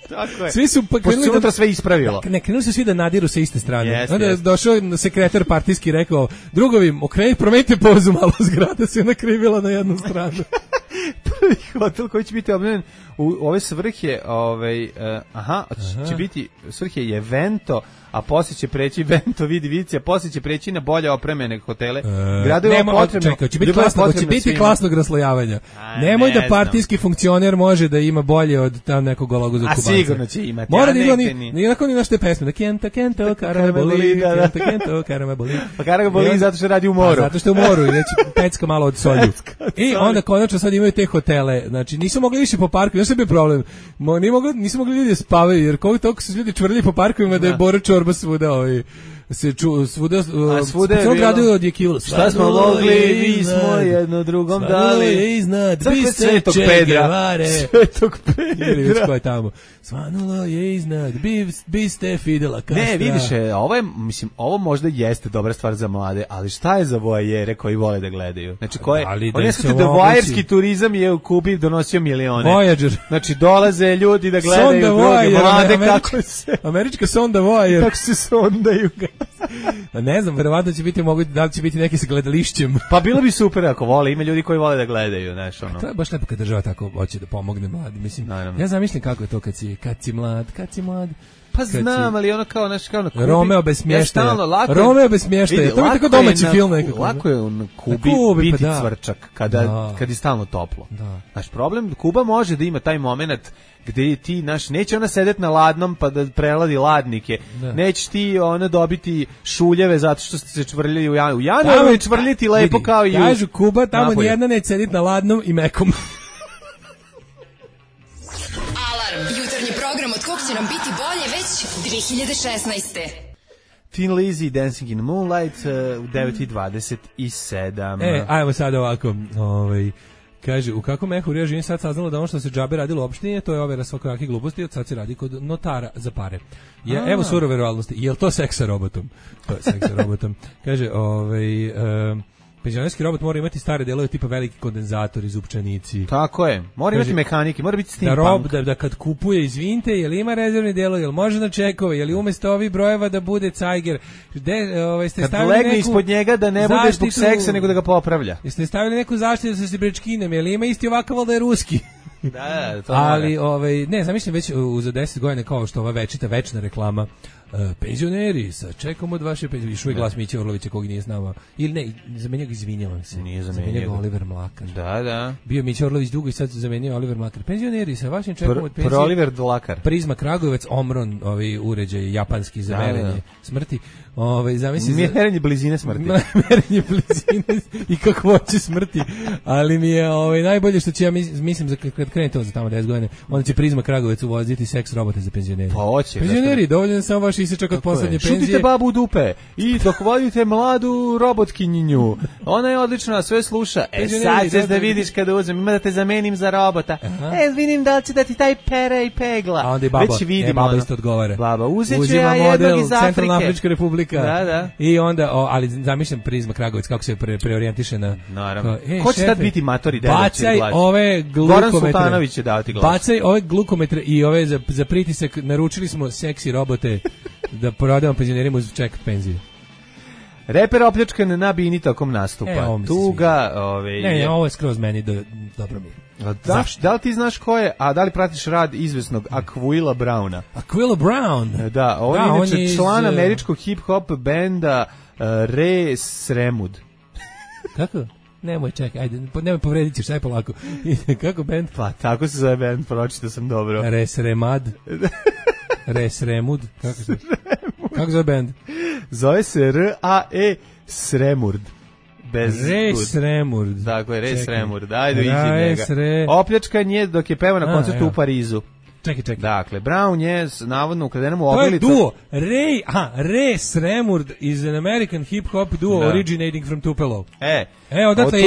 Tako je. Svi su krenuli unutra sve ispravilo. Ne, krenuli su svi da nadiru sa iste strane. Onda je došao sekretar partijski i rekao, drugovi, promenite pozu malo, zgrada se nakrivila na jednu stranu. Prvi hotel koji će biti obnovljen u ove svrhe, će biti svrhe je Vento, a poslije će preći Vento Vidivici, a poslije će preći na bolje opremljene hotele. Će biti klasnog raslojavanja. Nemoj da partijski funkcioner može da ima bolje od tam nekog gologuzog Kubanca. A sigurno će imati. Mora da ima onako ni našte pesme. Da kento, karaboli, karaboli. Pa karaboli zato što radi u moru. Zato što je u moru i već pecka malo od solju. I onda konačno sad imaju te hotele. Znači nisu mogli više po parku, još je bio problem. Nisu mogli ljudi da spavaju, jer koliko toliko su ljudi čvrljali po parkovima da je Bora Čorba svuda svuda je bilo od Jekila. Šta smo mogli, mi smo jedno drugom dali. Je iznad, Svetog Pedra. Svetog Pedra. Ko je tamo? Svanulo je iznad, biste Fidela Castra. Ne, vidiš, ovo možda jeste dobra stvar za mlade, ali šta je za voajere koji vole da gledaju? Znači, oni skute da voajerski turizam je u Kubi donosio milione. Voyager. Znači, dolaze ljudi da gledaju druge mlade kako se... Američka sonda voajer. Kako se sondaju ga. Ne znam, verovatno će biti da li će biti neki sa gledališćem. Pa bilo bi super ako vole, ima ljudi koji vole da gledaju, znaš, ono. To je baš lepo kad država tako hoće da pomogne mladim, mislim. Naravno. Ja zamišljam kako je to kad si mlad. Pa znam, ali ono kao na Kubi. Romeo bez smještaja. To je tako domaći film nekako. Lako je na Kubi biti cvrčak kad je stalno toplo. Naš problem, Kuba može da ima taj moment gde ti, neće ona sedeti na ladnom pa da preladi ladnike. Neće ti ona dobiti šuljeve zato što se čvrljaju u januaru. U januaru je čvrljiti lepo kao i u... Kažu Kuba, tamo nijedna neće sediti na ladnom i mekom. Alarm, jutarnji program od kog će nam biti bolje već 2016. Thin Lizzy, Dancing in the Moonlight, u 9:27. Ajmo sad ovako, kaže, u kakvom mehu živim sad saznalo da ono što se džabe radilo uopšte nije, to je overa svakakih gluposti, od sad se radi kod notara za pare. Evo surove realnosti, je li to seks sa robotom? To je seks sa robotom. Kaže, penzionerski robot mora imati stare delove tipa veliki kondenzator, izupčanici. Tako je. Mora imati mehanike, mora biti steampunk. Da kad kupuje, izvinite, je li ima rezervni delove, je li može na čekove, je li umesto ovih brojeva da bude cajger. Kad legne ispod njega da ne bude zbog seksa, nego da ga popravlja. Jeste stavili neku zaštitu sa sibrečkinem, je li ima isti ovakav, ali da je ruski? Da, to ali ne, zamišljam već za 10 godina kao što ova večna reklama. Penzioneri, čekam od vaše penzioneri. Išao je glas Miće Orlovića kog nije znao. Ili ne, zamenio ga, izvinjavam se. Nije zamenio ga Oliver Mlakar. Da. Bio Miće Orlović dugo i sad zamenio Oliver Mlakar. Penzioneri, sa vašim čekom od penzije. Oliver Mlakar. Prizma Kragujevac, Omron, uređaj japanski za merenje smrti. Merenje blizine smrti. Merenje blizine i kakvoće smrti. Ali mi je najbolje što će, ja mislim, kad krene to za tamo 10 godina, onda će Prizma Kragujevac uvoziti seks robote za penzioneri. Pa hoće. Penzioneri, dovoljno samo vaš isječak od poslednje penzije. Šutite babu u dupe i dohvaljujte mladu robotkinjinju. Ona je odlična, sve sluša. Sad ćeš da vidiš kada uzem, ima da te zamenim za robota. Vidim da li će da ti taj pere i pegla. A onda je baba, baba isto odgovara. Baba, uzet ću ja jednog iz Afrike. Centralna Afrička republika. Da. I onda, ali zamišljam Prizma Kragujevac, kako se preorijentiše na... Naravno. Ko će tad biti matori deda? Bacaj ove glukometre. Goran Sultanović će davati glas. Bacaj ove glukometre i ove za pritisak. Naručili smo seksi robote da poradimo penzionerima uz ček penzije. Reper opljačkan na bini tokom nastupa. Tuga, Ne, ovo je skroz meni dobro mi je. Da li ti znaš ko je, a da li pratiš rad izvesnog Aquila Browna? Aquila Brown? Da, on je inače član američkog hip-hop benda Re Sremud. Kako? Nemoj, čekaj, ajde, nemoj povredit ćeš, aj polako. Kako bend? Pa, tako se zove bend, pročito sam dobro. Resremad. Resremud. Kako zove bend? Zove se R-A-E Sremurd. Resremurd. Dakle, Resremurd. Ajde, iđi njega. Opljačkan je dok je pevao na koncertu u Parizu. Čekaj. Dakle, Brown je navodno ukradenom u ogrlicu. To je duo. Ray Sremurd is an American hip-hop duo originating from Tupelo. Odatle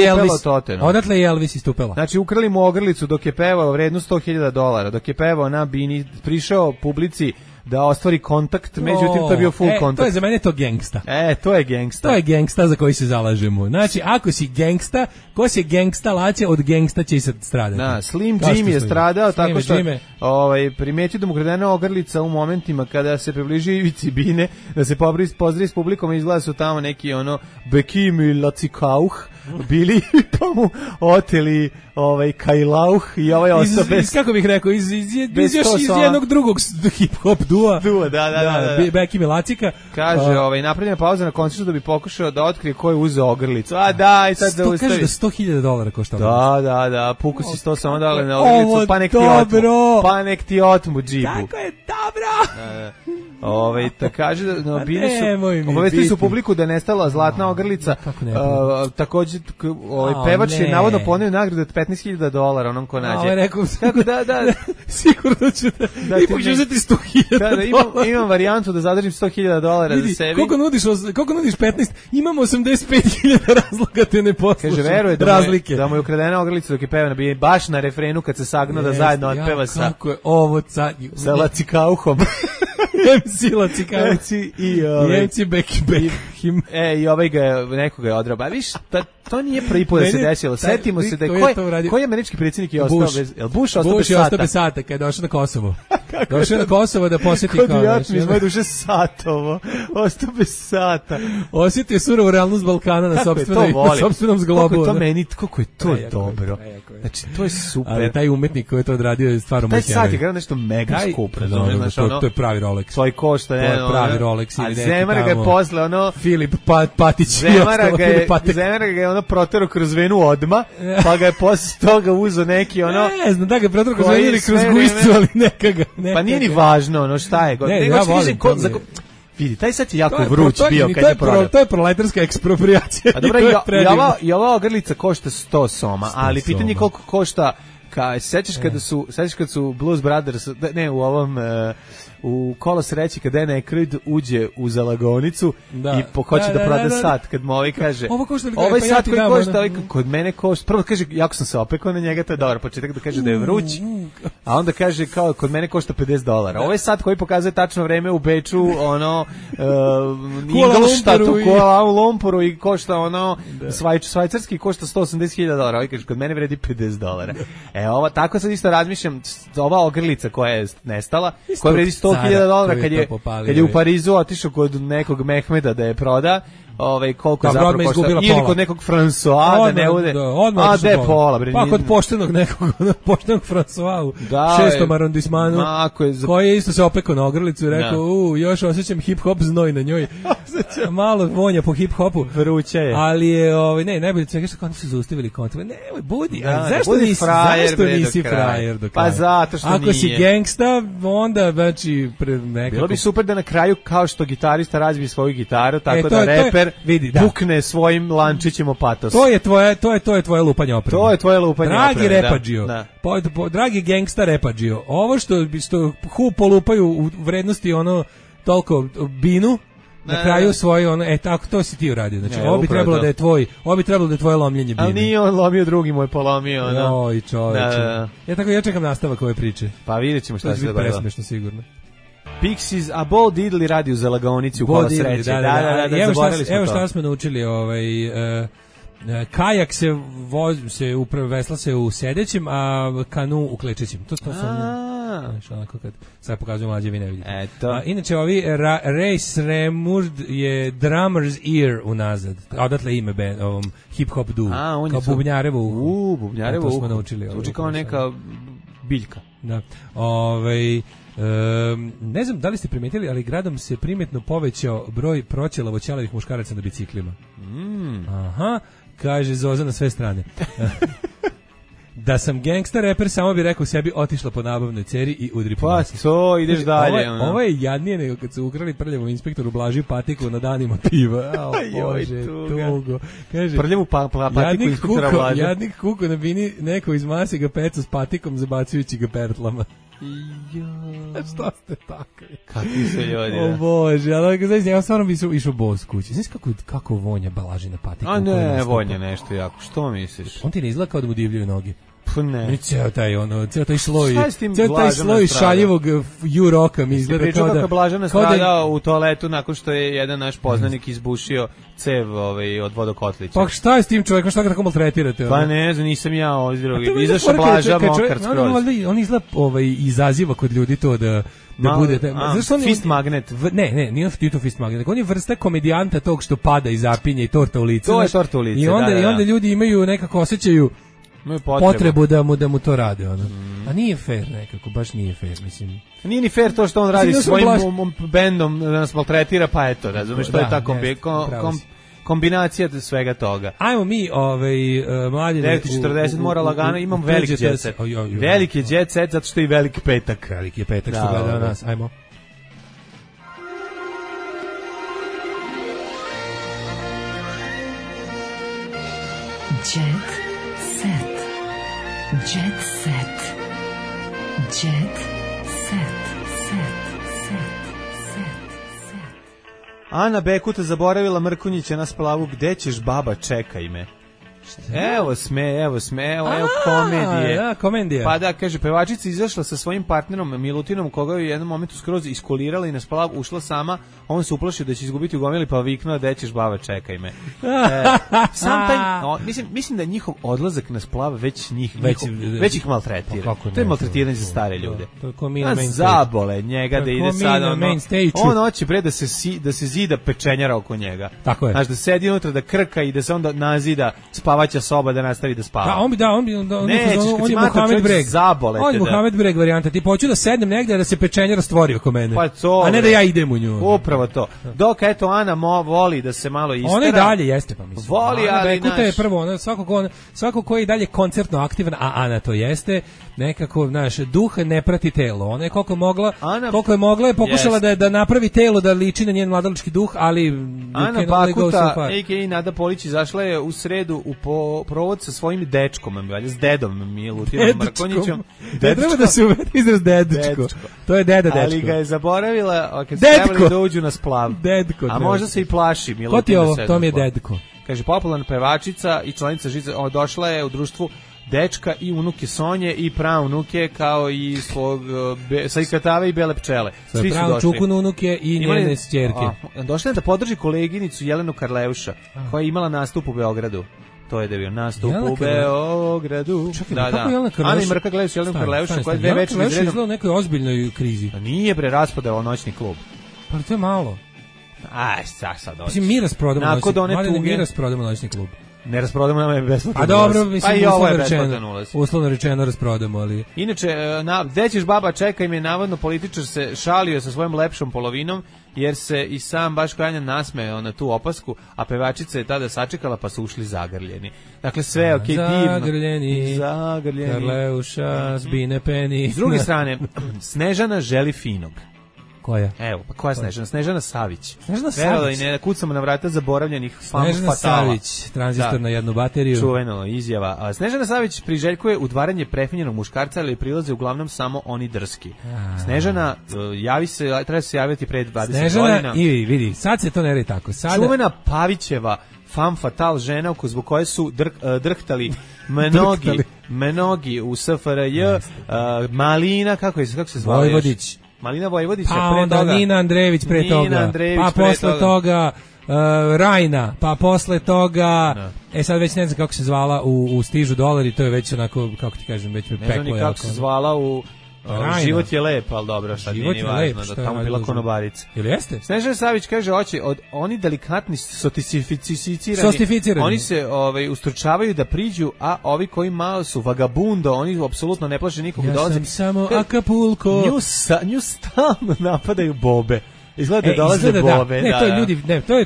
je Elvis iz Tupela. Znači, ukrali mu ogrlicu dok je pevao vrednu $100,000. Dok je pevao na bini, prišao publici da ostvari kontakt, međutim to je bio full kontakt. To je za mene to gangsta. To je gangsta. To je gangsta za koji se zalažemo. Znači, ako si gangsta, ko si gangsta laće, od gangsta će i sad stradati. Da, Slim Jim je stradao tako što primetio da mu kradena ogrlica u momentima kada se približio ivici bine, da se pozdravi s publikom i izgleda su tamo neki Bekim i Lacikauh bili pa mu oteli Kajlauh i ostao bez... Kako bih rekao, iz jednog drugog hip-hop dua. Da. Bekim i Lacika. Kaže, napravljena pauza na koncertu da bi pokušao da otkrije ko je uzeo ogrlicu. I sad da ustavi. Kaže da $100,000 košta. Da, puku si 100 samo dale na ogrlicu, pa nek ti otmu džibu. Tako je, dobro! Da kaže da bili su obavestili su publiku da je nestala zlatna ogrlica. Takođe pevač je navodno poneo nagradu od $15,000 onom ko nađe. Kako da sigurno ću da ipak ću uzeti $100,000. Imam varijantu da zadržim $100,000 za sebi. Koliko nudiš 15? Imam 85.000 razloga te ne poslušam. Kaže, veruje da mu je ukradena ogrlica dok je peva baš na refrenu kad se sagnuo da zajedno otpeva sa Lacikauhom. MC Lacikauh i MC Bekim. I ga nekoga je odraba. A viš, to nije prvi put da se desilo. Setimo se da je koji američki predsjednik je ostao bez... Bush ostao bez sata kad je došao na Kosovo. Došao na Kosovo da posjeti kao... Kod jatmi iz moje duše satovo. Ostao bez sata. Osjetio surovu realnost Balkana na sopstvenom zglobu. Koliko je to dobro. Znači, to je super. Ali taj umetnik koji je to odradio je stvarno taj sat je gledao nešto mega skup. To je pravi Rolex. Svoj košta. To je pravi Rolex. A Zemara ga je posle Filip Patić. Zemara ga je protero kroz venu odma, pa ga je posle toga uzeo neki Ne znam, da ga je protero kroz venu ili kroz guistu, ali nekaga. Pa nije ni važno, šta je. Ja volim. Vidi, taj sad je jako vruć bio kad je prodao. To je proletarska ekspropriacija. A dobro, i ova ogrlica košta 100 soma, ali pitanje koliko košta Sećaš kad su Blues Brothers, ne, u ovom u Kolo sreće kad Dan Aykroyd uđe u zalagonicu i hoće da proda sat, kad mu ovaj kaže ovaj sat koji košta, kod mene košta, prvo kaže jako sam se opekao na njega, to je dobar početak, da kaže da je vruć, a onda kaže kao kod mene košta $50. Ovaj sat koji pokazuje tačno vreme u Beču, ono Ingolstadtu, Kuala Lumpuru i košta ono švajcarski košta $180.000, ovaj kaže kod mene vredi $50. Ova tako sad isto razmišljam, ova ogrlica koja je nestala, koja vredi $100.000 kad je u Parizu otišao kod nekog Mehmeda da je proda, koliko je zapravo košta, ili kod nekog François, da ne bude, a da je pola. Pa kod poštenog nekog, poštenog François u 6. arondismanu, koji je isto se opekao na ogrlicu i rekao, još osjećam hip-hop znoj na njoj, malo vonja po hip-hopu, vruće je. Ali je, ne, najbolje svega što oni su zaustavili kontakt, nemoj, budi, zašto nisi frajer do kraja? Pa zato što nije. Ako si gangsta, onda, znači, nekako. Bilo bi super da na kraju, kao što gitarista razbije svoju gitaru, tako da reper bukne svojim lančićem o patos. To je tvoje lupanje opreme. To je tvoje lupanje opreme. Dragi repadžio, dragi gangsta repadžio, ovo što polupaju u vrednosti ono toliko binu, na kraju svoje tako to si ti uradio. Znači ovo bi trebalo da je tvoje lomljenje bine. Ali nije on lomio, drugi mu je polomio. Oj, čoveče. Ja čekam nastavak ove priče. Pa vidjet ćemo šta se dogodilo. To je presmešno sigurno. Pixies, a Bo Diddley radi u zalagonici u Kola sreće. Da, evo šta smo naučili, kajak vesla se u sedećem, a kanu u klečećem. To su onako kad sad pokazuju mlađe, vi ne vidite. Inače, Race Remurd je Drummer's Ear unazad. Odatle ime ovom hip-hop duo. Kao bubnjarevo. Bubnjarevo. To smo naučili. Zvuči kao neka biljka. Da. Ne znam da li ste primetili, ali gradom se primetno povećao broj proćelavo ćelavih muškaraca na biciklima. Aha, kaže Zoza na sve strane. Da sam gangsta reper, samo bi rekao sebi otišla po nabavnoj ceri i udri po nosu. Pa to, ideš dalje. Ovo je jadnije nego kad su ukrali prljavom inspektoru Blaži patiku na danima piva. Bože, tugo. Kaže, prljavu patiku inspektora Blaži. Jadnik kuko na bini, neko iz mase ga peca s patikom zabacujući ga pertlama. Šta ste takvi? Kakvi se ljudi? O Bože, ali ja stvarno bi išao bos kući. Znaš kako vonja Balaži na patiku? A ne, vonja nešto jako. Što misliš? On ti ne izgleda kao da mu divljaju noge. Pa ne. Ceo taj sloj šaljivog juroka mi izgleda kao da... Kako Blažana stradao u toaletu nakon što je jedan naš poznanik izbušio cev od vodokotlića. Pa šta je s tim čovjekom, šta ga tako maltretirate? Pa ne znam, nisam ja izašao Blaža mokar skroz. On izgleda izaziva kod ljudi to da bude... Fist magnet. Ne, nije to fist magnet. On je vrsta komedijanta tog što pada i zapinje i torta u lice. To je torta u lice, I onda ljudi imaju nekako osjećaju potrebu da mu to rade, a nije fair nekako, baš nije fair, mislim. Nije ni fair to što on radi svojim bendom da nas maltretira, pa eto, razumiješ, to je ta kombinacija svega toga. Ajmo mi, mlađe... 9:40 mora lagano, imam veliki jet set. Veliki jet set, zato što je i veliki petak. Veliki je petak što gleda nas, ajmo. Jet set. Jet set. Jet set. Ana Bekuta zaboravila Mrkonjića na splavu. Gde ćeš, baba, čekaj me. Evo komedije. Da, komedija. Pa da, kaže, pevačica izašla sa svojim partnerom Milutinom, koga je u jednom momentu skroz iskolirala i na splav ušla sama, on se uplašio da će izgubiti u gomili, pa viknuo, gde ćeš, baba, čekaj me. Mislim da je njihov odlazak na splav već ih maltretira. To je maltretiranje za stare ljude. Zabole njega da ide sad, on hoće bre da se zida pečenjara oko njega. Tako je. Znaš, da sedi unutra, da krka i da se onda nazida spavaća soba da nastavi da spava. On je Mohamed Breg. On je Mohamed Breg varijanta. Ti hoću da sednem negde da se pečenjara stvori oko mene. Pa to, a ne da ja idem u nju. Upravo to. Dok eto Ana voli da se malo istera. Ona i dalje jeste, pa mislim. Voli, ali Bekuta je prvo, svako ko je i dalje koncertno aktivan, a Ana to jeste, nekako, znaš, duh ne prati telo. Ona je koliko je mogla je pokušala da napravi telo da liči na njen mladalački duh, ali Ana Bakuta, a.k.a. Nada Polić, izašla je u sredu u provod sa svojim dečkom, s dedom Milutinom Mrkonjićem. Ne treba da se uvede izraz dedečko. To je dečko. Ali ga je zaboravila kad su trebali da uđu na splav. Dedko. A možda se i plaši Milutin. Ko ti ovo? To mi je dedko. Kaže, popularna pevačica i članica Žice, došla je u društvu dečka i unuke Sonje i praunuke, kao i svog Sajkatave i Bele pčele. Svi su došli. Čukun unuke i njene ćerke. Došla je da podrži koleginicu Jelenu Karleuša, koja je imala nastup u Beogradu. To je da bio nastup u Beogradu. Čekaj, kako Jelena Karleuša? Ana i Mrka gledaju Jelenu Karleušu, koja je 2 večeri izredom. Jelena Karleuša u nekoj ozbiljnoj krizi. Nije raspodao noćni klub. Pa to je malo. Aj, sad dođe. Mislim, mi rasprodamo noćni klub. Ne rasprodamo, nama je besplatno. A dobro, mislim, pa uslovno rečeno rasprodamo, ali... Inače, gde ćeš baba, čekaj me, navodno političar se šalio sa svojom lepšom polovinom, jer se i sam baš Kranjan nasmeo na tu opasku, a pevačica je tada sačekala, pa su ušli zagrljeni. Dakle, sve je okej, divno. Zagrljeni, Karleuša, Zbine Peni. S druge strane, Snežana želi finog. Koja? Evo, pa koja je Snežana? Snežana Savić. Snežana Savić. Ne kucamo na vrata zaboravljenih fam fatala. Snežana Savić, tranzistor na jednu bateriju. Čuveno izjava. Snežana Savić priželjkuje udvaranje prefinjenog muškarca, ali prilaze uglavnom samo oni drski. Snežana, treba se javiti pre 20 godina. Snežana, i vidi, sad se to ne radi tako. Čuvena Pavićeva fam fatal žena zbog koje su drhtali mnogi u SFRJ, Malina, kako se zvala Vojvodić. Malina Vojvodića, pa onda Nina Andrejević pre toga, pa posle toga Rajna, pa posle toga sad već ne znam kako se zvala u Stižu dolari, to je već onako, kako ti kažem, već me peklo. Ne znam ni kako se zvala u Život je lep, ali dobro, sad nije ni važno da tamo bila konobarica. Ili jeste? Snežana Savić kaže, oni delikatni sotificirani, oni se ustručavaju da priđu, a ovi koji malo su vagabundo, oni apsolutno ne plaše nikog dolaze. Ja sam samo Acapulco. Nju stalno napadaju bobe. Izgleda da dolaze bobe. Ne, to je ljudi,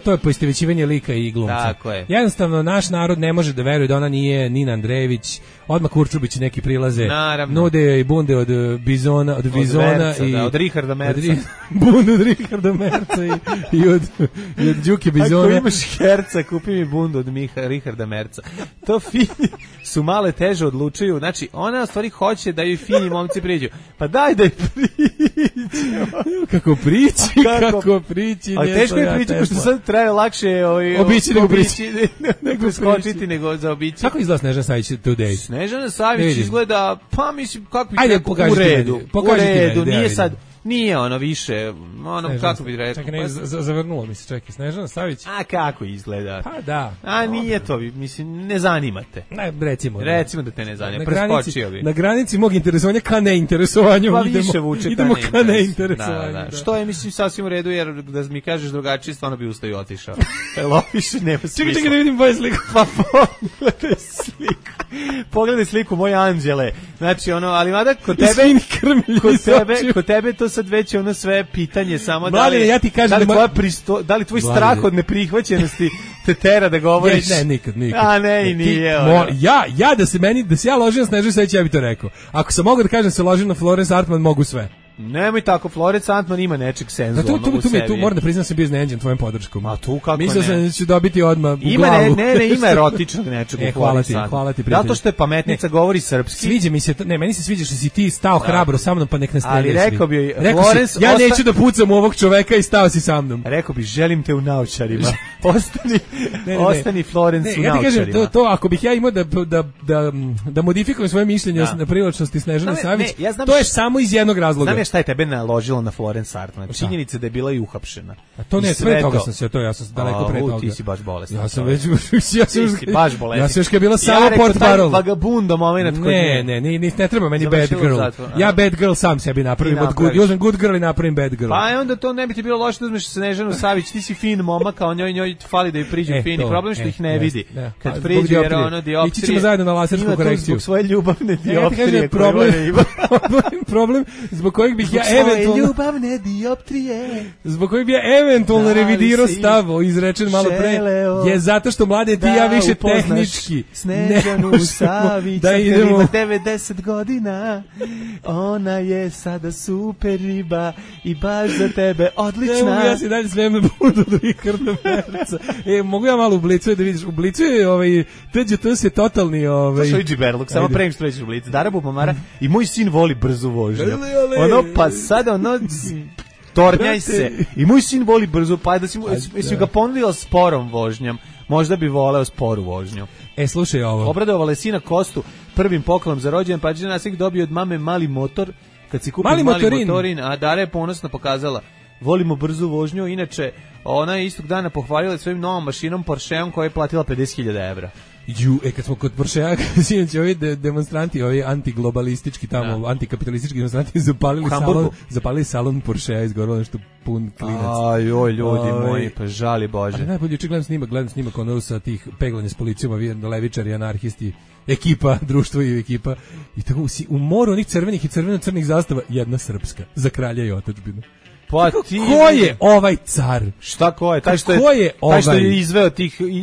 to je poistovećivanje lika i glumca. Tako je. Jednostavno naš narod ne može da veruje da ona nije Nina Andrejević. Odmah Kurčubić neki prilaze. Naravno. Nude i bunde od Bizona, i od Richarda Merca. Bundu od Richarda Merca i od Đuke Bizona. Ako imaš herca, kupi mi bundu od Richarda Merca. To fini su male teže odlučuju. Znači, ona u stvari hoće da joj fini momci priđu. Pa daj da je priđu. Kako prići. Ali teško je prići, pošto sad traje lakše obići nego prići. Nego skočiti nego za obići. Kako izgleda Snežana Savić today? Snežana Savić izgleda, pa mislim, kako bi rekao, u redu. Nije sad, nije ono više, ono, kako bi rekao. Čekaj, zavrnulo mi se, čekaj, Snežana Savić. A kako izgleda? Pa da. A nije to, mislim, ne zanimate. Recimo da te ne zanima, preskočio bi. Na granici mog interesovanja ka neinteresovanju. Pa više vuče idemo ka neinteresovanju. Da. Što je, mislim, sasvim u redu, jer da mi kažeš drugačije, stvarno bi ustao i otišao. Loviše, nema smisla. Čekaj da vidim boje sliku. Pa pogledaj sliku moje anđele. Znači, ali mada kod tebe to sad već ono sve pitanje samo ja ti kažem da li tvoj strah od neprihvaćenosti te tera da govoriš. Ne, nikad. A ne, i nije. Da se ja ložim na Snežanu Savić, ja bi to rekao. Ako sam mogao da kažem se ložim na Florence Artman, mogu sve. Nemoj tako, Florence Antman ima nečeg senzualnog u sebi. Tu moram da priznam se bio iznenađen tvojom podrškom. A tu kako Mislio sam da ću dobiti odmah u glavu. Ima erotičnog nečeg u Florence Antman. Hvala ti, prijatelj. Zato što je pametnica, govori srpski. Sviđa mi se, meni se sviđa što si ti stao hrabro sa mnom, pa nek ne streljaš. Ali rekao bi, Florence... Ja neću da pucam u ovog čoveka i stao si sa mnom. Rekao bi, želim te u naučarima. Ostani Florence u naučarima. Ja ti kažem, to ako bih ja imao da modifikujem svoje mišljenje na privlačnosti Snežane Savić, to je samo iz jednog razloga. Znam šta je tebe naložilo na Florence Artman. Činjenica da je bila i uhapšena. A to ne, sve toga sam se, ja sam daleko pre toga. Ti si baš bolestan. Ja sam baš bolestan. Ja sam još bila samo portparol. Vagabundo moment koji ne treba meni bad girl. Ja bad girl sam sebi napravim od good girl i napravim bad girl. Pa onda to ne bi ti bilo loše da uzmeš Snežanu Savić, ti si fin momak, a njoj fali da joj priđu fini. Problem što ih ne vidi. Kad priđu jer ono dioptrije. Ići ćemo zajedno na lasersku korekciju. Zbog svoje ljubavne dioptrije. Problem zbog kojeg kojeg bih ja eventualno ljubavne dioptrije. Zbog kojeg bi ja eventualno revidirao stav izrečen malo pre je zato što mlade ti ja više tehnički Snežanu Savić da idemo 90 godina. Ona je sada super riba i baš za tebe odlična. Ja se dalje sveme budu od Richarda Merca. Mogu ja malo u Blicu da vidiš, u Blicu je TGT se totalni to su Iđi Berluk, samo prem što reći u Blicu. Dara Bubamara i moj sin voli brzu vožnju. Ono pa sada tornjaj se. I moj sin voli brzo, pa da si ga ponudio sporom vožnjom. Možda bi voleo sporu vožnju. Slušaj ovo. Obradovala je sina Kostu prvim poklon za rođendan, pa je naslik dobio od mame mali motor. Kad si kupio mali motorin, a Dara je ponosno pokazala. Volimo brzu vožnju, inače ona je istog dana pohvalila svojim novom mašinom Porscheom koja je platila 50.000 evra. Kad smo kod Porschea, sinoć ovi demonstranti, ovi antiglobalistički tamo, antikapitalistički demonstranti zapalili salon Porschea, izgorilo nešto pun klinac. Joj, ljudi moji, pa žali Bože. Ali najbolje gledam snimak ono sa tih peglanja s policijom, levičari, anarhisti, ekipa, društvo i ekipa. I tako u moru onih crvenih i crveno-crnih zastava, jedna srpska, za kralja i otadžbinu. Pa ko je ovaj car? Šta ko je? Taj što je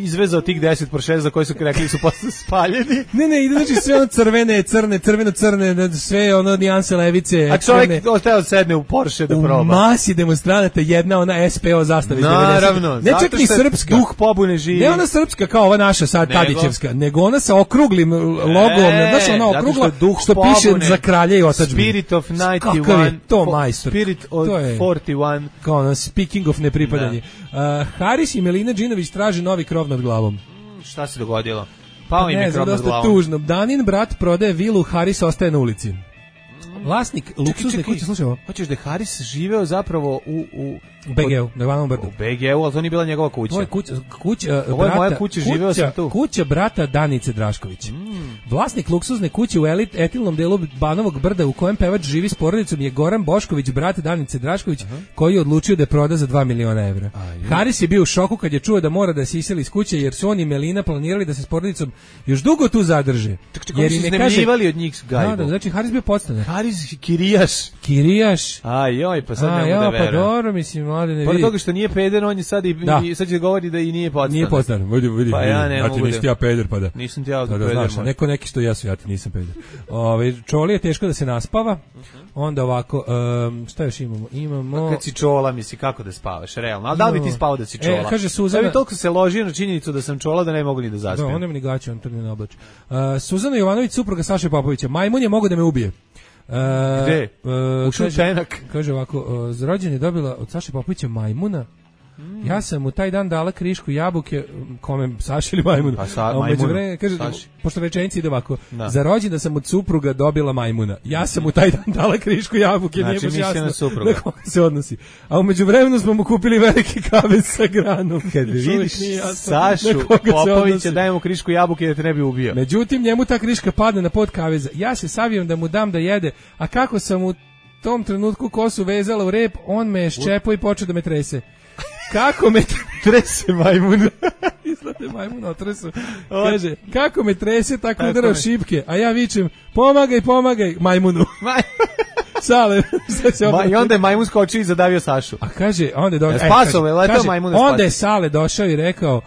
izvezao tih 10 Porsche za koje su rekli su posle spaljeni. Ne, ide znači sve ono crvene, crveno-crne, sve ono nijanse levice. A čovjek ostao sedne u Porsche da proba. U masi demonstranata jedna ona SPO zastava iz 90. Naravno. Ne čak ni srpska. Duh pobune živi. Ne ona srpska kao ova naša sad Tadićevska, nego ona sa okruglim logom, znaš ona okrugla što piše za kralja i otadžbinu. Spirit of 91. Kakav je to majstor? Spirit of 41. Kao ono, speaking of nepripadanje. Haris i Melina Džinović traže novi krov nad glavom. Šta se dogodilo? Pao im je krov nad glavom. Tužno. Danin brat prodaje vilu, Haris ostaje na ulici. Vlasnik luksuzne kuće, slušaj ovo. Hoćeš da je Haris živeo zapravo u BG-u, na Ivanovom brdu. U BG-u, ali to nije bila njegova kuća. Ovo je moja kuća, živeo sam tu. Kuća brata Danice Drašković. Vlasnik luksuzne kuće u etilnom delu Banovog brda u kojem pevač živi s porodicom je Goran Bošković, brat Danice Drašković, koji je odlučio da je proda za 2 miliona evra. Haris je bio u šoku kad je čuo da mora da se iseli iz kuće, jer su on i Melina planirali da se s porodicom još dugo tu zadrže. Jer im je kaže od njih gajbu. Da, znači Haris bio podstanar. Haris Kirijaš. Joj, pa sad ne mogu da verujem. Pa dobro, mislim, mlade ne vidi. Pored toga što nije peder, on je sad sad će govori da i nije podstanar. Nije podstanar, vidi. Pa ja ne mogu da. Nisi ti ja peder, pa da. Nisam ti ja peder. Znaš, neki što ja ti nisam peder. Čoli je teško da se naspava. Onda ovako, šta još imamo? Kad si čola, misli, kako da spavaš, realno. Ali da li bi ti spavao da si čola? Kaže Suzana. Ja bi toliko se ložio na činjenicu da sam čola da ne mogu ni da zaspim. Da, on nema ni gaće, on to ne oblači. Suzana Jovanović, supruga Saše Popovića. Majmun je mogao da me ubije. Gde? Ušao penak. Kaže ovako, za rođendan je dobila od Saše Popovića majmuna. Ja sam u taj dan dala krišku jabuke, kome Saši ili majmunu. Kaže, pošto rečenica ide ovako, za rođendan sam od supruga dobila majmuna. Ja sam u taj dan dala krišku jabuke, znači, nije baš jasno na koga se odnosi. A u međuvremenu smo mu kupili veliki kavez sa granom. Kad vidiš Sašu Popovića, dajemo krišku jabuke da te ne bi ubio. Međutim, njemu ta kriška padne na pod kaveza. Ja se savijam da mu dam da jede, a kako sam u tom trenutku kosu vezala u rep, on me je ščepao i počeo da me trese. Kako me trese majmun? Izlate majmun otresu. Kaže, kako me trese, tako udarao šipke, a ja vičem, pomagaj majmunu. Sale. I onda je majmun skočio i zadavio Sašu. A kaže, onda je Sale došao i rekao,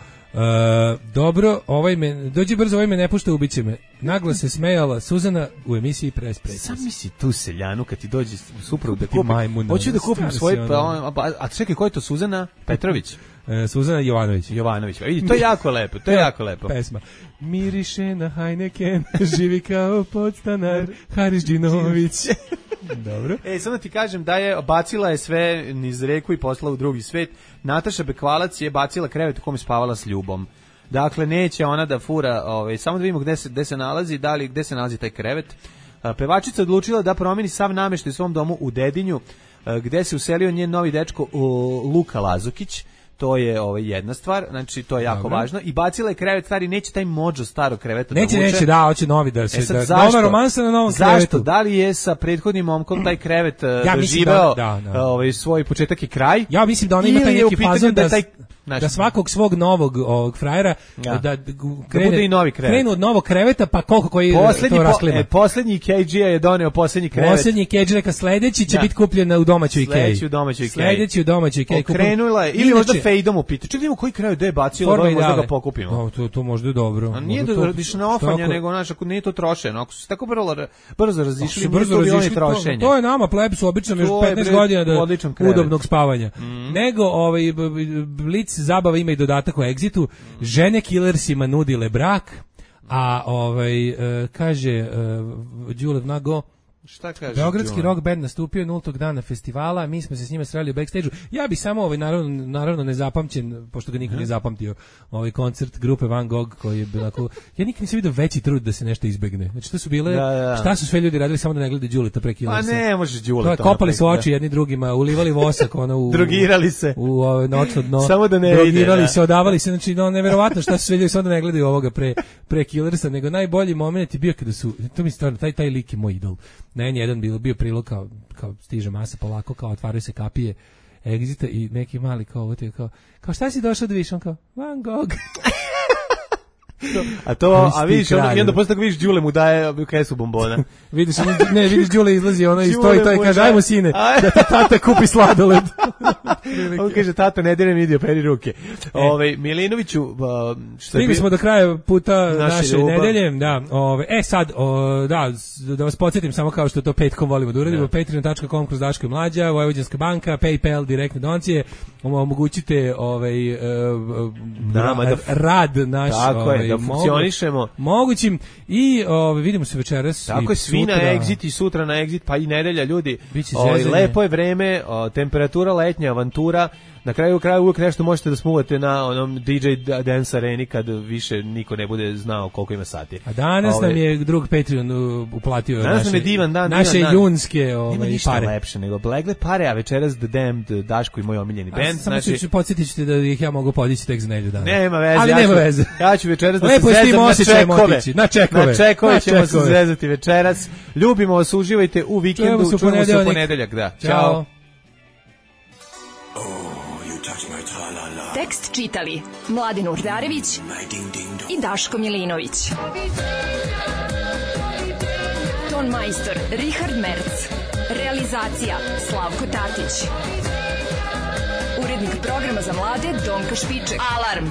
dobro, dođi brzo, ovaj me ne pušta, ubiće me. Naglo se smejala Suzana u emisiji Press. Sam misli tu seljanu kad ti dođe suprug da kupi majmuna. Hoću da kupim svoje, a čekaj, ko je to, Suzana Petrović? Suzana Jovanović. Vidi, to je jako lepo, Pesma. Miriše na Heineken, živi kao podstanar, Haris Džinović. Dobro. Samo ti kažem da je bacila je sve niz reku i poslala u drugi svet. Nataša Bekvalac je bacila krevet u kome spavala s Ljubom. Dakle, neće ona da fura, samo da vidimo gde se nalazi, gde se nalazi taj krevet. Pevačica odlučila da promeni sav nameštaj u svom domu u Dedinju, gde se uselio njen novi dečko Luka Lazukić. To je jedna stvar, znači to je jako važno. I bacila je krevet stari, neće taj mođo starog kreveta neće, da vuče. Neće, hoće novi da se... Nova romansa na novom krevetu. Zašto? Da li je sa prethodnim momkom taj krevet doživeo svoj početak i kraj? Ja mislim da ona ima taj neki fazon da svakog svog novog ovog frajera da bude i novi krevet. Krenu od novog kreveta, pa koliko koji to rasklima. Poslednji KG-a je doneo poslednji krevet. Poslednji KG neka sledeći će biti kupljen u domaćoj IKEA. Sledeći u domaćoj IKEA. Okrenula je, ili možda fejdom upita. Čekaj, vidimo koji krevet je bacio, možda ga pokupimo. To možda je dobro. A nije da radiš na ofanje, nego znaš, ako nije to trošeno. Ako su tako brzo razišli, to je nama plebsu obično još 15 godina do udobnog spavanja. Nego Blitz zabava ima i dodatak o Exitu. Žene killersima nudile brak, a kaže Đulev Nago, šta kaže? Beogradski rock band nastupio 0. dana festivala, mi smo se s njima sreli u backstage-u. Ja bih samo naravno nezapamćen, pošto ga niko nije zapamtio, koncert grupe Van Gogh koji je bilo ako ja nikad nisam vidio veći trud da se nešto izbegne. Znači to su bile šta su sve ljudi radili samo da ne gledaju Đuleta pre Killersa. A ne, možeš Đuleta. Kopali su oči jedni drugima, ulivali vosak drogirali se. U noćno dno. Samo da ne drogirali se, odavali se, znači neverovatno šta su sve ljudi samo da ne gledaju ovoga pre Killersa, nego najbolji momenat je bio kada su to mi stvarno taj lik je moj idol. Jedan bio prilog kao stiže masa polako, kao otvaraju se kapije Exita i neki mali kao šta si došao da vidiš, on kao Van Gogh. A vidiš, i onda posle tako vidiš Đule mu daje kesu bombona. vidiš Đule izlazi i stoji i kaže, ajmo sine, da ti tata kupi sladoled. On kaže, tata, ne diraj mi, idio, peri ruke. Milinoviću, stigli smo do kraja puta naše nedelje. Sad, da vas podsjetim samo kao što to petkom volimo da uradimo, patreon.com kroz Daško i Mlađa, Vojvođanska banka, PayPal, direktne donacije, omogućite rad naš, da funkcionišemo. Mogućim i vidimo se večeras. Tako je, svi na Exit i sutra na Exit, pa i nedelja, ljudi. Lepo je vreme, temperatura letnja, avantura. Na kraju uvijek nešto možete da smuvate na onom DJ Dance Areni kad više niko ne bude znao koliko ima sati. A danas nam je drug Patreon uplatio naše junske nema ništa pare. Lepše nego blegle pare, a večeras The Damned, Daško i moj omiljeni band. Samo podsjetit ćete da ih ja mogu podići tek za nedelju dana. Nema veze. Ali nema veze. Ja ću večeras da se zezam na čekove. Na čekove ćemo se zezati večeras. Ljubimo vas, uživajte u vikendu. Čujemo se u ponedeljak. Ćao. Tekst čitali Mladen Urdarević i Daško Milinović. Ton majstor Richard Merc. Realizacija Slavko Tatić. Urednik programa za mlade Donka Špiček. Alarm!